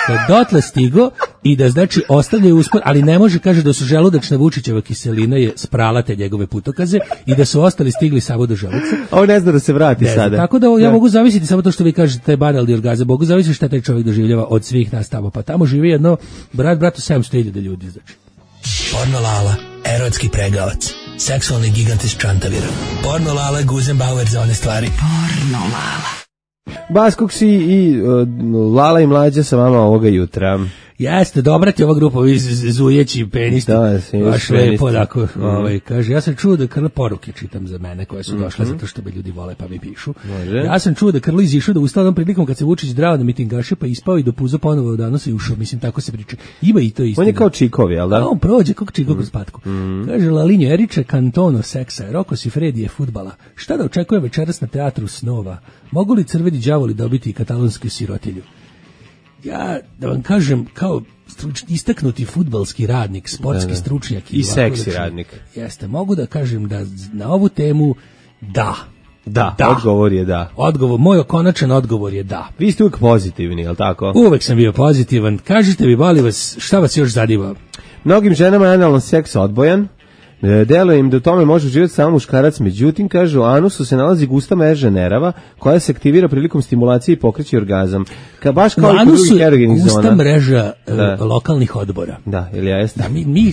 Da dotle stigo i da, znači, ostavljaju uspor, ali ne može, kaže, da su želudačna Vučićeva kiselina je sprala te njegove putokaze i da su ostali stigli samo do želuca. On ne zna da se vrati sada. Tako da ja mogu zavisiti samo to što vi kažete, taj banalni orgazam, mogu zavisiti šta taj čovjek doživljava od svih nas tamo. Pa tamo živi jedno bratu 700.000 ljudi, znači. Porno Lala, erotski pregavac, seksualni gigant iz Čantavira. Porno Lala, Guzenbauer za one stvari. Porno Lala. Baskoksi i Lala i Mlađa sa vama ovoga jutra. Jeste, dobra ti ova grupa, ovi zujeći penisti. Baš lepo, tako, kaže, ja sam čuo da Krlo, poruke čitam za mene koje su došle zato što me ljudi vole pa mi pišu. Ja sam čuo da Krlo izišao da ustao jednom prilikom kad se Vučić drao na mitingaše pa ispao i dopuzo ponovo od danas i ušao, mislim, tako se priča. Ima i to isto. On je kao Čikovi, jel da? On prođe kao Čikov kroz patku. Kaže, Lalinjo Eriče, Kantono seksa, Roko Sifredije fudbala. Šta da očekuje večeras na teatru snova? Mogu li crveni đavoli dobiti katalonsku sirotilju? Ja, da vam kažem, kao istaknuti fudbalski radnik, sportski stručnjak i seksi radnik. Jeste, mogu da kažem da na ovu temu da, odgovor je da. Moj konačan odgovor je da. Vi ste uvijek pozitivni, jel tako? Uvijek sam bio pozitivan. Kažite mi, molim vas, šta vas još zanima? Mnogim ženama je analan seks odbojan. Deluje im da u tome može uživati samo muškarac, međutim, kaže, u anusu se nalazi gusta mreža nerava koja se aktivira prilikom stimulacije i pokreće orgazam. Baš kao i kod drugih erogenih zona. Gusta mreža lokalnih odbora. Da, ili jeste? Da,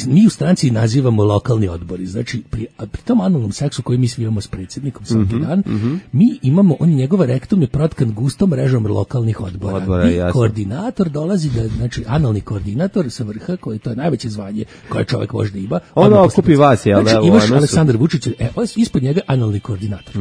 mi u stranci nazivamo lokalni odbori. Znači, pri tom analnom seksu koji mi svijamo s predsjednikom svaki dan, mi imamo, njegova rektum je protkan gustom mrežom lokalnih odbora. I koordinator dolazi, znači, analni koordinator sa vrha, koji to je najveće zvanje koje čovjek možda ima. On okupi vas. Znači, imaš Aleksandar Vučić, ispod njega analni koordinator,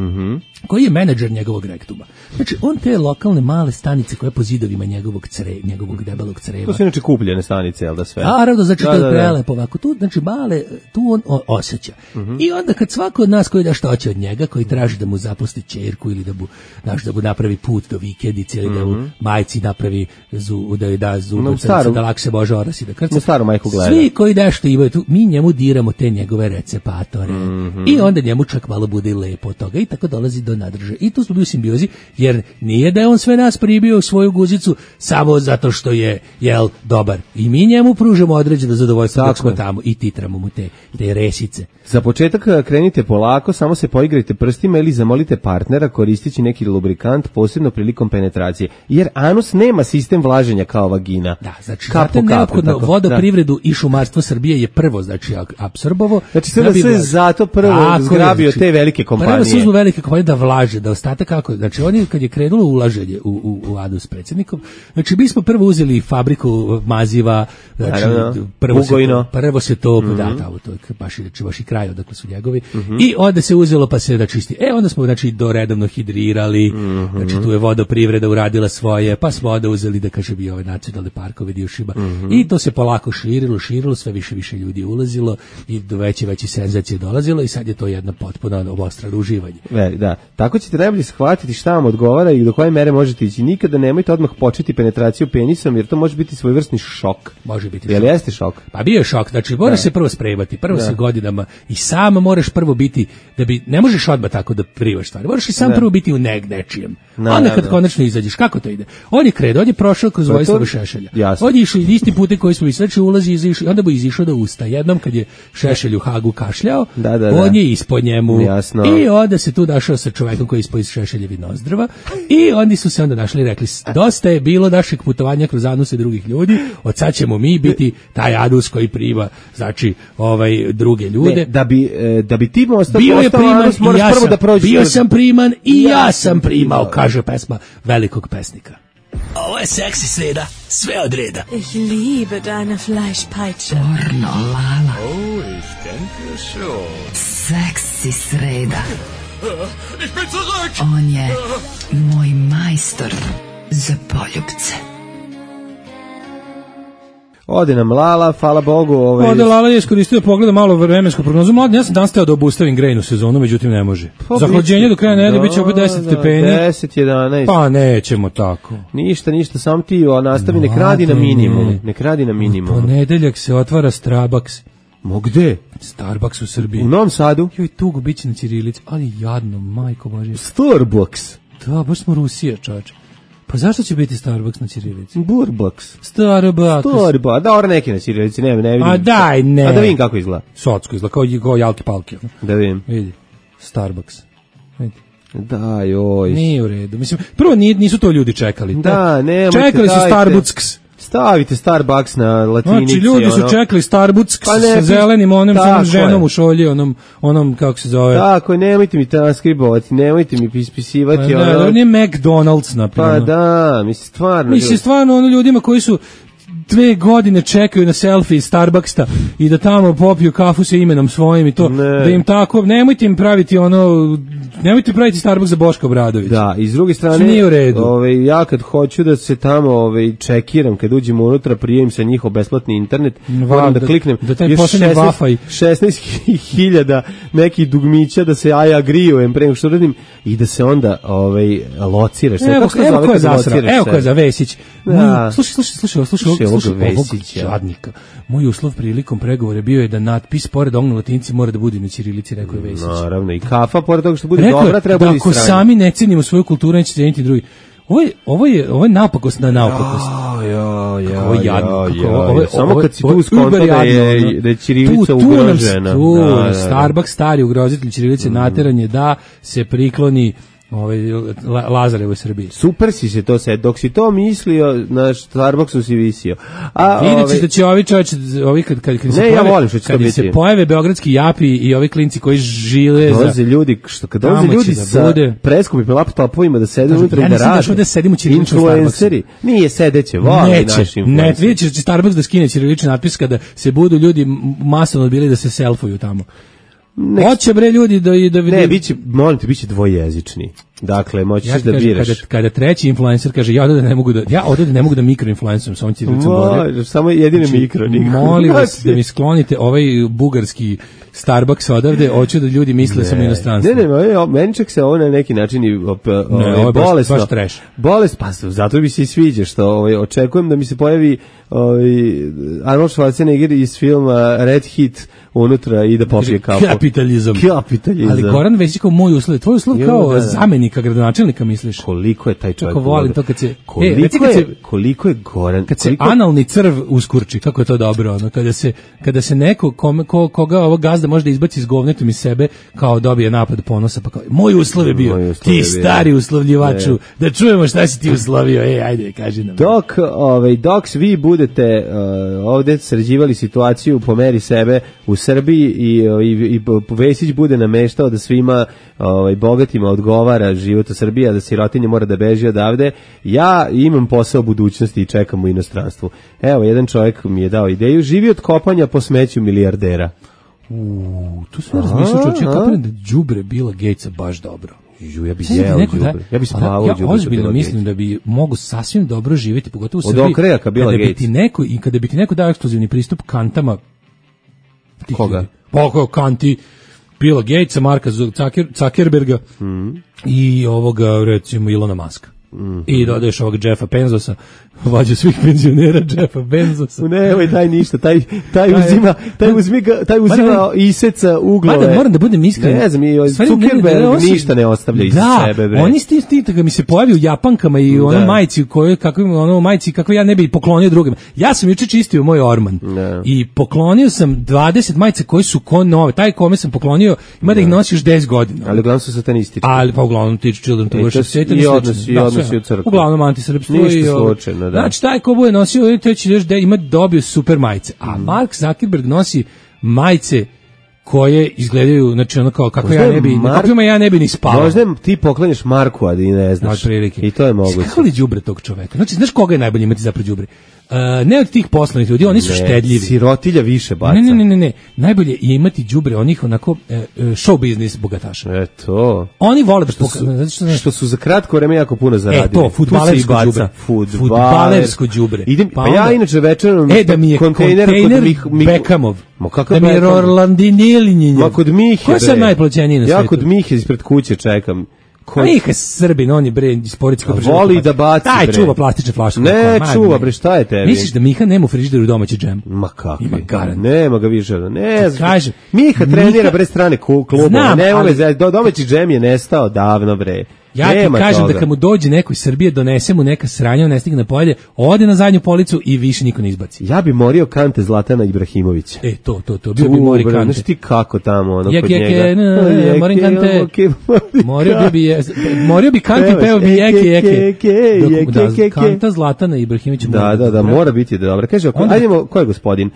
koji je menadžer njegovog rektuma. Znači, on te lokalne male stanice koje po zidovima njegovog debelog creva. To su inače kupljene stanice, jel da sve? Naravno, znači to je prelepo ovako. Tu, znači, male, tu on osjeća. I onda kad svako od nas koji da što hoće od njega, koji traži da mu zapusti ćerku ili da mu napravi put do vikendice ili da mu majci napravi da joj da zubac, da lakše može orasi da krca. Staru majku gleda. Svi koji nešto imaju tu, mi njemu diramo te njegove recepatore. I onda njemu čak malo bude lepo od toga i tako dolazi do nadrže. I tu smo bili u simbiozi, jer nije da je on sve nas pribio u svoju guzicu samo zato što je, dobar. I mi njemu pružamo određeno zadovoljstvo dok smo tamo i titramo mu te resice. Za početak krenite polako, samo se poigrajte prstima ili zamolite partnera koristeći neki lubrikant, posebno prilikom penetracije. Jer anus nema sistem vlaženja kao vagina. Da, znači, neophodno vodoprivredu i šumarstvo Srbije je prvo, znači, apsorbovo. Znači sve zato prvo zgrabio te velike kompanije. Prvo se uzmu velike kompanije da vlaže, da ostatak kako. Znači oni kad je krenulo ulaženje u Adu s predsjednikom, znači mi smo prvo uzeli fabriku maziva, znači prvo se to da tamo to baš i kraj odakle su njegovi. I onda se uzelo pa se da čisti. Onda smo znači do redovno hidrirali, znači tu je vodoprivreda uradila svoje, pa smo onda uzeli da kaže bi ove nacionalne parkove dio Šiba. I to se polako širilo, sve više ljudi ulazilo i do veće senzacije dolazilo i sad je to jedna potpuno obostrano uživanje. Da, tako ćete najbolje shvatiti šta vam odgovara i do koje mere možete ići. Nikada nemojte odmah početi penetraciju penisom jer to može biti svojevrsni šok. Može biti. Jel jeste šok? Pa bio je šok, znači moraš se prvo spremati, prvo se godinama i sam moraš prvo biti da bi ne možeš odmah tako da privaš stvari. Moraš i sam prvo biti u nečijem. Onda kad konačno izađeš, kako to ide? On je prošao kroz Vojislava Šešelja. On je išao isti putem koji smo znači ulazi izašao, onda bi izišao da usta. Jednom kad je Šešelj u Hagu kašljao, on je ispod njemu. Jasno. I onda se tu našao sa čovekom koji je ispod Šešeljevi nozdrva i oni su se onda našli i rekli, dosta je bilo našeg putovanja kroz anuse drugih ljudi, od sad ćemo mi biti taj anus koji prima, znači, druge ljude. Da bi ti bio je priman i ja sam, da prođeš. Bio sam priman i ja sam primao, kaže pesma velikog pesnika. Ovo je seksi sreda, sve od reda. Ich liebe deine Fleischpeitsche. Pornolala. Oh, ich denke schon. Seksi sreda. Ich bin zurück! On je moj majstor za poljupce. Ode nam Lala, hvala Bogu. Ode Lala je iskoristio pogleda malo vremensku prognozu. Ja sam danas teo da obustavim grejnu sezonu, međutim ne može. Zahlađenje do kraja nedelje biće opet 10 stepeni. 10, 11. Pa nećemo tako. Ništa, nek nastavi, nek radi na minimum. Ponedeljak se otvara Starbucks. Gde? Starbucks u Srbiji. U Novom Sadu? Joj, tugo biće na ćirilici, ali jadno, majko Božje. Starbucks? Da, baš smo Rusija, čoveče. Pa zašto će biti Starbucks na ćirilici? Starbucks. Da, neki na ćirilici, ne vidim. A daj, ne. A da vidim kako izgleda. Socko izgleda, kao jalki palki. Da vidim. Vidi, Starbucks. Vidi. Da, joj. Nije u redu. Mislim, prvo nisu to ljudi čekali. Da, nemojte. Čekali su Starbucks. Stavite Starbucks na latinici. Znači, ljudi su čekali Starbucks sa zelenim onom ženom u šolji, onom kako se zove. Tako je, nemojte mi transkribovati, nemojte mi ispisivati. On je McDonald's, naprimjer. Pa da, mislim, stvarno ljudima koji su 2 godine čekaju na selfie iz Starbucksa i da tamo popiju kafu sa imenom svojim i to, da im tako, nemojte im praviti nemojte praviti Starbucks za Boška Obradovića. Da, i s druge strane, ja kad hoću da se tamo čekiram, kad uđem unutra, prijavim sa njihov besplatni internet, moram da kliknem da taj poslednji Wi-Fi 16.000 nekih dugmića da se agreeujem pre nego što radim i da se onda lociraš. Evo ko je zasrao, evo ko je za Vesić. Slušaj ovog žadnika. Moj uslov prilikom pregovora bio je da natpis pored onog na latinici mora da bude na ćirilici, rekao je Vesić. Naravno, i kafa pored toga što bude dobra, treba bude i strana. Ako sami ne cenimo svoju kulturu, neće ceniti drugi. Ovo je napakost na napakost. Ovo je jadno. Samo kad si tu skonto da je ćirilica ugrožena. Starbucks, stari ugrozitelj ćirilice, nateranje da se prikloni Lazarevoj Srbiji. Super si se to sad, dok si to mislio, na Starbucksu si visio. Vidjet ćete da će ovi kad se pojave beogradski japi i ovi klinci koji žile dolaze ljudi, kad dolaze ljudi sa preskupim laptopovima da sede unutra i da rade. Da sedimo ćirilično influenceri. Nije sedeće, voli naši influenceri. Ne, vidjet će Starbucks da skine ćirilični natpis kada se budu ljudi masovno odbili da se selfuju tamo. Hoće bre ljudi da ne, biće dvojezični. Dakle, moći da biraš. Kada treći influencer kaže ja ovdje ne mogu da mikroinfluencerujem sa ovom ćirilicom gore. Samo jedine mikro. Molim vas da mi sklonite ovaj bugarski Starbucks odavde, hoću da ljudi misle samo inostranstvo. Ne, meni čak se ovo na neki način bolesno. Baš trash. Bolest, pa zato bi se i sviđa što očekujem da mi se pojavi Arnold Schwarzenegger iz filma Red Hit unutra i da popije kafu. Kapitalizam. Ali Goran Vesić kao moj uslov, tvoj uslov kao zamenik zamjenika gradonačelnika, misliš? Koliko je taj čovjek? Kako volim to kad se koliko je goran, kad se analni crv uskurči, kako je to dobro, ono kada se neko koga ovog gazda može da izbaci iz govnetom iz sebe, kao dobije napad ponosa, pa kao moj uslov je bio, ti stari uslovljivaču, da čujemo šta si ti uslovio, ajde, kaži nam. Dok vi budete ovde sređivali situaciju po meri sebe u Srbiji i Vesić bude nameštao da svima bogatima odgovara život u Srbiji, a da sirotinja mora da beži odavde, ja imam posao budućnosti i čekam u inostranstvu. Evo, jedan čovjek mi je dao ideju, živi od kopanja po smeću milijardera. Tu sve razmišljao čovječe, ja kapiram da đubre Billa Gatesa baš dobro. Ja bi jeo đubre. Ja bi spavao đubre. Ja ozbiljno mislim da bi mogu sasvim dobro živjeti, pogotovo u Srbiji. Od okrajaka Billa Gatesa. Kada bi ti neko dao ekskluzivni pristup kantama. Koga? Poko kanti Billa Gatesa, Marka Zuckerberga i ovoga, recimo, Ilona Muska. I dodaješ ovog Jeffa Benzosa, vođu svih penzionera Jeffa Benzosa. Nemoj taj ništa, taj uzima iseca uglove. Mada moram da budem iskren. Ne znam, Zuckerberg ništa ne ostavlja iza sebe. Da, oni kad mi se pojavi u Japankama i ono majici kakve ja ne bi poklonio drugima. Ja sam juče čistio moj orman i poklonio sam 20 majice koje su ko nove. Taj kome sam poklonio ima da ih nosi još 10 godina. Ali uglavnom su satanistički. Ali pa uglavnom tiču Children to Worship Satan. I odnosi u crkvu. Uglavnom antisrpstvo. Ništa slučajno, da. Znači, taj ko bude nosio, to će još dobio super majice. A Mark Zuckerberg nosi majice koje izgledaju, znači ono kao kako ja ne bi ni spavao. Možda ti poklanjaš Marku, a ti ne znaš. I to je moguće. Kako li đubre tog čoveka? Znači, znaš koga je najbolje imati zapravo đubre? Ne od tih poslovnih ljudi, oni su štedljivi. Sirotilja više baca. Ne. Najbolje je imati đubre onih onako show biznis bogataša. Eto. Oni vole što su za kratko vreme jako puno zaradili. To, fudbalersko đubre. Fudbalersko đubre. Pa ja inače večerom da mi je kontejner Beckhamov. Da mi je Orlandinjelinjenje. Ma kod Mihe. Ko je sad najplaćeniji na svijetu? Ja kod Mihe ispred kuće čekam. Miha Srbin, on je bre iz Poritska. Voli da baci, bre. Taj čuva plastične flaše. Ne čuva, bre, šta je tebi? Misliš da Miha nema u frižideru domaći džem? Ma kako? Ima garant. Nema ga više. Ne znam. Miha trenira bre strane klubove. Domaći džem je nestao davno, bre. Ja ti kažem da kad mu dođe neko iz Srbije, donese mu neka sranja, on ne stigne na polje, ode na zadnju policu i više niko ne izbaci. Ja bi morio kante Zlatana Ibrahimovića. To. Bio bi mori kante. Znaš ti kako tamo, ono kod njega. Morim kante. Morio bi kante i peo bi jeke. Kanta Zlatana Ibrahimovića. Da, mora biti dobro. Kaže, ajdemo, ko je gospodin?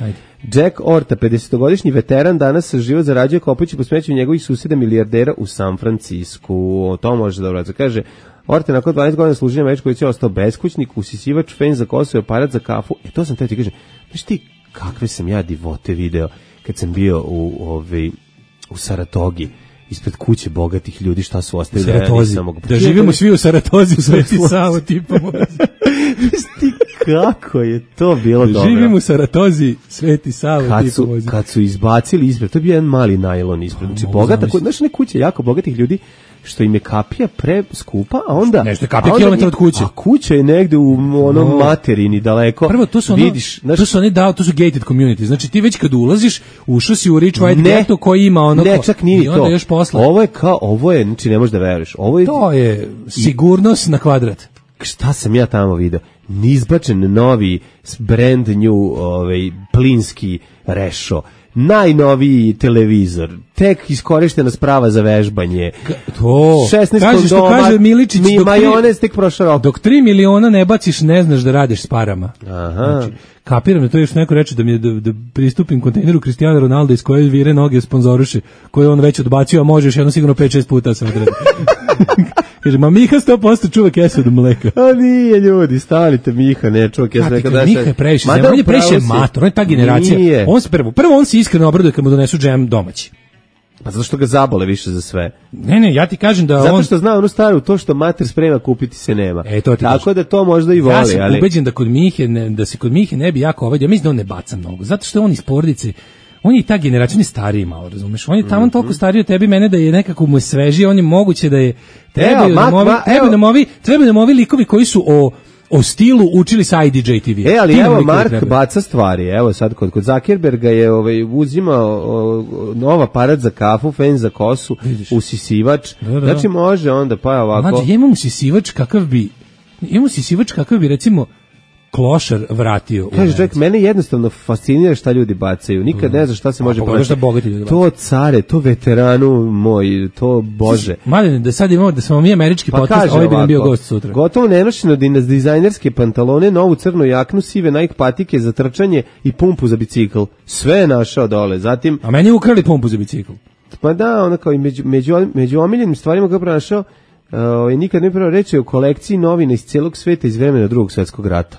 Jack Orta, 50-godišnji veteran, danas život zarađuje kopajući po smeću njegovih susjeda milijardera u San Francisku. To može dobro. Kaže, Orta nakon 12 godina služenja Američkoj vojsci ostao beskućnik, usisivač, fen za kosu i aparat za kafu. To sam ti kažem, znaš ti kakve sam ja divote video kad sam bio u Saratogi, ispred kuće bogatih ljudi, šta su ostavili. Da živimo svi u Saratozi, u Sveti Savo, tipa. Ti kako je to bilo dobro. Živimo u Saratozi, Sveti Savo, kad su izbacili ispred, to je bio jedan mali najlon ispred. Znači, bogata, znaš ne kuće jako bogatih ljudi, što im je kapija preskupa, a onda... Nešto je kapija kilometra od kuće. A kuća je negde u onom materini daleko. Prvo, to su to su gated community. Znači, ti već kad ulaziš, ušao si u Rich White Ghetto koji ima ono... Ne, čak nije to. Još posle. Ovo je, znači ne možeš da veruješ. To je sigurnost na kvadrat. Šta sam ja tamo video? Izbačen novi brand new plinski rešo. Najnoviji televizor, tek iskorištena sprava za vežbanje. To 16 što kaže Miličić, majonez tek prošao rok. Dok 3 miliona ne baciš, ne znaš da radiš s parama. Aha. Znači, kapiram da to još neko reče da pristupim kontejneru Cristiano Ronaldo iz koje vire noge sponzoruše, koje on već odbacio, a možeš jedno sigurno 5-6 puta sam odredio. Kaže, ma Miha 100% čuva kesu od mleka. A nije, ljudi, stavite Miha, ne čuva kesu od mleka. Miha je previše, on je previše mator, on je ta generacija. Nije. Prvo on se iskreno obraduje kad mu donesu džem domaći. Pa zato što ga zabole više za sve. Ne, ja ti kažem da zato što zna onu staru, to što mater sprema kupiti se nema. Tako da to možda i voli. Ja sam ubeđen da se kod Mihe ne bi jako ovadio, mislim da on ne baca mnogo, zato što on iz porodice, on je i ta generacija, on je stariji malo, razumeš, on je tamo toliko stariji od tebi, mene da je nekako mu je svežiji, on je moguće da je, trebaju nam ovi likovi koji su o stilu učili sa IDJ TV. Ali evo Mark baca stvari. Evo sad kod Zuckerberga je uzimao nov aparat za kafu, fen za kosu, usisivač. Znači može onda pa ovako. Znači imamo usisivač kakav bi recimo klošar vratio. Kaže čovjek, mene jednostavno fascinira šta ljudi bacaju. Nikad ne znam šta se može pronaći. To care, to veteranu moj, to bože. Mladine, da sad imamo da smo mi američki podcast, ovaj bi nam bio gost sutra. Gotovo nenošeno dizajnerske pantalone, novu crnu jaknu, sive Nike patike za trčanje i pumpu za bicikl. Sve je našao dole. Zatim, a meni ukrali pumpu za bicikl. Pa da, ona kao i među omiljenim stvarima koje pronašao, nikad ne prvo reći o kolekciji novina iz cijelog sveta iz vremena Drugog svjetskog rata.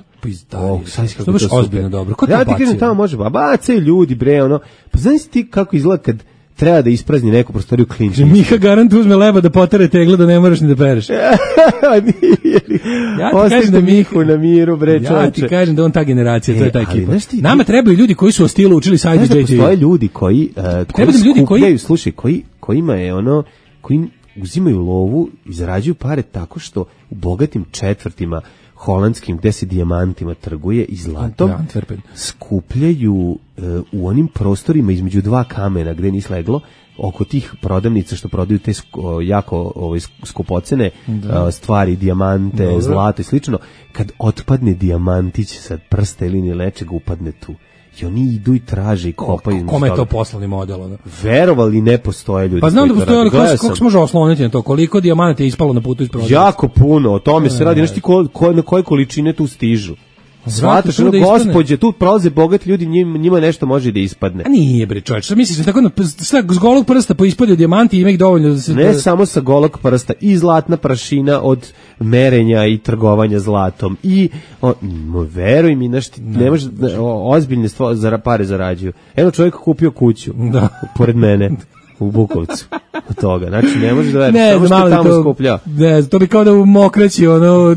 To je baš ozbiljno dobro. Ko to ja ti kažem, tamo može, bacaju ljudi, bre, ono. Pa znaš ti kako izgleda kad treba da isprazni neku prostoriju klinčnicu? Miha garant uzme leba da potare tegla da ne moraš ni da pereš. Ostavite Mihu na miru, bre, čovječe. Ja ti kažem da on ta generacija, to je ta ekipa. Nama trebaju ljudi koji su o stilu učili sa IDJ. Znaš da postoje ljudi koji skupljaju, slušaj, kojima je ono, koji uzimaju lovu i zarađuju pare tako što u bogatim četvrtima holandskim gde se dijamantima trguje i zlatom skupljaju u onim prostorima između dva kamena gde nisi leglo, oko tih prodavnica što prodaju te jako skupocene stvari, dijamante, zlato i slično, kad otpadne dijamantić sa prsta ili nečega upadne tu. I oni idu i traže i kopaju. Kome je to poslovni model? Ono? Verovali ne postoje ljudi. Pa znam da postoje, ali kako se može osloniti na to? Koliko dijamanata je ispalo na putu iz prodavnice? Jako puno, o tome se radi. Znaš ti na koje količine tu stižu? Svataš, ono, gospođe, tu prolaze bogati ljudi, njima nešto može da ispadne. A nije, bre, čovječ, što misliš, tako s golog prsta poispadaju dijamanti i ima ih dovoljno da se... Ne samo sa golog prsta, i zlatna prašina od merenja i trgovanja zlatom. I, veruj mi, ne može, ozbiljne pare zarađuju. Evo čovjek kupio kuću, pored mene. U Bukovcu od toga. Znači, ne može da veriti, samo što tamo skuplja. Ne, to bi kao da u Mokraći,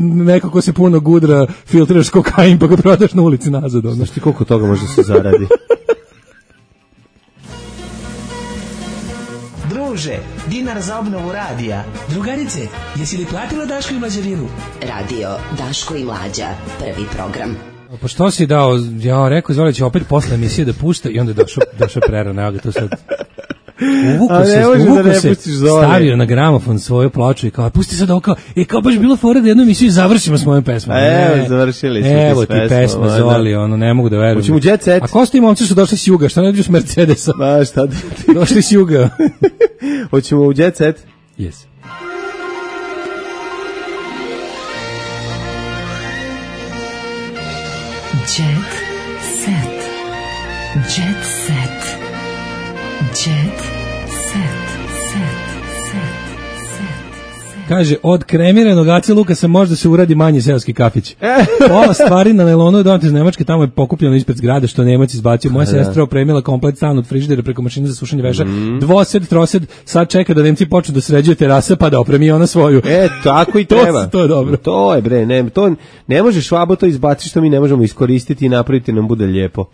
neko ko se puno gudra, filtriraš kokain, pa ga prodaš na ulici nazad. Znaš ti koliko toga može da se zaradi? Druže, dinar za obnovu radija. Drugarice, jesi li platila Daško i Mlađarinu? Radio Daško i Mlađa, prvi program. Pa što si dao, ja rekao, Zoli će opet posle emisije da pušta i onda je došao prerano, evo ga to sad... Uvuko se, stavio na gramofon svoju ploču i kao, pusti sad ovo kao baš bilo fora da jednu emisiju završimo s mojom pesmom. Evo, završili smo evo ti pesma, Zoli, ne mogu da verujem. Hoćemo Jet Set. A ko su ti momci su došli s juga, šta ne dođu s Mercedesa? Ma šta ti? Došli s juga. Hoćemo u Jet Set? Yes. Jet Set. Jet Set. Jet set. Kaže, od kremiranog Ace Lukasa možda se uradi manji seoski kafić. Pola stvari na nailonu je donati iz Nemačke, tamo je pokupljeno ispred zgrade što Nemac izbacio. Moja sestra opremila komplet stan od frižidera preko mašine za sušenje veša. Dvosed, trosed, sad čeka da Nemci počnu da sređuje terase pa da opremi ona svoju. Tako i treba. To je dobro. To je, bre, to ne može Švabo to izbaciti što mi ne možemo iskoristiti i napraviti nam bude lijepo.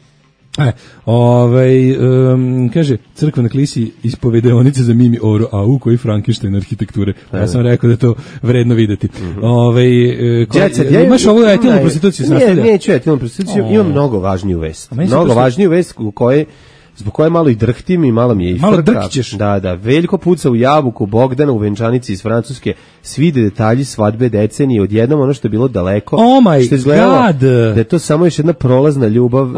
Kaže, crkva na klisi ispovedeonice za Mimi Oro, koji Frankenstein arhitekture. Ja sam rekao da je to vredno videti. Imaš ovu etilnu prostituciju? Neću etilnu prostituciju, imam mnogo važniju vest. Mnogo važniju vest zbog koje malo i drhtim i malo mi je i frka. Malo drhćeš. Da. Veljko puca u jabuku, Bogdana u venčanici iz Francuske, svi detalji svadbe decenije, odjednom ono što je bilo daleko. Oh my što izgledalo, god! Da je to samo još jedna prolazna ljubav.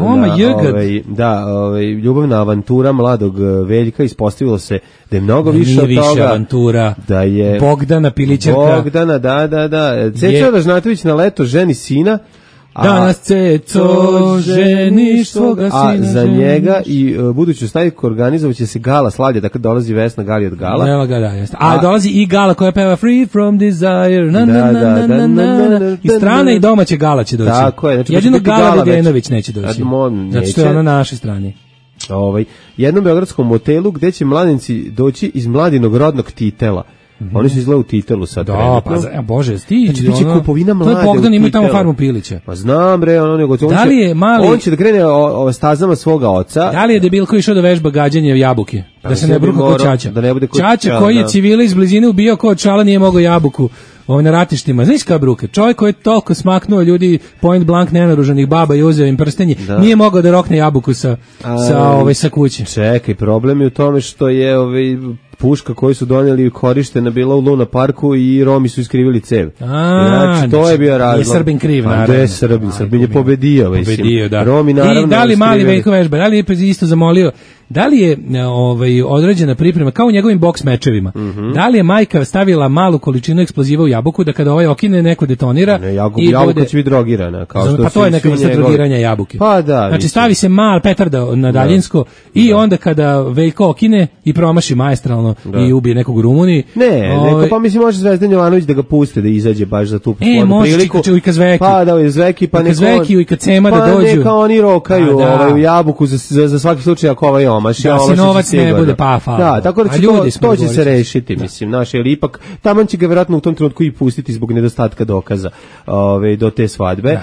Ljubavna avantura mladog Veljka, ispostavilo se da je mnogo više od toga. Avantura. Da je Bogdana Pilićerka. Bogdana, da. Ceca Ražnatović na leto ženi sina. Danas Ceco ženiš svoga sina. A za njega i buduću staviku organizovat će se gala slavlja, dakle dolazi Vesna Gali od Gala. A dolazi i Gala koja peva Free from Desire. I strane i domaće Gala će doći. Tako je. Jedino Gala Vedenović neće doći. Znači to je ono na našoj strani. Jednom beogradskom motelu gde će mladenci doći iz mladinog rodnog titela. Oni su izgleda u titelu sad. Da, pa bože, stići. Znači, biće kupovina mlade u titelu. Bogdan ima tamo farmu Pilića. Pa znam, bre, on će da krene stazama svoga oca. Da li je debilko išao da vežba gađanje jabuke? Da se ne bruka kod Čača. Čača koji je civile iz blizine ubio kod Čala nije mogao jabuku na ratištima. Znaš kada bruka? Čovjek koji je toliko smaknuo ljudi point blank nenaruženih baba i uzeo im prstenje, nije mogao da rokne jabuku sa kuće. Čekaj, problem je u tome što je puška koju su doneli korištena bila u Luna parku i Romi su iskrivili cev. Znači, to je bio razlog. Je Srbin kriv, naravno. Gde je Srbin? Srbin je pobedio. Da. Romi, naravno, i da li mali Veljko vežba, da li je isto zamolio, da li je određena priprema, kao u njegovim boks mečevima, da li je majka stavila malu količinu eksploziva u jabuku da kada okine neko detonira jabuka će biti drogirana. Pa to je neka vrsta drogiranja jabuke. Pa da. Znači stavi se mal petarda na daljinsko i onda kada Veljko okine i promaši maestralno i ubije nekog u Rumuniji. Neko, pa mislim može Zvezdan Jovanović da ga puste da izađe baš za tu poslovnu priliku. Može Ujka Zveki. Pa da, Zveki, pa Zveki, Ujka Cema da dođu. Pa neka oni rokaju u jabuku za svaki slučaj ako omaš. Da se novac ne bude pafao. Da, tako da to će se rešiti, mislim, jer ipak taman će ga vjerojatno u tom trenutku i pustiti zbog nedostatka dokaza do te svadbe.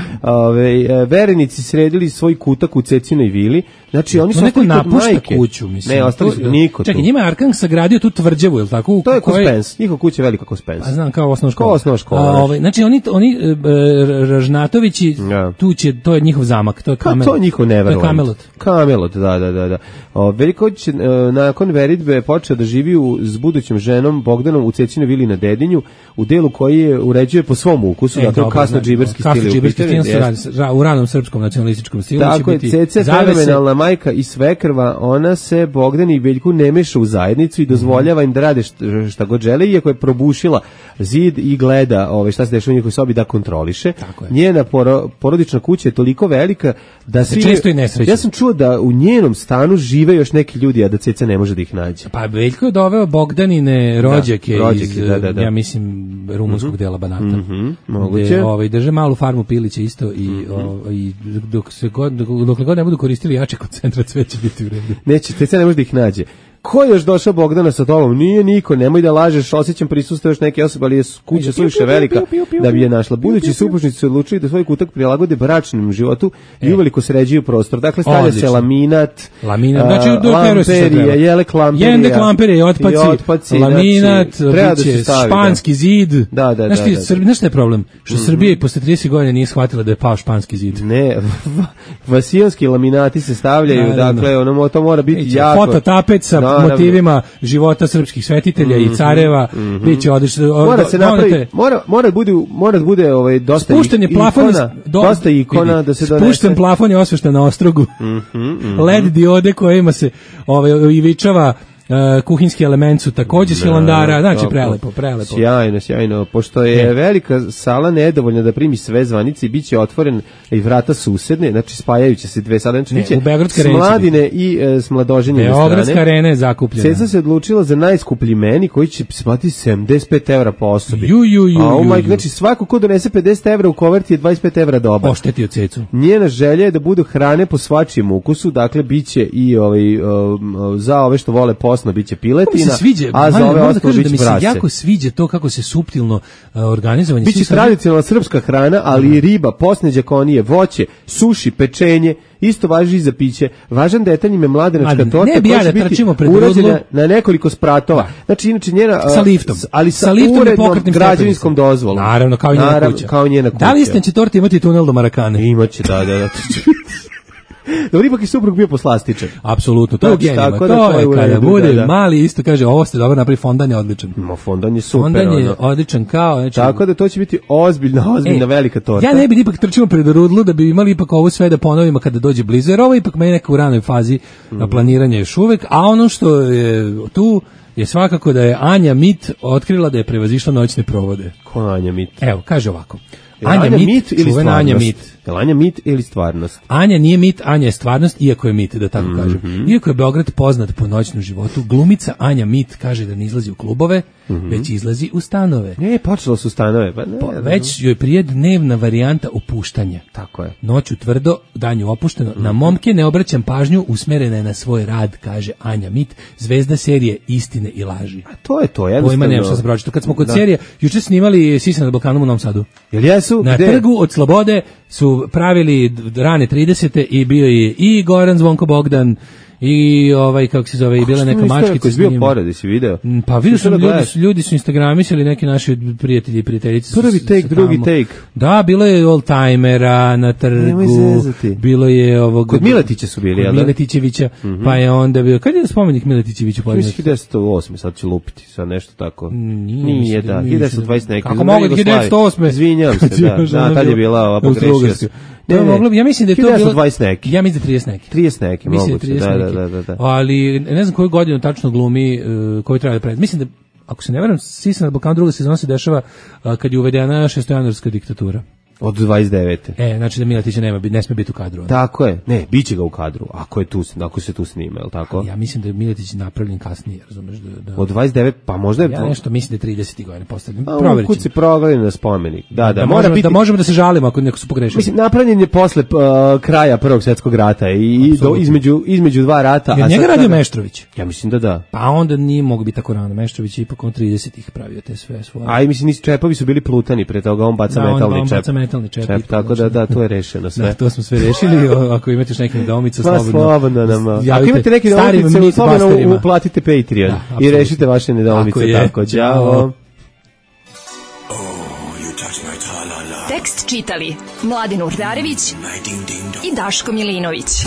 Verenici sredili svoj kutak u Cecinoj vili. Znači oni su ostali kod majke. Kuću, mislim. Ne, ostali su niko tu. Čekaj, njima je Arkan sagradio tu tvrđavu, je li tako? To je Kospens, njihova kuća je velika Kospens. A znam, kao osnovna škola. Znači oni Ražnatovići, to je njihov zamak, to je Kamelot. To je njihov Neverland. Kamelot, da. Veljković nakon veritbe počeo da živi s budućom ženom Bogdanom u Cecinoj vili na Dedinju, u delu koji je uređuje po svom ukusu, dakle kasno-džiberski stil. U ranom srpskom nacionalističkom stilu će biti Cece fenomenalna majka i svekrva, ona se Bogdan i Veljku ne meša u zajednicu i dozvoljava im da rade šta god žele, iako je probušila zid i gleda šta se dešava u njihovoj sobi da kontroliše. Njena porodična kuća je toliko velika da se često i nesreće. Ja sam čuo da u njenom stanu žive još neki ljudi, a da Ceca ne može da ih nađe. Pa Veljko je doveo Bogdanine rođake iz, ja mislim, rumunskog dela Banata. Moguće. Drže malu farmu pilića isto i dokle god ne budu koristili jače koncentracije, sve će biti u redu. Neće, Ceca ne može da ih nađe. Ko je još došao Bogdana sa tobom? Nije niko, nemoj da lažeš, osjećam prisustvo još neke osobe, ali je kuća suviše velika da bi je našla. Budući supružnici su odlučili da svoj kutak prilagode bračnom životu i uveliko sređuju prostor. Dakle, stavlja se laminat, lamperija, jele klamperija, jendek lamperija, otpaci, laminat, španski zid. Znaš šta je problem? Što Srbija i posle 30 godina nije shvatila da je pao španski zid. Ne, vasijonski laminati se stavljaju, dakle, to mora biti jako. Fototapet sa motivima života srpskih svetitelja i careva, biće odlično. Mora se napraviti, mora da bude dosta ikona da se donese. Spušten plafon je osvešten na ostrogu. LED diode kojima se ivičava kuhinski element su također s Hilandara, znači prelepo. Sjajno, pošto je velika sala nedovoljna da primi sve zvanice i bit će otvoren i vrata susedne, znači spajajuće se dve sale, znači biće s Mladine i s Mladoženjene strane. Beogradska arena je zakupljena. Ceca se odlučila za najskuplji meni koji će platiti 75 € po osobi. Znači svako ko donese 50 € u koverti je 25 € dobar. Poštetio Cecu. Njena želja je da budu hrane po svačijem ukusu, dakle biće i za ove što vole posno biće piletina, a za ove ostalo biće brase. Da mi se jako sviđa to kako se suptilno organizovanje. Biće tradicionalna srpska hrana, ali i riba, posneđak, konije, voće, suši, pečenje, isto važi i za piće. Važan detalj im je mladenačka torta koja će biti urađena na nekoliko spratova. Znači, inače njena... Sa liftom. Ali sa urednom građevinskom dozvolom. Naravno, kao i njena kuća. Da li istan će torta imati tunel do Marakane? Imaće, da. Dobro, ipak je suprug bio poslastičan. Apsolutno, to je genima. To je kada bude mali, isto kaže, ovo ste dobro napravi, fondan je odličan. Fondan je super. Fondan je odličan kao... Tako da to će biti ozbiljna velika torta. Ja ne bi ipak trčimo pred rudlu da bi imali ipak ovo sve da ponovimo kada dođe blizu, jer ovo ipak meni neka u ranoj fazi planiranja još uvek, a ono što je tu je svakako da je Anja Mit otkrila da je prevazišla noćne provode. Ko Anja Mit? Evo, kaže ovako. Anja Mit ili stvarnost? Anja Mit ili stvarnost? Anja nije mit, Anja je stvarnost, iako je mit, da tako kažem. Iako je Beograd poznat po noćnom životu, glumica Anja Mit kaže da ne izlazi u klubove, već izlazi u stanove. Počelo su stanove. Već joj prije dnevna varijanta opuštanja. Tako je. Noću tvrdo, danju opušteno. Na momke ne obraćam pažnju, usmerena je na svoj rad, kaže Anja Mit, zvezda serije Istine i laži. A to je to, jednostavno. Pojma nemam šta se pročito. Kad smo kod serije, juče snimali Sisa na Balkanu u Novom Sadu. Jel jesu? Na Trgu od Slobode su pravili rane 30. i bio je i Goran Zvonko Bogdan I kako se zove, i bila neka mačkica. Koji je bio pored, jesi video? Pa vidio sam, ljudi su instagramisali, neki naši prijatelji i prijateljice. Prvi take, drugi take. Da, bilo je oldtimera na trgu. Bilo je ovog... Kod Miletića su bili, kod Miletićevića, pa je onda bio... Kad je spomenik Miletićeviću podignut? 1908, sad ću lupiti, sad nešto tako. Nije, da, 1920 neki. Kako mogu 1908? Izvinjam se, da, tad je bila ova pogrešio se. Ja mislim da je to bilo 20 neki. Ja mislim da 30 neki. 30 neki, moguće. Da. Ali ne znam koju godinu tačno glumi, koju treba da predi. Mislim da, ako se ne varam, Sisa na Balkanu druga sezona se dešava kad je uvedena šestojanuarska diktatura. Od 29. Znači da Miletića ne sme biti u kadru. Tako je. Ne, biće ga u kadru, ako se tu snima, je li tako? Ja mislim da je Miletić napravljen kasnije, razumeš da... Od 29, pa možda je... Ja nešto mislim da je 30. godina postavljen. Proverit ćemo. Kud se progledali na spomenik. Da, možemo da se žalimo ako neko su pogrešili. Mislim, napravljen je posle kraja Prvog svjetskog rata i između dva rata. Je njega radio Meštrović? Ja mislim da da. Pa onda nije mogu biti tako rano. Meštrović je ipak on 30-ih pravio te sve svoje. A i mislim, čepovi su bili plutani, pre toga on baca metalni čep. Čep, tako da to je rešeno sve. Da, to smo sve rešili. Ako imate još neke nedoumice, slobodno nam. Ako imate neke nedoumice, slobodno uplatite Patreon i rešite vaše nedoumice. Tako, ćao. Tekst čitali Mladin Urdarević i Daško Milinović.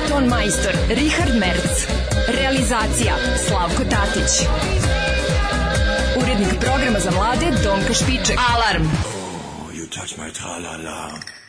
Ton majstor Richard Merc. Realizacija Slavko Tatić. Urednik programa za mlade Donka Špiček. Alarm! Oh, you touch my tra-la-la.